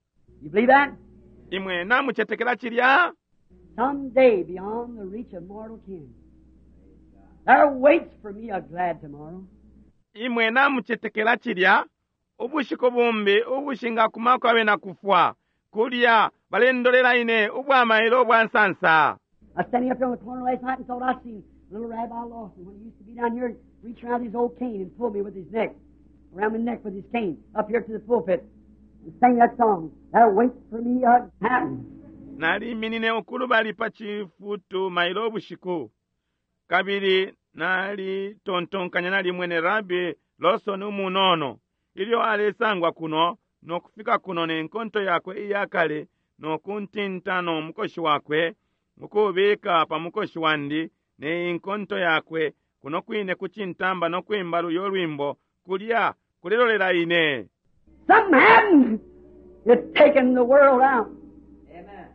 You believe that? Imwe namucetekela cilya? Someday, beyond the reach of mortal ken, there waits for me a glad tomorrow. Imwe namucetekela cilya? Ubushiku bumbi ubushingakumako abena kufwa kulya balendolela ine ubwamailo ubwa nsansa. I was standing up here on the corner last night and thought I'd seen little Rabbi Lawson when he used to be down here and reach around his old cane and pull me with his neck, around my neck with his cane, up here to the pulpit and sang that song, There waits for me a happen. Naliminine ukulubali pa cifutu mailo ubushiku kabili nalitontonkanya nalimwene Rabbi Lawson umunono ilyo alesangwa kuno nokufika kuno nenkonto yakwe iyakale nokuntinta no mukoshi wakwe ukubika pa mukoshi wandi ne inkonto yakwe kuno kwine kucintamba nokwimba luyo lwimbo kulya kulilolela ine. Something happened. It's taken the world out. Amen.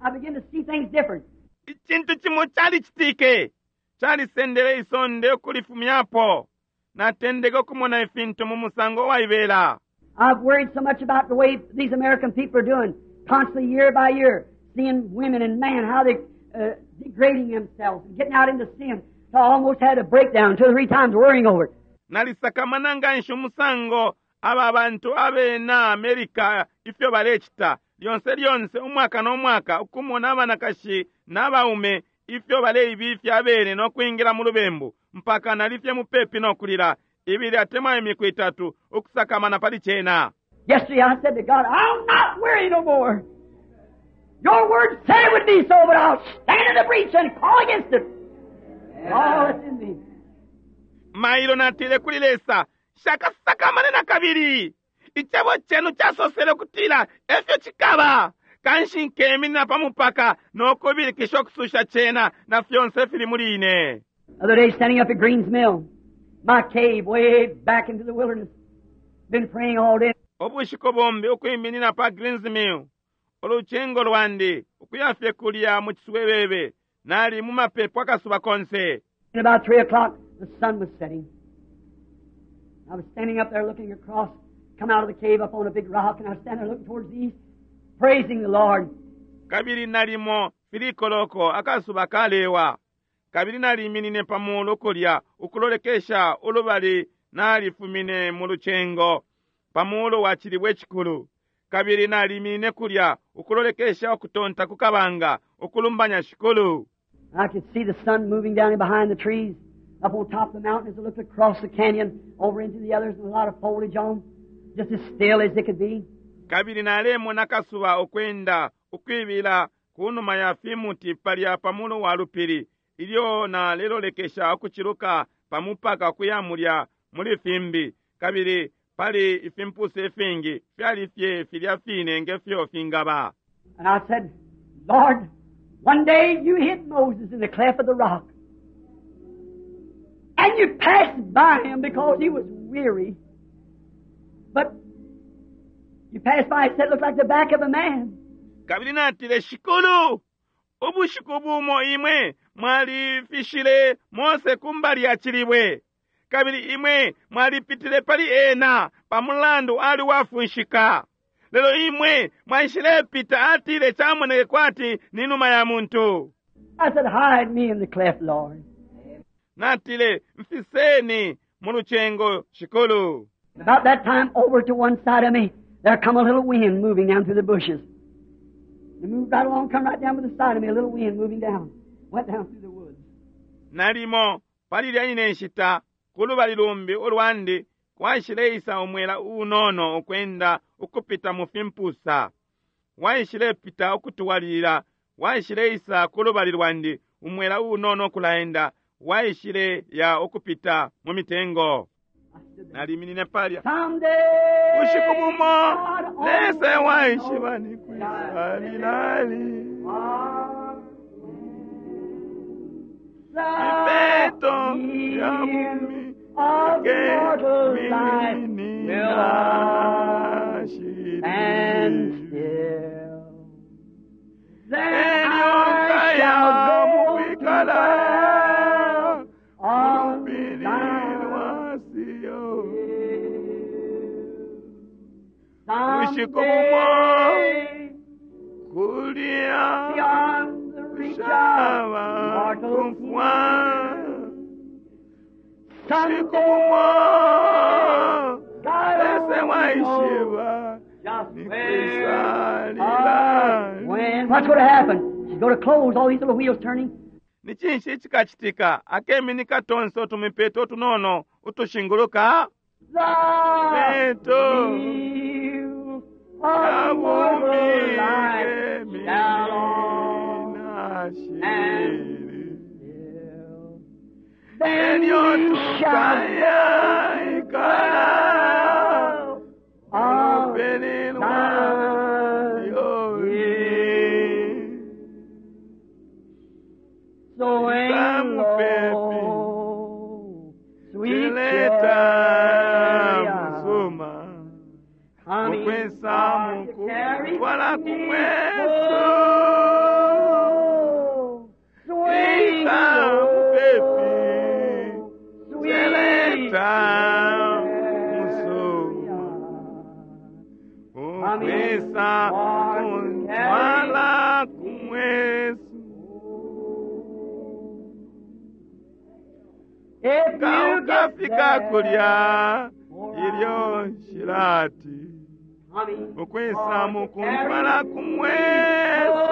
I begin to see things different. Icintu cimo calicitike calisendele isonde ukulifumyapo natendeka ukumona ifintu mu musango waibela. I've worried so much about the way these American people are doing, constantly year by year, seeing women and men, how they uh, degrading themselves and getting out into sin. So I almost had a breakdown two or three times worrying over it. Nalisakamana nganshi umusango aba bantu abena America ifyo balecita lyonse lyonse umwaka no mwaka ukumona abanakashi n'abaume ifyo baleibifya abene no kwingila mu lubembu mpaka nalifye mupepi no kulila ibili atemwa imiku itatu ukusakamana pali cena. Yesterday I said to God, I'll not worry no more. Your word said it would be so, but I'll stand in the breach and call against it. All that's in me. Mailo natile kuli Lesa shakasakamane na kabili icebo cenu casosele kutila efyo cikaba kanshi nkeminina pa mupaka nokubilikisha okususha cena na fyonse fili muli ine. The other day, standing up at Green's Mill, my cave way back into the wilderness, been praying all day. Ubushiku bumbi ukwiminina pa Green's Mill ulucengo lwandi ukuyafye kulya mu ciswebebe nali mu mapepo akasuba konse. At about three o'clock, the sun was setting. I was standing up there looking across, come out of the cave up on a big rock, and I was standing there looking towards the east, praising the Lord. Kabili nalimo three koloko akasuba kalewa kabili naliminine pa mulu kulya ukulolekesha ulubali nalifumine mu lucengo pa mulu wa cilibwe cikulu kabili naliminine kulya ukulolekesha ukutonta ku kabanga ukulumbanya shikulu. I could see the sun moving down behind the trees up on top of the mountain as I looked across the canyon over into the others with a lot of foliage on, just as still as it could be. Kabili nalemona kasuba ukwenda ukwibila kunuma ya fimuti palya pamulu wa lupili ilyo nalelolekesha ukuciluka pamupaka kuya mulya muli fimbi kabili pali ifimpusa ifingi fyali fye filya fine ngefyo fingaba. And I said, Lord, one day you hid Moses in the cleft of the rock. And you passed by him because he was weary. But you passed by and said it looked like the back of a man. Kabili natile, Shikulu, ubushiku bumo imwe mwalifishile Mose kumbali ya cilibwe. Kabili imwe mwalipitile pali ena pamulandu ali wafunshika. Lelo imwe mwaishilepita atile chamoneke kwati ni numa ya muntu. I said, hide me in the cleft, Lord. Natile, mfiseni mu lucengo, Shikulu. About that time, over to one side of me, there come a little wind moving down through the bushes. It moved right along, come right down to the side of me, a little wind moving down. Went down through the woods. Nalimo, palilya ine nshita, kulubali lumbi ulwandi, kwaishileisa umwela unono ukwenda ukupita mu fimpusa. Waishilepita ukutuwalila, waishileisa kulubali lwandi, umwela unono ukulaenda, waishile ya ukupita mu mitengo. Naliminine palya. Someday, Bushiku bumo, God Lesa only waishiba knows ni kwisa lilali. Ipeto ya bumi of mortal life keminina and shiri. still. Then Elyo I shall kaya go to mukwikala dwell on ulupili thine lwa Siyo. hill. Bushiku bumo, Someday, kulya beyond the reach of kushaba mortal kumfwa. Someday, Bushiku bumo, God Lesa only waishiba knows just ni where kwisa lilali. or when. What's going to happen? She's going to close all these little wheels turning. Ni cinshi chikachitika akeminika tonse utumipeto utunono utushinguluka The Peto. wheel of mortal life shall all shiri fill. Then elyo we shall tukaya ikala dwell on lupili lwa thine Sioni. hill. So Isamu pepi. low, sweet Chileta chariot, musuma coming ukwesa for to carry mukutwala me kumweso home. Swing Isamu low, pepi. sweet Chileta musuma chariot, ukwesa kuntwala kumweso If you get kaukafika there, kulya ilyo nshilati coming ukwesa for to mukuntwala carry me kumweso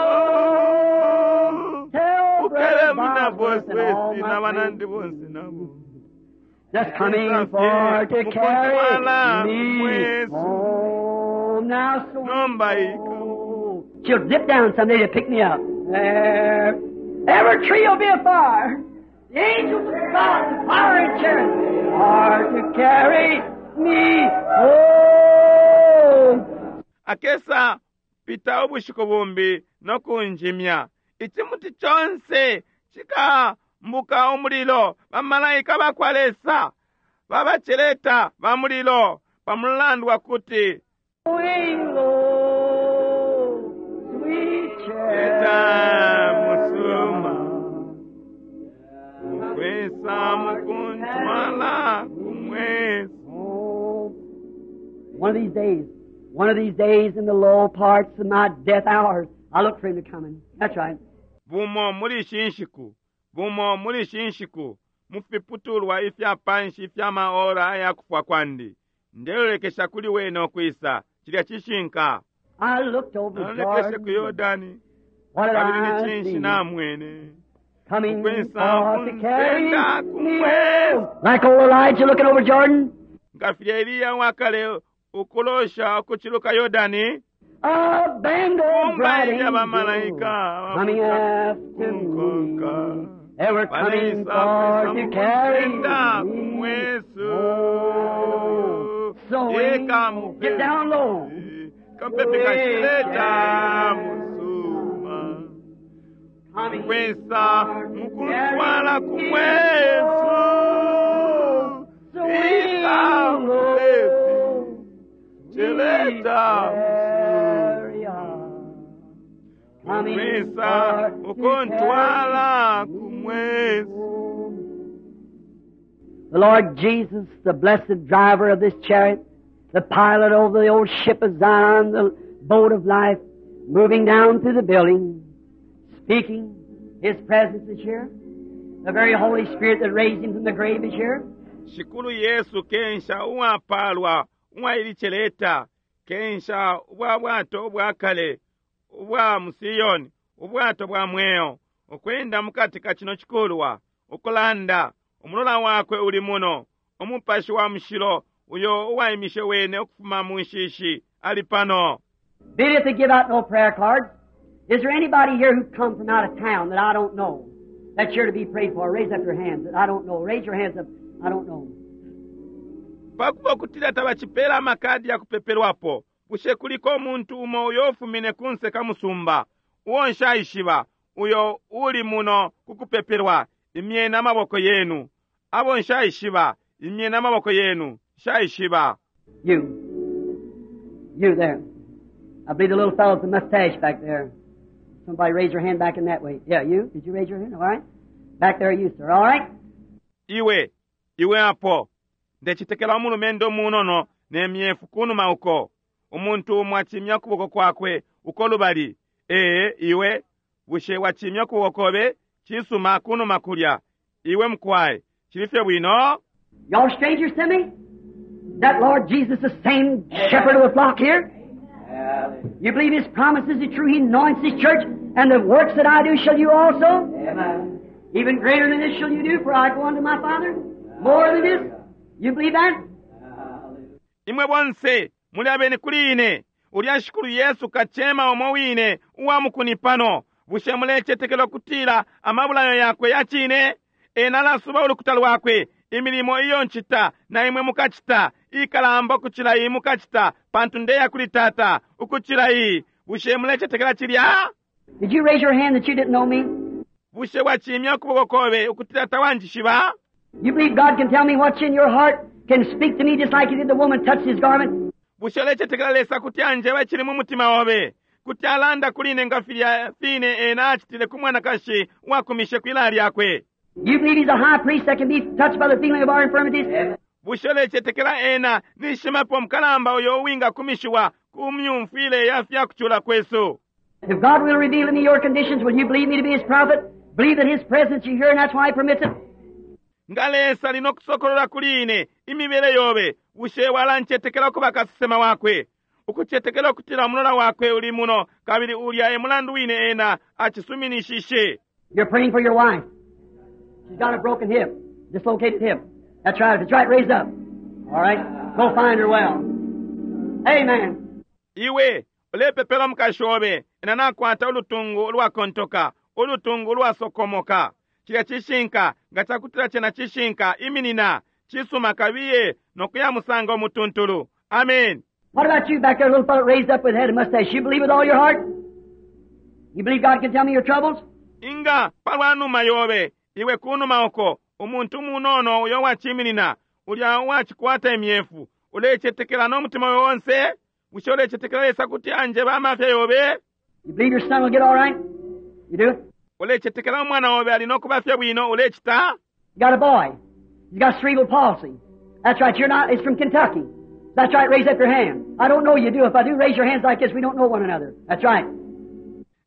home. Tell ukelemu Brother na Bosworth and all boswesi my na banandi friends. bonse nabo Just coming Ukwesa for fye to carry mukuntwala me kumweso home. Now so nomba ika She'll dip down someday to pick me up. There. Every tree will be afire. The angels of God, the fire and chariots are to carry me home. Akesa pita ubushiku bumbi nokunjimya ichimuti chonse chikambuka umulilo bamalaika bakwa Lesa babacheleta ba mulilo pamulandu wakuti Swing low, sweet leta musuma chariot. ukwesa mukuntwala kumweso. Oh, one of these days, One of these days in the low parts of my death hours, I look for him to come in. That's right. Bumo muli ishi nshiku, bumo muli ishi nshiku, mufiputulwa ifya panshi ifya maora aya kufwa kwandi, ndelolekesha kuli wene ukwisa. Cilya cishinka. I looked over Nalolekeshe ku Jordan. Yordani, What did kabili ni I cinshi see? namwene? Coming Ukwisa for to carry kunsenda me kumwezi. home. Like old Elijah looking over Jordan. Nga filya Eliya wakale ukulosha ukuciluka Yordani, A band of Kumba bright ilya angels bamalaika coming after kunkonka. me. They were coming Baleisa for kwisa to carry mukunsenda me kumwesu. home. So Yeka mupepi. get down low. Kampepi kashileta musuma. Coming Kwesa for to mukuntwala carry me kumwesu. home. So Ika mupepi. low. Chileta Carry on. Coming Kwesa for to ukuntwala carry me kumwesu. home. The Lord Jesus, the blessed driver of this chariot, the pilot over the old ship of Zion, the boat of life, moving down through the building, speaking, His presence is here. The very Holy Spirit that raised Him from the grave is here. Shikulu Yesu kensha uwapalwa uwailicheleta kensha ubwa bwato ubwakale ubwa musiyoni ubwato bwa mweo ukwenda mukati ka chino chikulwa ukulanda umulola wakwe uli muno umupashi wa mushilo uyo uwaimishe wene ukufuma mu nshishi ali pano. Be it they give out no prayer cards. Is there anybody here who come from out of town that I don't know? That's here to be prayed for. Raise up your hands that I don't know. Raise your hands up. I don't know. Pakuba okutila tabachipela amakadi ya kupepelwapo, bushe kuliko umuntu umo uyo ufumine kunse ka musumba uwo nshaishiba uyo uli muno kukupepelwa, imyeni amaboko yenu. Abo nshaishiba, imyeni amaboko yenu, nshaishiba. You. You there. I believe the little fellow with the mustache back there. Somebody raise your hand back in that way. Yeah, you? Did you raise your hand? All right. Back there, you, sir. All right? Iwe, iwe apo, ndechitekela umulumendo munono ne myefu kunuma uko. Umuntu umo achimya ukuboko kwakwe uko lubali. Ee, iwe, bushe wachimya ukuboko kobe, chisuma kunuma kulya. Iwe mukwaye, chilifye bwino? Y'all strangers to me? That Lord Jesus, the same shepherd of the flock here? You believe His promises are true? He anoints His church, and the works that I do shall you also? Amen. Even greater than this shall you do, for I go unto my Father. More than this? You believe that? Imwe bonse muli abeni kuli ine. Ulya Shikulu Yesu kachema umo wine uwa mukuni pano. Bushe mulechetekela okutila amabulayo yakwe yachine? Ena alasuba ulukuta lwakwe, imilimo iyo nchita na imwe mukachita ikalamba ukuchila iyi mukachita, pantu ndeya kuli Tata ukuchila iyi. Bushe mulechetekela chilya? Did you raise your hand that you didn't know me? Bushe wachimya ukuboko kobe ukutila tawanjishiba? You believe God can tell me what's in your heart, can speak to me just like He did the woman touched His garment? Bushe ulechetekela Lesa kuti anjeba chili mu mutima obe, kuti alanda kuli ine nga filya fine ena achitile ku mwanakashi uwakumishe kwilaya lyakwe? You believe He's a high priest that can be touched by the feeling of our infirmities? Bushe ulechetekela ena nishimapo mukalamba uyo uwingakumishiwa ku myumfwile ya fyakuchula kwesu? If God will reveal to me your conditions, will you believe me to be His prophet? Believe that His presence is here and that's why He permits it? Nga Lesa lino kusokolola kuli ine imibele yobe, bushe walanchetekela kuba kasesema wakwe? Ukuchetekela ukutila umulola wakwe uli muno, kabili ulya e mulandu wine ena achisuminishishe. You're praying for your wife. She's got a broken hip, dislocated hip. That's right. If it's right, raise up. All right? Go find her well. Amen. Iwe ulepepela mukashi obe, ena nakwata ulutungu ulwakontoka, ulutungu ulwasokomoka. Cilya cishinka, nga cakutila cena cishinka, iminina, cisuma kabiye nokuya musanga umutuntulu. Amen. What about you back there, little fellow raised up with head and mustache? You believe with all your heart? You believe God can tell me your troubles? Inga palwa numa yobe, iwe kunuma uko, umuntu munono uyo wachiminina, ulya wachikwata imyefu, ulechetekela n'omutima we wonse, bushe ulechetekela Lesa kuti anjeba amafya yobe? You believe your son will get all right? You do? Ulechetekela umwana obe ali n'okubafya bwino, ulechita? You got a boy. He's got cerebral palsy. That's right. You're not. He's from Kentucky. Is That's right, raise up your hand. I don't know you do. If I do, raise your hands like this. We don't know one another. That's right.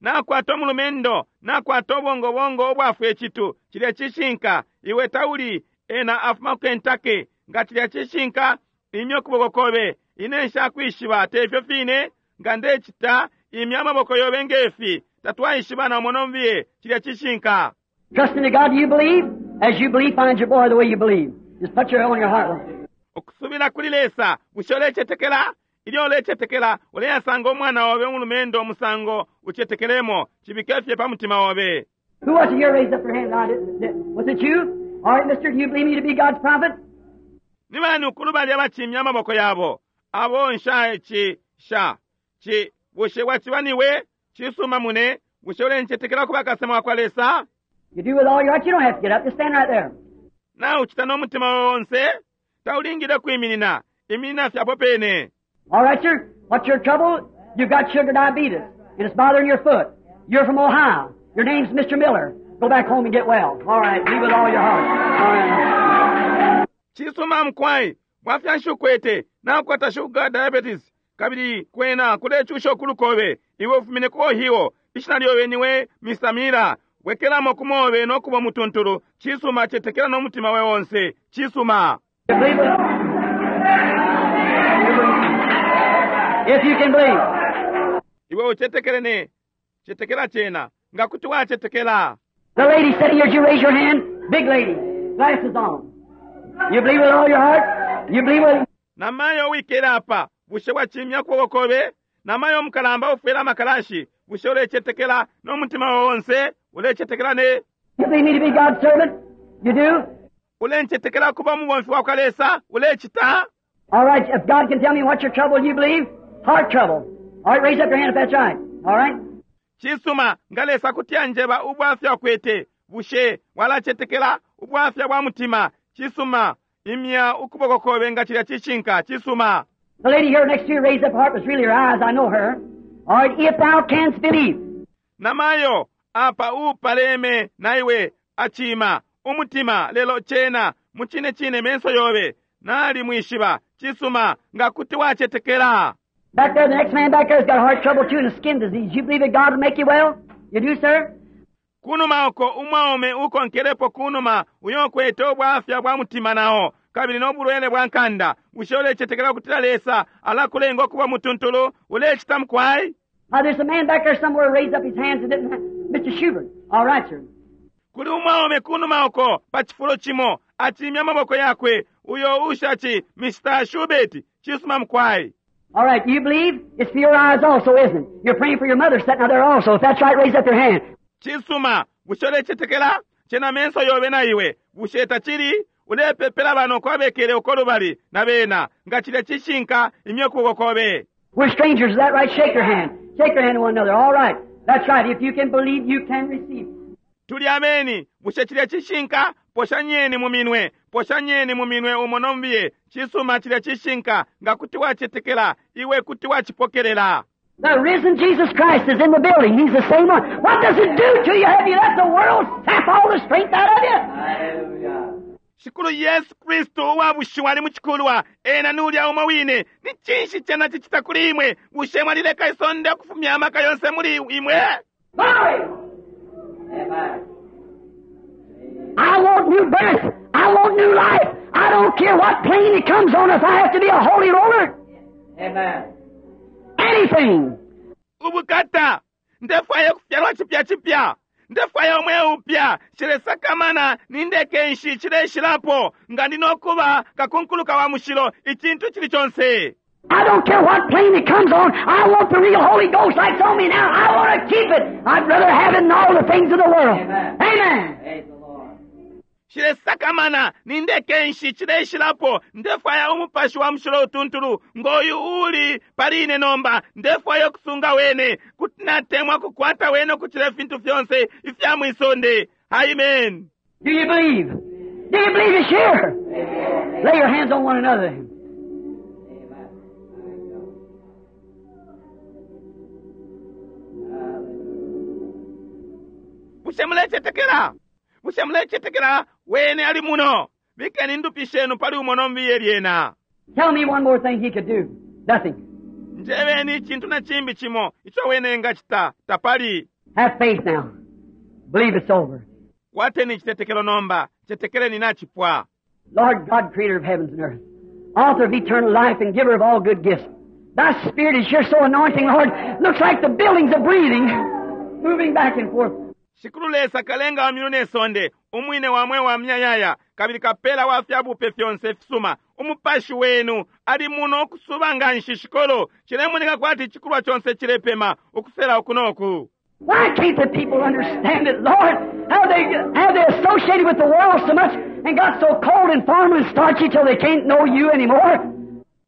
Nakwata omulumendo nakwata obwongobwongo obwafwa ekitu kilya kishinka iwe tawuli ena afuma ku Kentucky nga kilya kishinka imya okuboko kobe ine nshakwishiba tefyo fine nga ndecita imya amaboko yobe ngefi tatwaishiba na monombiye kilya kishinka. Trust in the God you believe. As you believe, find your boy the way you believe. Just put your on your heart. Okusubira kuli Lesa bushe olechetekela ilyo olechetekela oleyasanga omwana wawe omulumendo omusango uchetekelemo chibikefye pa mutima wawe. Who was it here raised up their hand? I didn't, did, was it you? All right, mister, do you believe me to be God's prophet? Ni bani ukulubali abachimya amaboko yabo abo nsha chi sha chi bushe wachibaniwe chisuma mune bushe olenchetekela kuba kasema kwa Lesa. You do with all your heart, you don't have to get up. Just stand right there. Na uchita n'omutima wonse taulingire kwiminina iminina fyapo pene. All right, sir. What's your trouble? You've got sugar diabetes, and it's bothering your foot. You're from Ohio. Your name's Mister Miller. Go back home and get well. All right, be with all your heart. All right. Chisuma mkwai bwafya nshukwete nakwata sugar diabetes kabili kwena kulechusha okulukobe iwe ufumine ku Ohio ishina lyobe niwe Mister Miller wekelamo kumobe nokuba mutuntulu chisuma chetekela n'omutima we wonse chisuma. If you can believe. Iwe uchetekele ne chetekela chena nga kuti wachetekela. The lady sitting here, did you raise your hand? Big lady, glasses on. You believe with all your heart? You believe with... Namayo wikela apa bushe bwachimya kubokobe namayo mukalamba ufwela makalashi bushe ulechetekela n'omutima wonse ulechetekela ne. You believe me to be God's servant? You do? Ulenchetekela kuba mubomfi wa kwa Lesa ulechita. All right, if God can tell me what's your trouble, you believe? Heart trouble. All right, raise up your hand if that's right. All right? Chisuma ngalesa kutyanjeba ubwafya kwete bushe walachetekela ubwafya bwa mutima chisuma imya ukuboko kobe nga chilya chishinka chisuma. The lady here next to you raised up her heart was really her eyes. I know her. All right, if thou canst believe. Namayo apa upaleme naiwe achima umutima lelo chena muchine chine menso yobe nali mwishiba chisuma nga kuti wachetekela. Back there, the next man back there has got heart trouble too and a skin disease. You believe that God will make you well? You do, sir? Kunuma uko umwaume uko nkerepo kunuma uyokwete obwafya bwa mutima nao kabili n'obulwele bwa nkanda bushe ulechetekela kutila Lesa alakulenga okuba mutuntulu ulechita mkwai. Now, there's a man back there somewhere raised up his hands and didn't have... Mister Schubert. All right, sir. Kuli umwaume kunuma uko pa chifulo chimo achimya maboko yakwe uyo ushachi Mister Schubert chisuma mkwai. All right, you believe? It's for your eyes also, isn't it? You're praying for your mother sitting out there also. If that's right, raise up your hand. Chisuma, bushe chetekela, chena menso yobe na iwe. Bushe tachiri, ulepepela bano kwabekele okolubali na bena. Nga chile chishinka imyokuboko kobe. We're strangers, is that right? Shake your hand. Shake your hand to one another. All right. That's right. If you can believe, you can receive. Tuli ameni, bushe chile chishinka, poshanyeni muminwe. Poshanyeni muminwe umonombiye. Chisuma chile chishinka, nga kuti wachetekela, iwe kuti wachipokelela. The risen Jesus Christ is in the building. He's the same one. What does it do to you? Have you let the world sap all the strength out of you? Hallelujah. Shikulu Yesu Kristo wabushiwa ali muchikulwa ena nulya umwe wine ni chinshi chena chichita kuli imwe bushe mwalileka isonde okufumya amaka yonse muli imwe. Glory! Amen. I want new birth. I want new life. I don't care what plane it comes on if I have to be a holy roller. Amen. Anything. Ubukata. Ndefwaye kufyalwa chipya chipya. Ndefwaye omwe upya. Chilesakamana nindeke nshi chileshilapo. Nga ndinokuba kakunkuluka wa mushilo ichintu chili chonse. I don't care what plane it comes on. I want the real Holy Ghost like on me now. I want to keep it. I'd rather have it than all the things of the world. Amen. Amen. Praise the Lord. Chilesakamana nindeke nshi chileshilapo. Ndefwaya umupashi wa mushilo utuntulu. Ngoyu uli paline nomba. Ndefwaya kusunga wene. Kuti natemwa kukwata wene kuchile fintu fyonse ifya mwisonde. Amen. Do you believe? Do you believe it's here? Amen. Lay your hands on one another. Amen. Bushe mulechetekela. Bushe mulechetekela wene ali muno. Bikeni ndupi shenu pali umono mbiye lyena. Tell me one more thing he could do. Nothing. Njebeni icintu na cimbi cimo ico wene engacita tapali. Have faith now. Believe it's over. Kwateni icitetekelo nomba, cetekeleni nacipwa. Lord God, creator of heavens and earth, author of eternal life and giver of all good gifts. Thy Spirit is here so anointing, Lord. Looks like the buildings are breathing, moving back and forth. Shikulu Lesa kalenga wa myulu ne sonde, umwine wa mweo wa myayaya, kabili kapela wa fyabupe fyonse fisuma. Umupashi wenu ali muno ukusuba nga nshi shikolo, cilemoneka kwati icikulwa conse cilepema, ukusela uku noku. Why can't the people understand it, Lord? How they how they associated with the world so much and got so cold and formal and starchy till they can't know you anymore?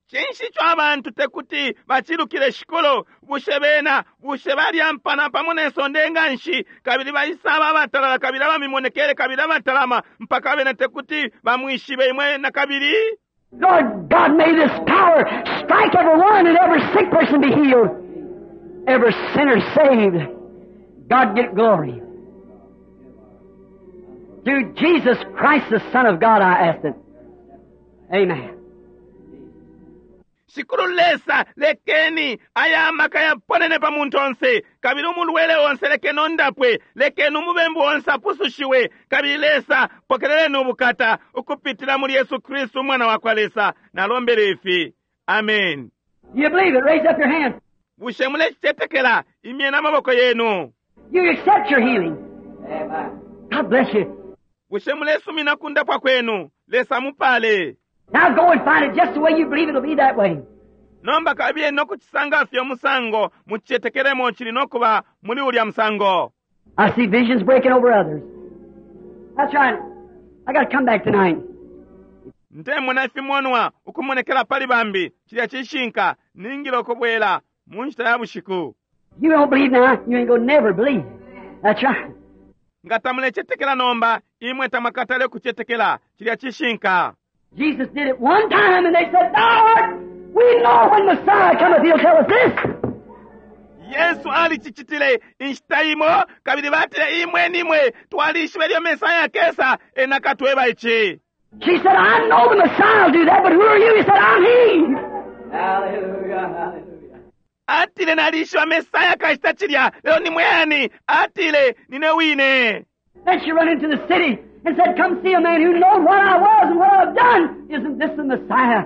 Cinshi ico abantu tekuti bacilukile shikolo, bushe bena, bushe balyampana pamo ne sonde nga nshi, kabili baisaba abatalala kabili abamimonekele kabili abatalama, mpaka bena tekuti bamwishibe imwe na kabili? Lord God, may this power strike every one and every sick person be healed, every sinner saved. God get glory. Through Jesus Christ, the Son of God, I ask it. Amen. Shikulu Lesa, lekeni aya maka yaponene pa muntu onse, kabili umulwele onse lekeni ondapwe, lekeni umubembu onse apusushiwe, kabili Lesa pokeleleni ubukata ukupitila muli Yesu Kristu umwana wa kwa Lesa. Nalombele ifi. Amen. You believe it? Raise up your hand. Bushe mulecicetekela? Imyeni amaboko yenu. You accept your healing. Amen. God bless you. Bushe mulesumina kundapwa kwenu? Lesa mupale. Now go and find it just the way you believe it'll be that way. Nomba kabiye nokucisanga fye umusango mucicetekelemo cili nokuba muli ulya musango. I see visions breaking over others. That's right. I gotta come back tonight. Ndemona ifimonwa ukumonekela pali bambi, cilya cishinka, ningile ukubwela mu nshita ya bushiku. You don't believe now, you ain't gonna never believe. That's right. Nga tamulecetekela nomba, imwe tamwakatale kucetekela, cilya cishinka. Jesus did it one time and they said, Lord, we know when Messiah cometh, he'll tell us this. Yesu alicicitile inshita imo, kabili batile imwe nimwe twalishiba ilyo Mesaya akesa, ena akatweba ici. She said, I know the Messiah will do that, but who are you? He said, I'm he. Hallelujah, hallelujah. Atile nalishiba Mesaya akacita cilya, lelo ni mwe ani? Atile nine wine. Then she run into the city and said, Come see a man who knows what I was and what I've done. Isn't this the Messiah?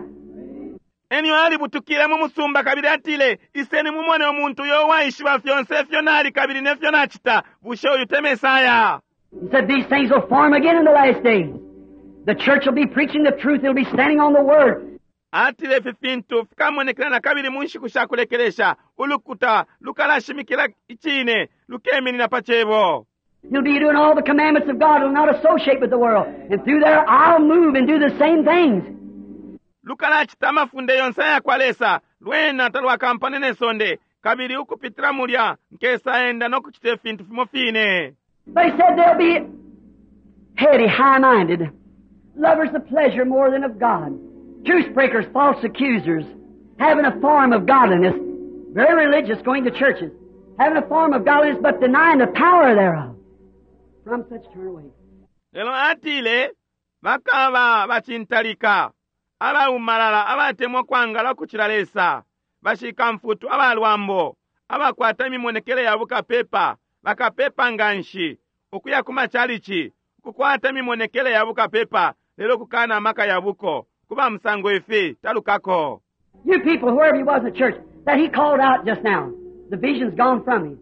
Enyo alibutukile mu musumba kabili atile, Iseni mumone umuntu uyo waishiba fyonse ifyo nali kabili nefyo nacita. Bushe uyu te Mesaya? He said, These things will form again in the last days. The church will be preaching the truth. It'll be standing on the Word. Atile ifi fintu fikamonekela na kabili mu nshiku sha kulekelesha. Ulukuta lukalashimikila icine, lukeminina pa cebo. You'll be doing all the commandments of God. It'll not associate with the world. And through there, I'll move and do the same things. Lukalacita amafunde yonse aya kwa Lesa, lwena talwakampane ne sonde, kabili ukupitila mulya nkesa enda no kucita ifintu fimo fine. But he said they'll be heady, high-minded, lovers of pleasure more than of God, truce breakers, false accusers, having a form of godliness, very religious, going to churches, having a form of godliness, but denying the power thereof. From such turn away. Lelo atile bakaba bacintalika, abaumalala, abatemwa kwangala ukucila Lesa, bashikamfutu, abalwambo, abakwata imimonekele ya bukapepa, bakapepa nganshi, ukuya ku macalici, ukukwata imimonekele ya bukapepa, lelo kukana amaka ya buko, kuba musango ifi talukako. You people, whoever you was in the church, that he called out just now, the vision's gone from him.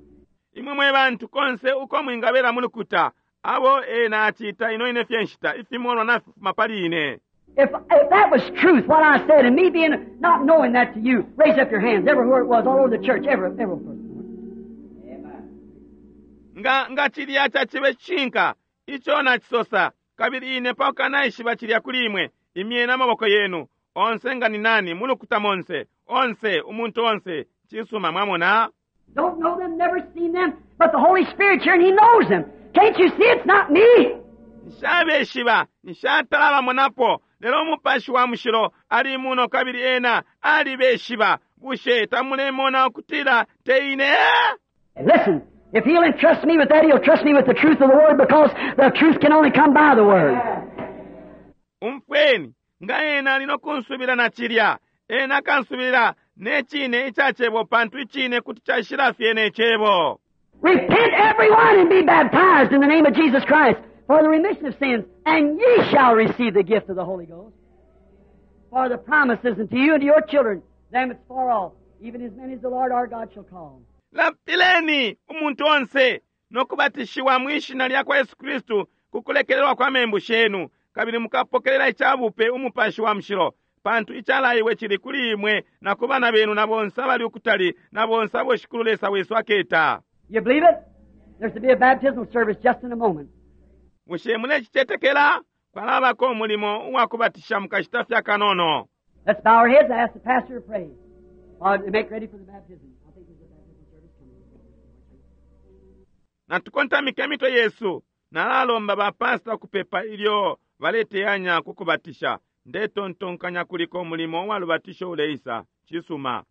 Imwe mwe bantu konse uko mwingabela mu lukuta, abo ena acita ino ine fye nshita, ifimonwa nafifuma pali ine. If, if that was truth, what I said, and me being not knowing that to you, raise up your hands everywhere it was, all over the church, every, every person. Amen. Nga nga cilya cacibe cishinka ico nacisosa, kabili ine pakanaishiba cilya kuli imwe, imyeni amaboko yenu onse nga ni nani mu lukuta monse onse umuntu onse. Cisuma, mwamona. Don't know them, never seen them, but the Holy Spirit's here and He knows them. Can't you see it's not me? Nshabeshiba, nshatala bamonapo, lelo umupashi wa mushilo ali muno kabili ena alibeshiba. Bushe tamulemona ukutila te ine? Listen, if He'll entrust me with that, He'll trust me with the truth of the Word, because the truth can only come by the Word. Umfweni, Nga ena ali nokunsubila na cilya, ena akansubila ne cine ica cebo, pantu icine kuti caishila fye ne cebo. Repent everyone and be baptized in the name of Jesus Christ for the remission of sins, and ye shall receive the gift of the Holy Ghost. For the promise is unto you and to your children, them that's far off, even as many as the Lord our God shall call. Lapileni umuntu onse nokubatishiwa mwishina lya kwa Yesu Kristu kukulekelelwa kwa membu shenu, kabili mukapokelela icabupe umupashi wa mushilo, pantu icalaiwe cili kuli imwe na ku bana benu na bonse abali ukutali na bonse abo Shikulu Lesa wesu aketa. You believe it? There's to be a baptismal service just in a moment. Bushe mulecicetekela? Kwalabako umulimo uwakubatisha mukashita fye akanono. Let's bow our heads and ask the pastor to pray while they make ready for the baptism. I think there's a baptismal service coming. Natukontamike imitwe yesu. Nalalomba bapasta kupepa ilyo baleteyanya kukubatisha. Ndetontonkanya kuliko umulimo uwalubatisho uleisa. Cisuma.